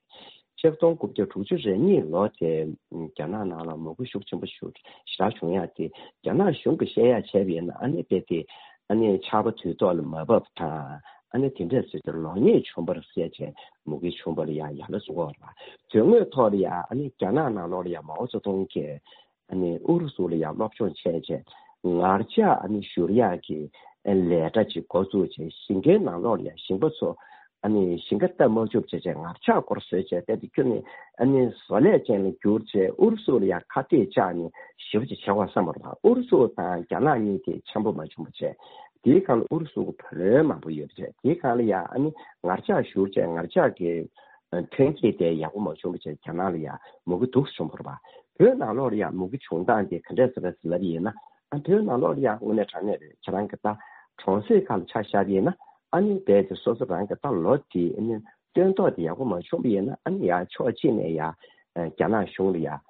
ཆིག་སྟོང་དགུ་བརྒྱ་དྲུག་ཅུ་རེ་གཉིས་ལོ་དེ་རྒྱ་ནག་ནང་ལ་མུ་གེ་ཤུགས་ཆེན་པོ་ཞེ་དྲག་བྱུང་ཡག་དེ་རྒྱ་ནག་གཞུང་གིས་བཤད་ཡག་བྱས་པ་ཡིན་ན་ཨ་ནི་དཔེ་དེ་ཨ་ནི་ཆར་པ་དུས་ཐོག་ལ་མ་བབས་དང་ཨ་ནི་དེ་འདྲས་ཟེར་ཏེ་ལོ་ཉེས་བྱུང་བ་རེད་ཟེར་བྱས་མུ་གེ་བྱུང་བ་ལ་ཡ་ཡ་ལ་བཟོ་གི་ཡོད་རེད་པ། དོན་དངོས་ཐོག་ལ་ཡ་ཨ་ནི་རྒྱ་ནག་ནང་ལོགས་ལ་ཡ་མའོ་ཙེ་ཏུང་གིས་ཨ་ནི་ཨུ་རུ་སུ་ལ་ཡང་སློབ་སྦྱོང་བྱས་བྱས་ངར་ལྕགས་ཨ་ནི་བཞུར་ཡག་གི་ལས་གྲྭ་ཅིག་འགོ་བཙུགས་བྱས་ཞིང་ཁའི་ནང་ལོགས་ལ་ཡང་ཞིང་པ་ཚོ་ཨ་ནི་ཞིང་ཁ་བཏབ་མ་བཅུག་བྱས་བྱས་ངར་ལྕགས་སྐོར་བཟོས་བྱས་དཔེ་དེ་ཁྱོན་ནས་ཨ་ནི་བཟོ་ལས་ཅན་ལ་བསྒྱུར་བྱས་ཨུ་རུ་སུ་ལ་ཡང་ཁ་གཏད་བཅག་ནས་ཞེ་པོ་ཅིག་བྱས་པ་བསམ་པ་རེད་པ། ཨུ་རུ་སུ་དང་རྒྱ་ནག་གཉིས་དེ་འཆམ་པོ་མ་བྱུང་བ་བྱས། དེའི་སྒང་ལ་ཨུ་རུ་སུ་གི་བུ་ལོན་མང་པོ་ཡོད་བྱས། དེའི་སྒང་ལ་ཡང་ཨ་ནི་ངར་ལྕགས་བཞུར་བྱས་ངར་ལྕགས་ཀྱི་ཐོན་སྐྱེད་དེ་ཡག་པོ་མ་བྱུང་བ་བྱས་རྒྱ་ནག་ལ་ཡང་མུ་གེ་སྡུག་བྱུང་བ་རེད་པ། བོད་ནང་ལོགས་ལ་ཡང་མུ་གེ་བྱུང་སྟངས་དེ་ག་འདྲས་ཟེར་བ་ཟེར་ལབ་ཡིན་ན། ཨ་བོད་ནང་ལོགས་ལ་ཡང་དངོས་གནས་དྲང་གནས་རེད། ཁྱེད་རང་གི་ད་གྲོང་གསེབ་ཁག་ལ་ཆ་བཞག་པ་ཡིན་ན་ཨ་ནི་རྦད་དེ་སོ་སོ་རང་གི་ད་ལོ་དེ་ཨ་ནི་སྟོན་ཐོག་དེ་ཡག་པོ་མ་བྱུང་བ་ཡིན་ན་ཨ་ནི་ཡང་ཕྱོགས་གཅིག་ནས་ཡང་རྒྱ་ནག་གཞུང་ལ་ཡང་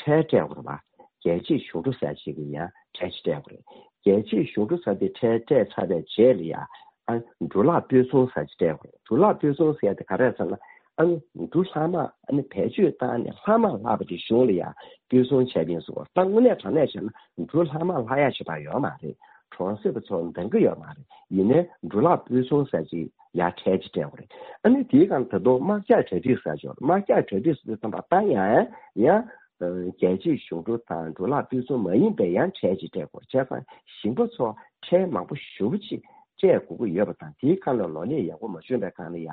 ཁྲལ་སྤྲད་དགོས་རེད་པ། རྒྱལ་གཅེས་གཞུང་གྲོན་ཟེར་ཅིག་གི་ཡང་ཁྲལ་ཅིག་སྤྲད་དགོས་རེད། རྒྱལ་གཅེས་གཞུང་གྲོན་ཟེར་དེ་ཁྲལ་སྤྲད་ཚར་བའི་རྗེས་ལ་ཡང་ ཨ་འབྲུ་ལག་སྤོས་ཚོང་ཟེར་ཅིག་སྤྲད་དགོས་རེད། འབྲུ་ལག་སྤོས་ཚོང་ཟེར་དེ་ག་རེ་ཟེར་ན། ཨ་ནི་འབྲུ་ལྷག་མ་ཨ་ནི་བེད་སྤྱོད་བཏང་ནས་ལྷག་མ་ལྷག་པ་དེ་གཞུང་ལ་ཡ་སྤོས་ཚོང་བྱས་པ་ཡིན་ཟེར་བ། ད་དངོས་གནས་དྲང་གནས་བྱས་ན་འབྲུ་ལྷག་མ་ལྷག་ཡ་ཞེ་དྲག་ཡོད་མ་རེད། གྲོང་གསེབ་པ་ཚོ་འདང་གི་ཡོད་མ་རེད། ཡིན་ནའི་འབྲུ་ལག་སྤོས་ཚོང་ཟེར་ཅིག་ཡ་ཁྲལ་ཅིག་སྤྲད་དགོས་རེད། ཨ་ནི་དེའི་སྒང་ད་དུང་དམག་རྒྱག་གྲ་སྒྲིག་ཟེར་ཅིག་ཡོད་རེད། དམག་རྒྱག་གྲ་སྒྲིག་ཟེར་དུས་ཙམ་པ་ད་ཡང་ཡང་རྒྱལ་སྤྱིའི་གཞུང་འབྲུ་དང་འབྲུ་ལག་སྤོས་ཚོང་མ་ཡིན་པའི་ཡང་ཁྲལ་ཅིག་སྤྲད་དགོས་རེད། བྱས་ཙང་ཞིང་པ་ཚོ་ཁྲལ་མང་པོ་ཞེ་པོ་ཅིག་སྤྲད་དགོས་ཀྱི་ཡོད་པ་དང་། དེའི་སྒང་ལ་ལོ་ལེགས་ཡག་པོ་མ་བྱུང་བའི་སྒང་ལ་ཡ་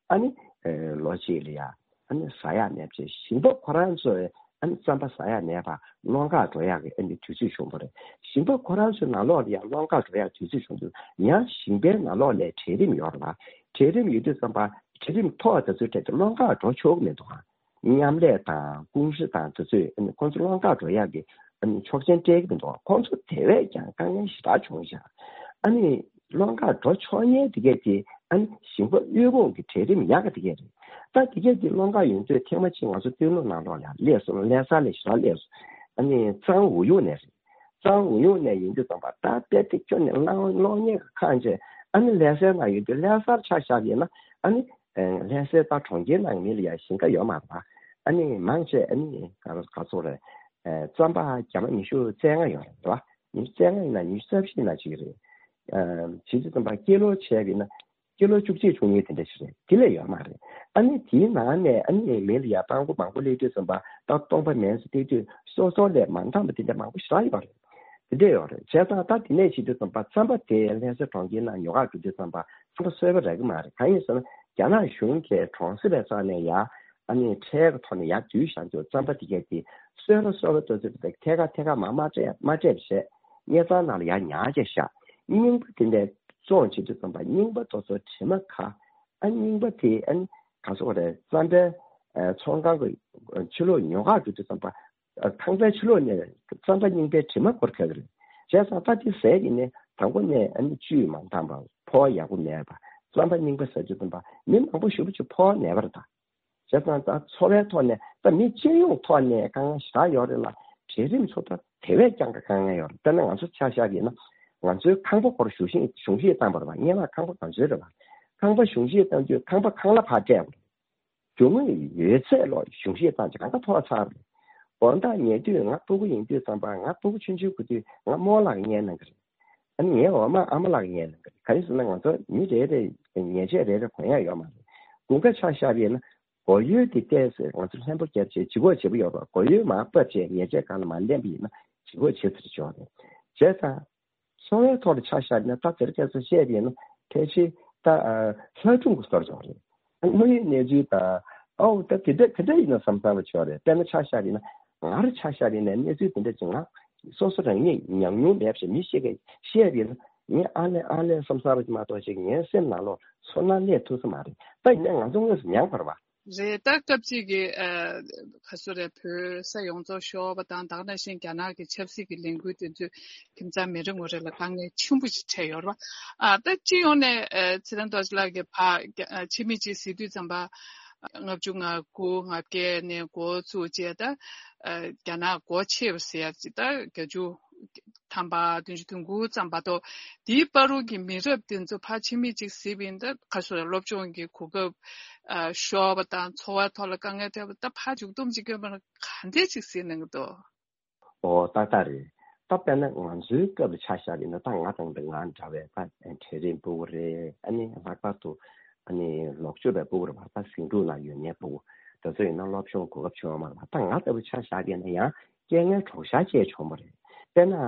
ཨ་ནི་ལོ་གཅིག་ལ་ཡ་ཨ་ནི་ཟ་ཡག་མེད་པ་བྱས། ཞིང་པ་ཁོ་རང་ཚོས་ཨ་ནི་རྩམ་པ་ཟ་ཡག་མེད་པར་སློང་གར་འགྲོ་ཡག་གི་ཨ་ནི་དུས་ཚོད་བྱུང་བ་རེད། ཞིང་པ་ཁོ་རང་ཚོའི་ནང་ལོགས་ལ་ཡང་སློང་གར་འགྲོ་ཡག་དུས་ཚོད་བྱུང་དུས་ཡང་ཞིང་པའི་ནང་ལོགས་ལ་གྲལ་རིམ་ཡོད་རེད་པ། གྲལ་རིམ་ཡོད་དུས་ཙམ་པ་གྲལ་རིམ་ཐོག་དེ་ཚོའི་གྲས་དེ་སློང་གར་འགྲོ་ཆོག་གི་མི་འདུག་ཨ། མཉམ་ལས་དང་ཀུང་ཧྲི་དང་དེ་ཚོས་ཨ་ནི་ཁོང་ཚོ་སློང་གར་འགྲོ་ཡག་གི་ཨ་ནི་ཆོག་མཆན་སྤྲད་ཀྱི་མི་འདུག་ཁོང་ཚོ་དེ་བས་ཀྱང་དཀའ་ངལ་ཞེ་དྲག་བྱུང་ཤག་ཨ་ནི་སློང་གར་འགྲོ་ཆོག་མཁན་དེ་གས་དེ་ཨ་ནི་ཞིང་པ་དབུལ་ཕོངས་ཀྱི་གྲལ་རིམ་ཡག་ག་དེ་གས་རེད། ད་དེ་གས་དེ་སློང་གར་ཡོང་དུས་ཐེངས་མ་གཅིག་ང་ཚོ་སྟོད་ལུང་ནང་ལོགས་ལ་སླེབས་སོང་། ལྷ་ས་ལ་ཞེ་དྲག་སླེབས་སོང་། ཨ་ནི་གཙང་ཝུའུ་ཡུང་ནས་རེད། གཙང་ཝུའུ་ཡུང་ནས་ཡིན་དུས་ཙམ་པ་ད་དཔེ་དེ་ཁྱོན་ནས་སློང་སློང་མཁན་གྱི་ཁང་ཆེ། ཨ་ནི་ལྷ་སའི་ནང་ཡོད་དུས་ལྷ་སར་ཆ་བཞག་ཡིན་ན་ཨ་ནི། ལྷ་སའི་ད་གྲོང་ཁྱེར་ནང་མི་ལ་ཡང་ཞིང་ཁ་ཡོད་མ་རེད་པ། ཨ་ནི་མང་ཆེ་ཨ་ནི་ག་ག་ཚོད་རེད། རྩམ་པ་རྒྱ་མ་ཉི་ཤུ་རྩ་ལྔ་ཡོད་རེད་པ། ཉི་ཤུ་རྩ་ལྔ་ཡིན་ན་ཉི་ཤུ་རྩ་བཞི་ཡིན་ན་ཅིག་རེད། བྱེད་དུས་ཙམ་པ་ཀི་ལོ་བྱས་པ་ཡིན་ན་ཀི་ལོ་བཅུ་གཅིག་བཅུ་གཉིས་དེ་འདྲ་ཞིག་རེད། དེ་ལས་ཡོད་མ་རེད། ཨ་ནི་དེའི་ནང་ནས་ཨ་ནི་མི་ལ་ཡང་སྤྲང་པོ་མང་པོ་སླེབས་དུས་ཙམ་པ་ད་སྟོང་པ་མེད་ཟེར་བལྟས་དུས་སོ་སོ་ལས་མ་འདང་བ་དེ་འདྲ་མང་པོ་ཞེ་དྲག་ཡོད་རེད། དེ་འདྲ་ཡོད་རེད། བྱས་ཙང་ད་དེ་ནས་བྱེད་དུས་ཙམ་པ་རྩམ་པ་དེ་ལྷ་ས་གྲོང་ཁྱེར་ནང་ཉོ་ག་འགྲོ་དུས་ཙམ་པ་རྩམ་པ་བཟོས་པ་རག་གི་མ་རེད། གང་ཡིན་ཟེར་ན་རྒྱ་ནག་གཞུང་གིས་གྲོང་གསེབ་པའི་རྩ་ནས་ཡ་ཨ་ནི་ཁྲལ་གྱི་ཐོག་ནས་ཡར་བསྡུས་བཞག་འདུག་རྩམ་པ་དེ་གས་དེ་བཟོས་པ་བཟོས་པ་ཏོག་ཙམ་དེ་ཐད་ཀར་ཐད་ཀར་མར་མ་སྤྲད་མ་སྤྲད་པ་བྱས། དངུལ་ཁང་ནང་ལ་ཡར་ཉར་བྱས་བཞག་རྙིང་པ་དེ་འདྲ་བཙོང་བྱེད་དུས་ཙམ་པ་རྙིང་པ་དེ་ཚོ་དྲི་མ་ཁ། ཨ་རྙིང་པ་དེ་ཨ་ནི་ག་ཚོད་རེད། རྩམ་པའི་ཨ་ཚོང་ཁང་གི་ཕྱི་ལོགས་ཉོ་གར་འགྲོ་དུས་ཙམ་པ་ཨ་ཁང་པའི་ཕྱི་ལོགས་ནས་རྩམ་པ་རྙིང་པའི་དྲི་མ་འཁོར་ཁག་གི་རེད། བྱས་ཙང་ད་དེ་ཟས་ཡིན་ནའི་དང་པོ་ནས་ཨ་ནི་བཅུད་མ་འདང་བ། ཕོ་བ་ཡག་པོ་མེད་པ། རྩམ་པ་རྙིང་པ་ཟ་དུས་ཙམ་པ་མི་མང་པོ་ཞེ་པོ་ཅིག་ཕོ་བ་ནད་པ་རེད་ད། བྱས་ཙང་ད་འཚོ་བའི་ཐོག་ནས་ད་མི་སྤྱི་ཡོངས་ཐོག་ནས་དཀའ་ངལ་ཞེ་དྲག་ཡོད་རེད་ལ། གྲལ་རིམ་ཚོ་ད་དེ་བས་ཀྱང་དཀའ་ངལ་ཡོད་རེད། དཔེར་ན་ང་ཚོ་ཆ་བཞག་གི་ཡིན་ན་ང་ཚོའི་ཁང་པ་སྐོར་གཞུང་བཞེས་གཞུང་བཞེས་བཏང་བ་རེད་པ། སྔན་མ་ཁང་པ་ག་ཚོད་རེད་པ། ཁང་པ་གཞུང་བཞེས་བཏང་དུས་ཁང་པ་ཁང་གླ་ཕར་སྤྲད་དགོས་རེད། རྒྱུ་དངོས་ཡོད་ཚད་ལོ་གཞུང་བཞེས་བཏང་ཅིག་གང་ག་མཐོ་ཚར་རེད། དགོང་དག་ཉལ་དུས་ང་སྤུ་གུ་ཡིན་དུས་ཙམ་པ་ང་སྤུ་གུ་ཆུང་ཆུང་གི་དུས་ང་རྨོ་ལགས་ཉལ་གནང་གི་རེད། ཨ་ནི་ངའི་འོག་མ་ཨ་མ་ལགས་ཉལ་གནང་གི་རེད། ག་རེ་ཟེར་ན་ང་ཚོ་མི་རེ་རེ་ཉལ་ཆས་རེ་རེ་གོན་ཡག་ཡོད་མ་རེད། དགུན་ཁ་ཆ་བཞག་པ་ཡིན་ན་སྒོ་ཡོལ་དེ་བལྟས་ཚེ་ང་ཚོ་ལྷན་པོ་བརྒྱབ་བྱས་ལྗིད་ཁོག་ཆེ་པོ་ཡོད་པ། སྒོ་ཡོལ་མར་ཕབ་བྱས་ཉལ་ཆས་སྒང་ལ་མར་ལེན་པ་ཡིན་ན་ལྗིད་ཁོག་ཆེ་ཚུལ་ཅིག་ཡོད་རེད། བྱས་ཙང་འཚོ་བའི་ཐོག་ལ་ཆ་བཞག་ན་ད་དེར་སྐད་ཆ་བཤད་པ་ཡིན་ན་ཕལ་ཆེར་ད་ལྷ་སྒྲུང་གི་བཟོ་འདྲ་ཅིག་རེད། དངོས་ཡོད་གནས་ཚུལ་དང་ཨའོ་ད་དེ་འདྲ་དེ་འདྲ་ཡིན་ན་བསམ་བསམ་པ་ཅིག་ཡོད་རེད། དཔེར་ན་ཆ་བཞག་པ་ཡིན་ན་ང་རང་ཆ་བཞག་པ་ཡིན་ན་གནས་ཚུལ་དེ་འདྲ་ཅིག་ང་སོ་སོ་རང་ཉིད་མྱོང་མྱོང་མེད་པ་ཞིག་མི་ཞིག་གིས་བཤད་པ་ཡིན་ན་ངས་ཨ་ལས་ཨ་ལས་བསམ་བསམ་པ་ཅིག་མ་གཏོགས་ཅིག་ངའི་སེམས་ནང་ལོགས་ཚོར་སྣང་སླེབས་ཐུབ་ས་མ་རེད། ད་ཡིན་ནའི་ང་ཚོ་དངོས་སུ་མྱངས་པ་རེད་པ། རེད། ད་སྐབས་གཅིག་གི་ཨ་ག་སོ་རེད། བོད་ས་ཡོངས་རྫོགས་ཤོར་བ་དང་ད་ག་ནང་བཞིན་རྒྱ་ནག་གི་ཆབ་སྲིད་ཀྱི་ལས་འགུལ་དེ་ཚོས་ཁྱིམ་ཚང་མི་རེ་ངོ་རེ་ལ་དཀའ་ངལ་ཆེན་པོ་ཞིག་འཕྲད་ཡོད་རེད་པ། ཨ་ད་སྤྱི་ཡོངས་ནས་ཨ་ཚེ་རིང་རྡོ་རྗེ་ལགས་ཀྱིས་ཕར་རྒྱ་ཨ་ཕྱི་མིག་ཅིག་གཟིགས་དུས་ཙམ་པ་ལྔ་བཅུ་ང་དགུ་ང་བརྒྱད་ནས་འགོ་བཙུགས་བྱས་ད་ཨ་རྒྱ་ནག་སྒོ་ཕྱེ་བ་ཟེར་ཡ་ཅིག་ད་བརྒྱད་ཅུ་ཐམ་པ་བདུན་ཅུ་དོན་དགུ་ཙམ་བར་དུ་དེའི་བར་དུ་གི་མི་རབས་དེ་ཚོ་ཕར་ཕྱི་མིག་ཅིག་གཟིགས་པ་ཡིན་ད་ག་སོ་རེད། སློབ་སྦྱོང་གི་གོ་སྐབས་ཨ་ཤོར་བ་དང་འཚོ་བའི་ཐོག་ལ་དཀའ་ངལ་འཕྲད་པ་ད་ཕར་མཇུག་སྡོམ་ཅིག་བསྐྱོན་པ་ན་ག་འདྲས་ཅིག་གཟིགས་གནང་གི་འདུག་ཨོ་ཏག་ཏག་རེད། ད་དཔེར་ན་ང་ཚོའི་སྐབས་ལ་ཆ་བཞག་པ་ཡིན་ན་ད་ང་དང་ང་འདྲ་བའི་ད་གྲལ་རིམ་སྤུ་གུ་རེད། ཨ་ནི་ལྷག་པར་དུ་ཨ་ནི་ལོག་སྤྱོད་པའི་སྤུ་གུ་རེད་པ། ད་ཟིང་འཁྲུག་ནང་ཡོད་མཁན་སྤུ་གུ་དེ་ཚོ་ཡིན་ན་སློབ་སྦྱོང་གོ་སྐབས་བྱུང་ཡོད་མ་རེད་པ། ད་ང་ལྟ་བུ་ཆ་བཞག་པ་ཡིན་ན་ཡང་རྐྱེན་ངན་གྲོགས་ཤར་བཅས་བྱུང་བ་རེད། དཔེར་ན་ཨ་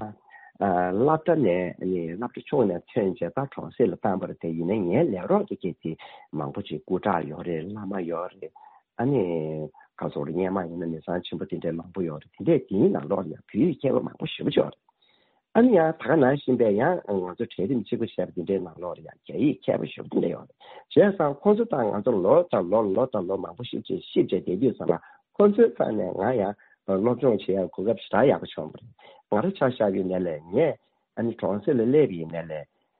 སློབ་གྲྭ་ནས་ཨ་ནི་སློབ་གྲྭ་ཆུང་ནས་ཐོན་བྱས་ད་གྲོང་གསེབ་ལ་བཏང་བ་རེད། དེ་ཡིན་ན་ངའི་ལས་རོགས་དེ་གས་དེ་མང་པོ་ཅིག་སྐུ་དྲག་ཡོད་རེད། བླ་མ་ཡོད་རེད། ཨ་ནི་ག་ཚོད་རེད། སྔོན་མ་ཡིན་ན་མི་ཚང་ཆེན་པོ་དེ་འདྲའི་མང་པོ་ཡོད་རེད། དེ་འདྲའི་དེའི་ནང་ལོགས་ལ་ཡང་བོད་ཡིག་མཁས་པ་མང་པོ་ཞེ་པོ་ཅིག་ཡོད་རེད། ཨ་ནི་ཡང་ད་ག་ནང་བཞིན་པའི་ཡང་ང་ཚོ་གྲལ་རིམ་གཅིག་པ་བྱས་པ་དེ་འདྲའི་ནང་ལོགས་ལ་ཡང་རྒྱ་ཡིག་མཁས་པ་ཞེ་པོ་དེ་འདྲ་ཡོད་རེད། བྱས་ཙང་ཁོང་ཚོ་དང་ང་ཚོ་ལོ་དང་ལོ་ལོ་དང་ལོ་མང་པོ་ཞེ་པོ་ཅིག་གཤིབ་བྱས་བསྡད་དུས་ཙམ་ལ་ཁོང་ཚོའི་རྩ་ནས་ང་ཡང་སློབ་སྦྱོང་བྱེད་ཡག་གོ་སྐབས་ཞེ་དྲག་ཡག་པོ་བྱུང་བ་རེད། ང་རང་ཆ་བཞག་པའི་ནང་ལ་ངས་ཨ་ནི་གྲོང་གསེབ་ལ་སླེབས་པའི་ནང་ལ་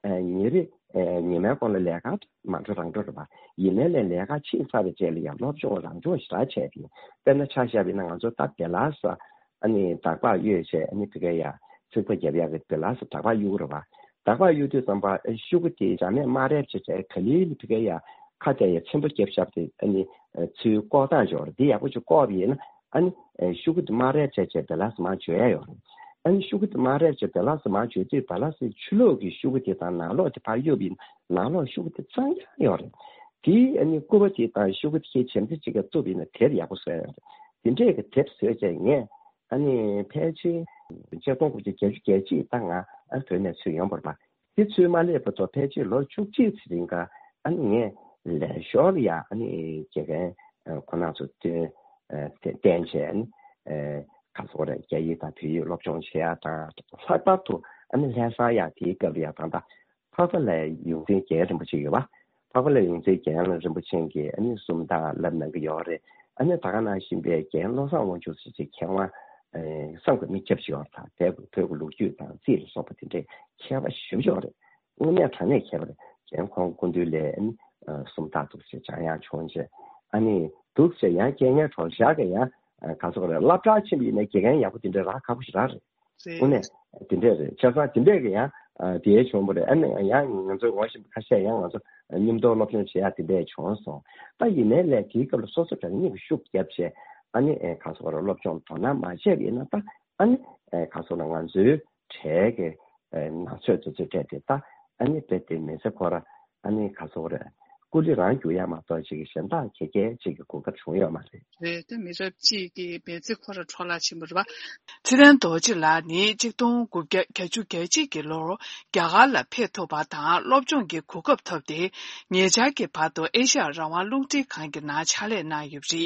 ཨ་ཉིན་རེ་ཨ་ཉི་མའི་གོང་ལ་ལས་ཀ་མ་འགྲོ་རང་འགྲོ་རེད་པ། ཡིན་ནའི་ལས་ཀ་ཕྱིན་ཚར་བའི་རྗེས་ལ་ཡང་སློབ་སྦྱོང་རང་སྦྱོང་ཞེ་དྲག་བྱས་པ་ཡིན། དཔེར་ན་ཆ་བཞག་པ་ཡིན་ན་ང་ཚོ་ད་བི་ལ་ས་ཨ་ནི་འདག་པ་གཡོས་བྱས་ཨ་ནི་དེ་ག་ཡ་ཚིག་པ་རྒྱབ་ཡག་གི་བི་ལ་ས་འདག་པ་གཡུག་རེད་པ། ཞགས་པ་གཡུག་དུས་ཙམ་པ་ཨ་ཤུ་གུ་དེ་ཞག་མས་མ་རེད་བྱས་བྱས་ག་ལེ་ལེ་ཕི་ག་ཡ་ཁ་གཏད་ཡ་ཆེན་པོ་རྒྱབ་ཤག་དེ་ཨ་ནི་ཚུར་བཀོག་སྟངས་ཅིག་ཡོད་རེད། དེ་ཡག་པོ་ཅིག་བཀོག་པ་ཡིན་ན་ཨ་ནི་ཤུ་གུ་དེ་མ་རེད་བྱས་བྱས་བེ་ལ་སི་མར་འཇོག་ཡ་ཡོད་རེད། ཨ་ནི་ཤུ་གུ་དེ་མ་རེད་བྱས་བེ་ལ་སི་མར་འཇོག་དུས་བེ་ལ་སི་ཕྱི་ལོགས་ཀྱི་ཤུ་གུ་དེ་དང་ནང་ལོགས་དེ་ཕར་གཡུག་པ་ཡིན་ན་ནང་ལོགས་ཤུ་གུ་དེ་གཙང་རྐྱང་ཡོད་རེད། དེ་ཨ་ནི་སྐུད་པ་དེ་དང་ཤུ་གུ་དེ་ཁྱེད་བྱམས་བརྩེ་གཅིག་ག་བཙུགས་པ་ཡིན་ན་དེབ་ཡག་པོ་བཟོ་ཡ་ཡོད་རེད། དེ་འདྲས་ཀྱི་དེབ་བཟོས་བྱས་ངས་ཨ་ནི་ཕལ་ཆེར་ཆིག་སྟོང་དགུ་བརྒྱ་བརྒྱད་ཅུ་གྱ་གཅིག་ད་ང་ཨ་བོད་ནས་ཚུར་ཡོང་བ་རེད་པ། དེ་ཚུར་མ་སླེབས་བར་དུ་ཕལ་ཆེར་ལོ་བཅུ་གཅིག་ཙམ་རིང་ག་ཨ་ནི་ངས་ལས་ཞོར་ལ་ཡ་ཨ་ནི་དགེ་རྒན་ཁོ་རང་ཚོ་བསྟེན་བྱས་ཨ་ནི་ག་ཚོད་རེད། རྒྱ་ཡིག་དང་བོད་ཡིག་སློབ་སྦྱོང་བྱེད་ཡ་དང་ལྷག་པར་དུ་ཨ་ནི་ལྷ་ས་ཡ་དེའི་སྐབས་ལ་ཡ་ད་ལྟ་འཕགས་པ་ལྷའི་ཡོངས་འཛིན་རྒྱལ་རིན་པོ་ཆེ་ཡོད་པ། འཕགས་པ་ལྷའི་ཡོངས་འཛིན་རྒྱལ་རིན་པོ་ཆེ་གིས་ཨ་ནི་སུམ་རྟགས་བསླབ་གནང་གི་ཡོད་རེད། ཨ་ནི་ད་ག་ནང་བཞིན་པའི་རྒན་བློ་བཟང་དབང་ཕྱུག་ཟེར་གྱི་མཁས་དབང་བསམ་དགའ་མི་སྐྱབས་ཤིག་ཡོད་རེད། ད་བོད་ཀྱི་ལོ་རྒྱུས་དང་རྩིས་ལ་སོགས་པ་དེ་འདྲའི་མཁས་པ་ཞེ་པོ་ཅིག་ཡོད་རེད། དངོས་གནས་དྲང་གནས་མཁས་པ་རེད། རྒན་ཁོང་སྐུ་མདུན་ལ་ཨ་ནི་སུམ་རྟགས་འདུག་ཟེར་སྦྱང་ཡག་བྱུང་རྗེས་ཨ་ནི་འདུག་ཟེར་ཡང་རྒན་ངའི་གྲོགས་ཞག་གི་ཡང་ག་ཚོད་རེད། སློབ་གྲྭ་ཕྱིན་པ་ཡིན་ན་དགེ་རྒན་ཡག་པོ་དེ་འདྲ་རག་ཁག་པོ་ཞིག་རག་རེད། རེད། དངོས་གནས་དེ་འདྲས་རེད། ཆ་ཚང་དེ་འདྲས་ཀྱི་ཡང་དེའི་བྱུང་བ་རེད། ཨ་ནི་ཡང་ང་ཚོའི་ངོ་ཤེས་པ་ཁ་ཤས་ཡང་ང་ཚོ་མཉམ་དུ་སློབ་སྦྱོང་བྱེད་ཡག་དེ་འདྲས་བྱུང་སོང་། ད་ཡིན་ནའི་ལས་དེའི་སྐབས་ལ་སོ་སོ་རང་ཉིད་ཀྱི་ཤུགས་བརྒྱབ་བྱས་ཨ་ནི་ག་ཚོད་རེད། སློབ་སྦྱོང་དོ་སྣང་མ་བྱས་པ་ཡིན་ན་ད་ཨ་ནི་ག་ཚོད་ལ་ང་ཚོའི་གྲས་ཀྱི་ནང་ཆོས་དེ་ཚོའི་གྲས་དེ་ད་ཨ་ནི་རྦད་དེ་མི་ཚེ་ཁོ་ར་ཨ་ནི་ག་ཚོད་རེད། སྐུ་ལུས་རང་རྒྱུག་ཡ་མ་གཏོགས་ཅིག་གཞན་དག་ག་གེ་ཅིག་གི་གོ་སྐབས་བྱུང་ཡོད་མ་རེད། རེད། དེ་མི་རབས་གཅིག་གི་མི་ཚེ་ཁོ་ར་འཕྲོ་བརླག་ཕྱིན་པ་རེད་པ། ཚེ་བརྟན་རྡོ་རྗེ་ལགས་ནི་ཆིག་སྟོང་དགུ་བརྒྱ་གྱ་གཅིག་གི་ལོར་རྒྱ་གར་ལ་ཕེབས་ཐུབ་པ་དང་སློབ་སྦྱོང་གི་གོ་སྐབས་ཐོབ་སྟེ་ཉེ་ཆར་གྱི་བར་དུ་ཨེ་ཤ་ཡ་རང་དབང་རླུང་འཕྲིན་ཁང་གི་ནང་ཕྱག་ལས་གནང་ཡོད་པ་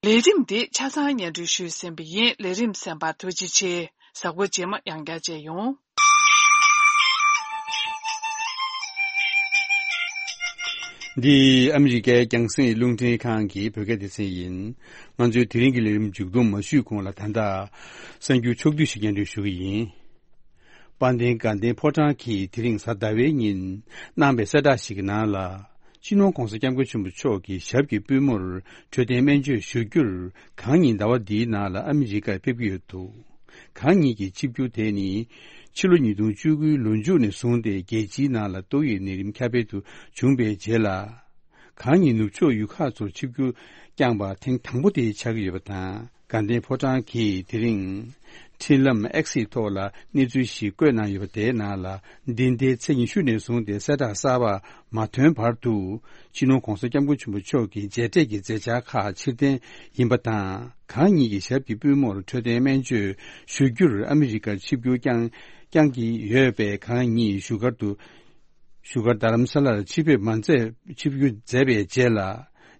རེད། ལས་རིམ་འདི་ཆ་ཚང་སྙན་སྒྲོན་ཞུས་ཟིན་པ་ཡིན། ལས་རིམ་གསན་པར་ཐུགས་རྗེ་ཆེ། གཟའ་འཁོར་རྗེས་མ་ཡང་བསྐྱར་མཇལ་ཡོང་། འདི་ཨ་མི་རི་ཀའི་རྒྱང་སྲིང་རླུང་འཕྲིན་ཁང་གི་བོད་སྐད་སྡེ་ཚན་ཡིན། ང་ཚོའི་དེ་རིང་གི་ལས་རིམ་མཇུག་བསྡོམས་མ་ཞུས་གོང་ལ་ད་ལྟ་གསར་འགྱུར་ཕྱོགས་བསྡུས་ཤིག་སྙན་སྒྲོན་ཞུ་གི་ཡིན། དཔལ་ལྡན་དགའ་ལྡན་ཕོ་བྲང་གིས་དེ་རིང་གཟའ་ཟླ་བའི་ཉིན་གནང་བའི་གསལ་བསྒྲགས་ཤིག་གི་ནང་ལ། སྤྱི་ནོར་༧གོང་ས་༧སྐྱབས་མགོན་ཆེན་པོ་མཆོག་གི་ཞབས་ཀྱི་པུས་མོར་འཕྲོད་བསྟེན་སྨན་བཅོས་ཞུ་རྒྱུར་གང་ཉིད་ཟླ་བ་འདིའི་ནང་ལ་ཨ་མི་རི་ཀར་ཕེབས་ཀྱི་ཡོད་འདུག། གང་ཉིད་ཀྱི་ཆིབས་བསྒྱུར་དེ་ནི་ཕྱི་ལོ་ཉིས་སྟོང་བཅུ་དགུའི་ལོ་མཇུག་ནས་བཟུང་སྟེ་རྒྱལ་སྤྱིའི་ནང་ལ་ཏོག་དབྱིབས་ནད་རིམས་ཁྱབ་སྤེལ་དུ་བྱུང་བའི་རྗེས་ལ། གང་ཉིད་ནུབ་ཕྱོགས་ཡུལ་ཁག་ཚོར་ཆིབས་བསྒྱུར་བསྐྱངས་པ་ཐེངས་དང་པོ་དེ་ཆགས་ཀྱི་ཡོད་པ་དང་། དགའ་ལྡན་ཕོ་བྲང་གིས་དེ་རིང་འཕྲིན་ལམ་X་ཐོག་ལ་གནས་ཚུལ་ཞིག་བཀོད་གནང་ཡོད་པ་དེའི་ནང་ལ། འདི་ཟླའི་ཚེས་ཉི་ཤུ་ནས་བཟུང་སྟེ་གསལ་བསྒྲགས་གསར་པ་མ་ཐོན་བར་དུ། སྤྱི་ནོར་༧གོང་ས་༧སྐྱབས་མགོན་ཆེན་པོ་མཆོག་གི་མཇལ་འཕྲད་ཀྱི་མཛད་འཆར་ཁག་ཕྱིར་འཐེན་ཡིན་པ་དང་། གང་ཉིད་ཀྱི་ཞབས་ཀྱི་པུས་མོར་འཕྲོད་བསྟེན་སྨན་བཅོས་ཞུ་རྒྱུར་ཨ་མི་རི་ཀར་ཆིབས་བསྒྱུར་བསྐྱངས་བསྐྱངས་ཀྱི་ཡོད་པས། གང་ཉིད་བཞུགས་སྒར་དུ། བཞུགས་སྒར་རྡ་རམ་ས་ལར་ཆིབས་ཕེབས་མ་མཛད། ཆིབས་བསྒྱུར་མཛད་པའི་རྗེས་ལ།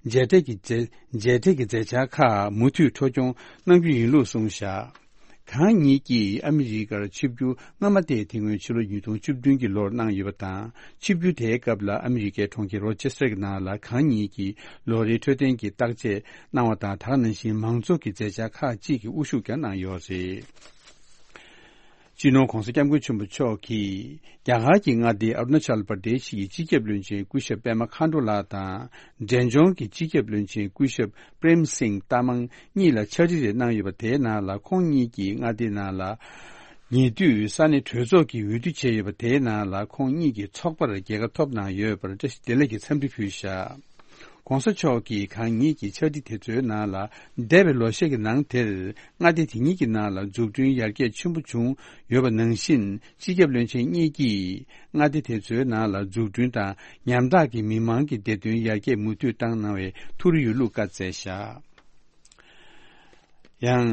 མཇལ་འཕྲད་ཀྱི་མཛད་མཇལ་འཕྲད་ཀྱི་མཛད་འཆར་ཁག་མུ་མཐུད་འཕྲོ་སྐྱོང་གནང་རྒྱུ་ཡིན་ལུགས་གསུངས་བཞག། གང་ཉིད་ཀྱིས་ཨ་མི་རི་ཀར་ཆིབས་བསྒྱུར་སྔ་མ་དེ་དེ་སྔོན་ཕྱི་ལོ་ཉིས་སྟོང་བཅུ་བདུན་གྱི་ལོར་གནང་ཡོད་པ་དང་། ཆིབས་བསྒྱུར་དེའི་སྐབས་ལ་ཨ་མི་རི་ཀའི་གྲོང་ཁྱེར་རོ་ཅེ་སི་ཊར་གྱི་ནང་ལ་གང་ཉིད་ཀྱིས་ལོ་རེའི་འཕྲོད་བསྟེན་གྱི་བརྟག་དཔྱད་གནང་བ་དང་། ད་ག་ནང་བཞིན་མང་ཚོགས་ཀྱི་མཛད་འཆར་ཁག་ཅིག་གི་དབུ་བཞུགས་ཀྱང་གནང་ཡོད་རེད། སྤྱི་ནོར་༧གོང་ས་༧སྐྱབས་མགོན་ཆེན་པོ་མཆོག་གིས་རྒྱ་གར་གྱི་མངའ་སྡེ་ཨ་རུ་ན་ཅལ་པར་དེ་ཤི་ཡི་སྤྱི་ཁྱབ་བློན་ཆེན་སྐུ་ཞབས་པད་མ་མཁའ་འགྲོ་ལགས་དང་། འབྲས་ལྗོངས་ཀྱི་སྤྱི་ཁྱབ་བློན་ཆེན་སྐུ་ཞབས་པྲེམ་སིང་ཏ་མང་གཉིས་ལ་ཕྱག་བྲིས་རེ་གནང་ཡོད་པ་དེའི་ནང་ལ། ཁོང་གཉིས་ཀྱིས་མངའ་སྡེའི་ནང་ལ་ཉེ་དུས་ས་གནས་གྲོས་ཚོགས་ཀྱི་འོས་བསྡུ་བྱས་ཡོད་པ་དེའི་ནང་ལ། ཁོང་གཉིས་ཀྱི་ཚོགས་པར་རྒྱལ་ཁ་ཐོབ་གནང་ཡོད་པར་བཀྲ་ཤིས་བདེ་ལེགས་ཀྱི་འཚམས་འདྲི་ཕུལ་བཞག། ༸གོང་ས་མཆོག་གིས་གང་ཉིད་ཀྱི་ཕྱག་བྲིས་དེ་ཚོའི་ནང་ལ། འདས་པའི་ལོ་ཤས་ཀྱི་ནང་དེར་མངའ་སྡེ་དེ་ཉིད་ཀྱི་ནང་ལ་འཛུགས་སྐྲུན་ཡར་རྒྱས་ཆེན་པོ་བྱུང་ཡོད་པ་ནང་བཞིན། སྤྱི་ཁྱབ་བློན་ཆེན་གཉིས་ཀྱིས་མངའ་སྡེ་དེ་ཚོའི་ནང་ལ་འཛུགས་སྐྲུན་དང་ཉམ་ཐག་གི་མི་མང་གི་བདེ་དོན་ཡར་རྒྱས་མུ་མཐུད་བཏང་གནང་བའི་ཐུགས་རེ་ཡོད་ལུགས་བཀའ་སྩལ་བཞག། ཡང་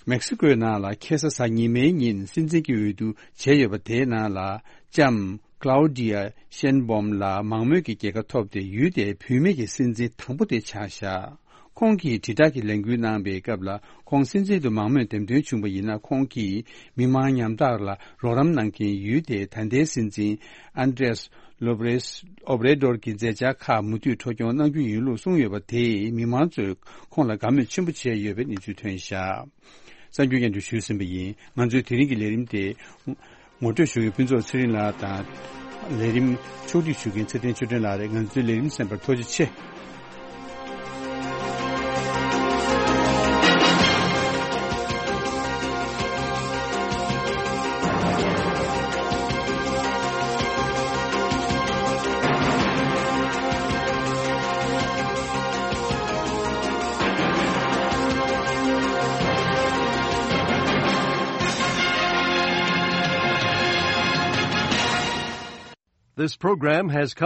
མེག་སི་ཀོའི་ནང་ལ་ཁ་སང་གཟའ་ཉི་མའི་ཉིན་སྲིད་འཛིན་གྱི་འོས་བསྡུ་བྱས་ཡོད་པ་དེའི་ནང་ལ། ལྕམ་ཀླའུ་ཌི་ཡ་ཤེན་བོམ་ལགས་མང་མོས་ཀྱི་རྒྱལ་ཁ་ཐོབ་སྟེ་ཡུལ་དེའི་བུད་མེད་ཀྱི་སྲིད་འཛིན་དང་པོ་དེ་ཆགས་བཞག། ཁོང་གིས་དྲིལ་བསྒྲགས་ཀྱི་ལས་འགུལ་གནང་པའི་སྐབས་ལ། ཁོང་སྲིད་འཛིན་དུ་མང་མོས་འདེམས་ཐོན་བྱུང་བ་ཡིན་ན། ཁོང་གིས་མི་མང་ཉམ་ཐག་ལ་རོགས་རམ་གནང་མཁན་ཡུལ་དེའི་ད་ལྟའི་སྲིད་འཛིན་ཨན་ཏྲེས་ལོ་པེ་སི་ཨོབ་རེ་ཌོར་གྱི་མཛད་འཆར་ཁག་མུ་མཐུད་འཕྲོ་སྐྱོང་གནང་རྒྱུ་ཡིན་ལུགས་གསུངས་ཡོད་པ་དེས། མི་མང་ཚོས་ཁོང་ལ་དགའ་མོས་ཆེན་པོ་བྱས་ཡོད་པའི་གནས་ཚུལ་ཐོན་བཞག། གསར་འགྱུར་སྙན་སྒྲོན་ཞུས་ཟིན་པ་ཡིན། ང་ཚོའི་དེ་རིང་གི་ལས་རིམ་དེ་ངོ་སྤྲོད་ཞུ་མཁན་ཕུན་ཚོགས་ཚེ་རིང་ལགས་དང་། ལས་རིམ་ཕྱོགས་སྒྲིག་ཞུ་མཁན་ཚེ་བརྟན་ཆོས་སྒྲོན་ལགས་རེད། ང་ཚོའི་ལས་རིམ་གསན་པར་ཐུགས་རྗེ་ཆེ། This program has come